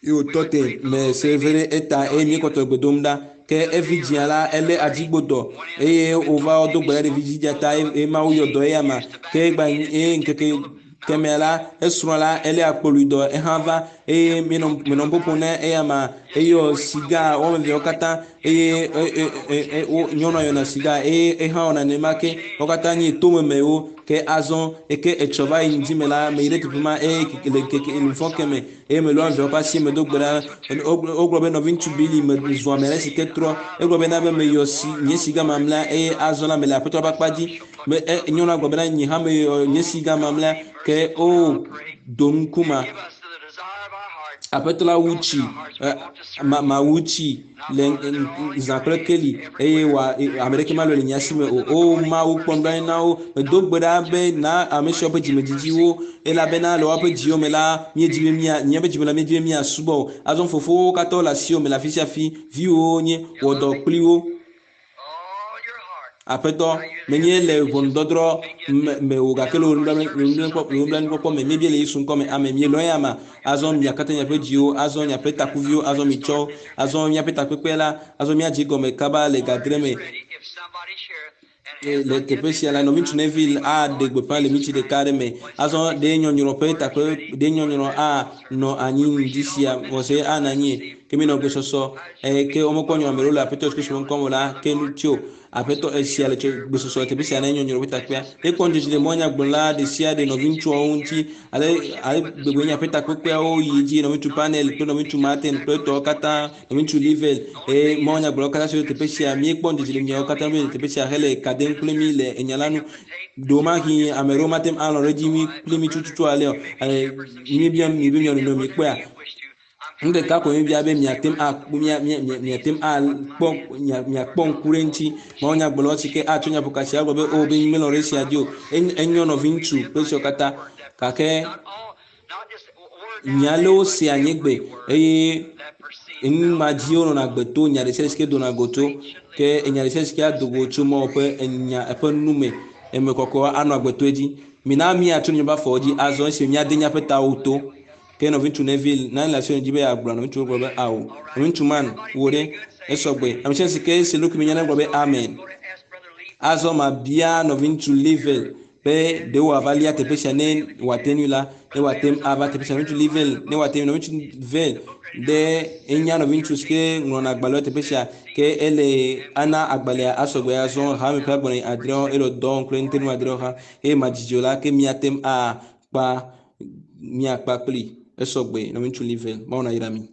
Speaker 1: eye wòtɔ te me se veve ɖe eta eye míekpɔtɔ gbe dom ɖa. Ke evi dzĩa la elé adzigbodɔ eye wòva do gbe ɖa ɖe vidzidzia ta eye Mawu yɔ dɔ eya ma. Ke egba eye ŋkeke kemɛa la esrɔ̃ la elé akpolui dɔ ehã va. eye menɔ menɔ nu ƒoƒom ne eya ma eyɔ siga wɔme eveawo katã eye e e e nyɔnua yɔna siga eye ehã wɔna nenema ke wo katã nye tomemewo ke azɔ eke etsɔ va yi ŋdi me la meyi ɖe teƒe ma eye le keke ŋfɔ ke me eye melɔ ame eveawo ƒe asi me do gbe ɖa wogblɔ be nɔviŋutsu Bili me zu ame aɖe si ke trɔ egblɔ be na be meyɔ si nye siga mamlɛa eye azɔ la mele aƒetɔ ƒe akpa dzi me e nyɔnua gblɔ bena nye hã meyɔ nye siga mamlɛa ke o do ŋkuma aƒetɔ la wu tsi ma ma wu tsi le zã kple keli eye wa ame ɖeke malɔe le nye asi me o. O Mawu kpɔ nublanui na wo. Medo gbe ɖa be na ame siawo ƒe dzimedzidziwo elabena le woaƒe dziwo me la míedi be mía míaƒe dzime la míedi be míasubɔ o. Azɔ fofowo katã wole asiwò me le afi sia afi. Viwòwo nye wɔ dɔ kpli wo. Aƒetɔ, menye le ʋɔnudɔdrɔ̃ me me o gake le wò nublanuikpɔkpɔ me. Míebia le Yesu ŋkɔ me. Amen. Mielɔ̃ ya ma. Azɔ mia katã miaƒe dziwo, azɔ miaƒe takuviwo, azɔ mitsɔ, azɔ míaƒe takpekpe la, azɔ míadze gɔme kaba le gadre me. Le teƒe sia la, nɔviŋutsu Neville aɖe gbeƒã le minti ɖeka aɖe me. Azɔ ɖe nyɔnyrɔ ƒe takpe ɖe nyɔnyrɔ anɔ anyi ŋdi sia vɔse anɔ anyi ke minɔ gbesɔsɔ eye ke womekpɔ nyɔnyrɔ ame ɖewo le Aƒetɔ Yesu Kristo ƒe ŋkɔ me o la ke nu tso Aƒetɔ esia le tso gbesɔsɔ le teƒe sia ne nyɔnyrɔ ƒe takpea. Ekpɔ ŋudzedze le mɔnyagblɔla ɖe sia ɖe nɔviŋutsuawo ŋuti ale ale gbegbe nye aƒe takpekpeawo yi dzi nɔviŋutsu Panel kple nɔviŋutsu Martin kple etɔwo katã nɔviŋutsu Livel eye mɔnyagblɔlawo katã siwo le teƒe sia míekpɔ ŋudzedze le miawo katã be le teƒe sia hele ka dem kple mí le enya la nu. Ɖewomahi ame ɖewo mate ŋu alɔ̃ ɖe edzi mí kpli mí tututu ale o. Míebia mi be mianɔ nɔ mikpɔea. Nu ɖeka ko míebia be miate ŋu akpɔ mia mia mia miate ŋu akpɔ mia miakpɔ ŋku ɖe eŋuti. Mawunyagblɔlawo si ke atsɔ nyaƒokasi agblɔ be o be melɔ̃ ɖe esia dzi o. Enyo nɔviŋutsu kple esiawo katã gake nya aɖewo sea nye gbe eye enu ma dzi wonɔna gbe to nya ɖe sia ɖe si ke dona go tso ke enya ɖe sia ɖe si ke ado go tso Mawu ƒe enya eƒe nu me eme kɔkɔe anɔ agbe to edzi. Mina míatso míaƒe afɔwo dzi azɔ esi míade míaƒe tawo to. Ke nɔviŋutsu Neville nane le asiwò dzi be yeagblɔ nɔviŋutsuwo gblɔ be ao. Nɔviŋutsu Man, wò ɖe, esɔgbe. Ame sia si ke se ɖokui me nya negblɔ be amen. Azɔ mabia nɔviŋutsu Livell be ɖe wòava lia teƒe sia ne wòate ŋui la, ne wòate ŋu ava teƒe sia. Nɔviŋutsu Livell, ne wòate ŋui, nɔviŋutsu Vell ɖe enya nɔviŋutsu si ke ŋlɔna agbalẽwo teƒe sia ke ele ana agbalẽa asɔgbe azɔ hame ƒe agbalẽ adrewo ele dɔ wɔm kple ŋutinu adrewo hã eye madzidzi o la ke míate ŋu akpa míakpa kpli esɔgbe nɔviŋutsu Livell. Mawu nayra mi.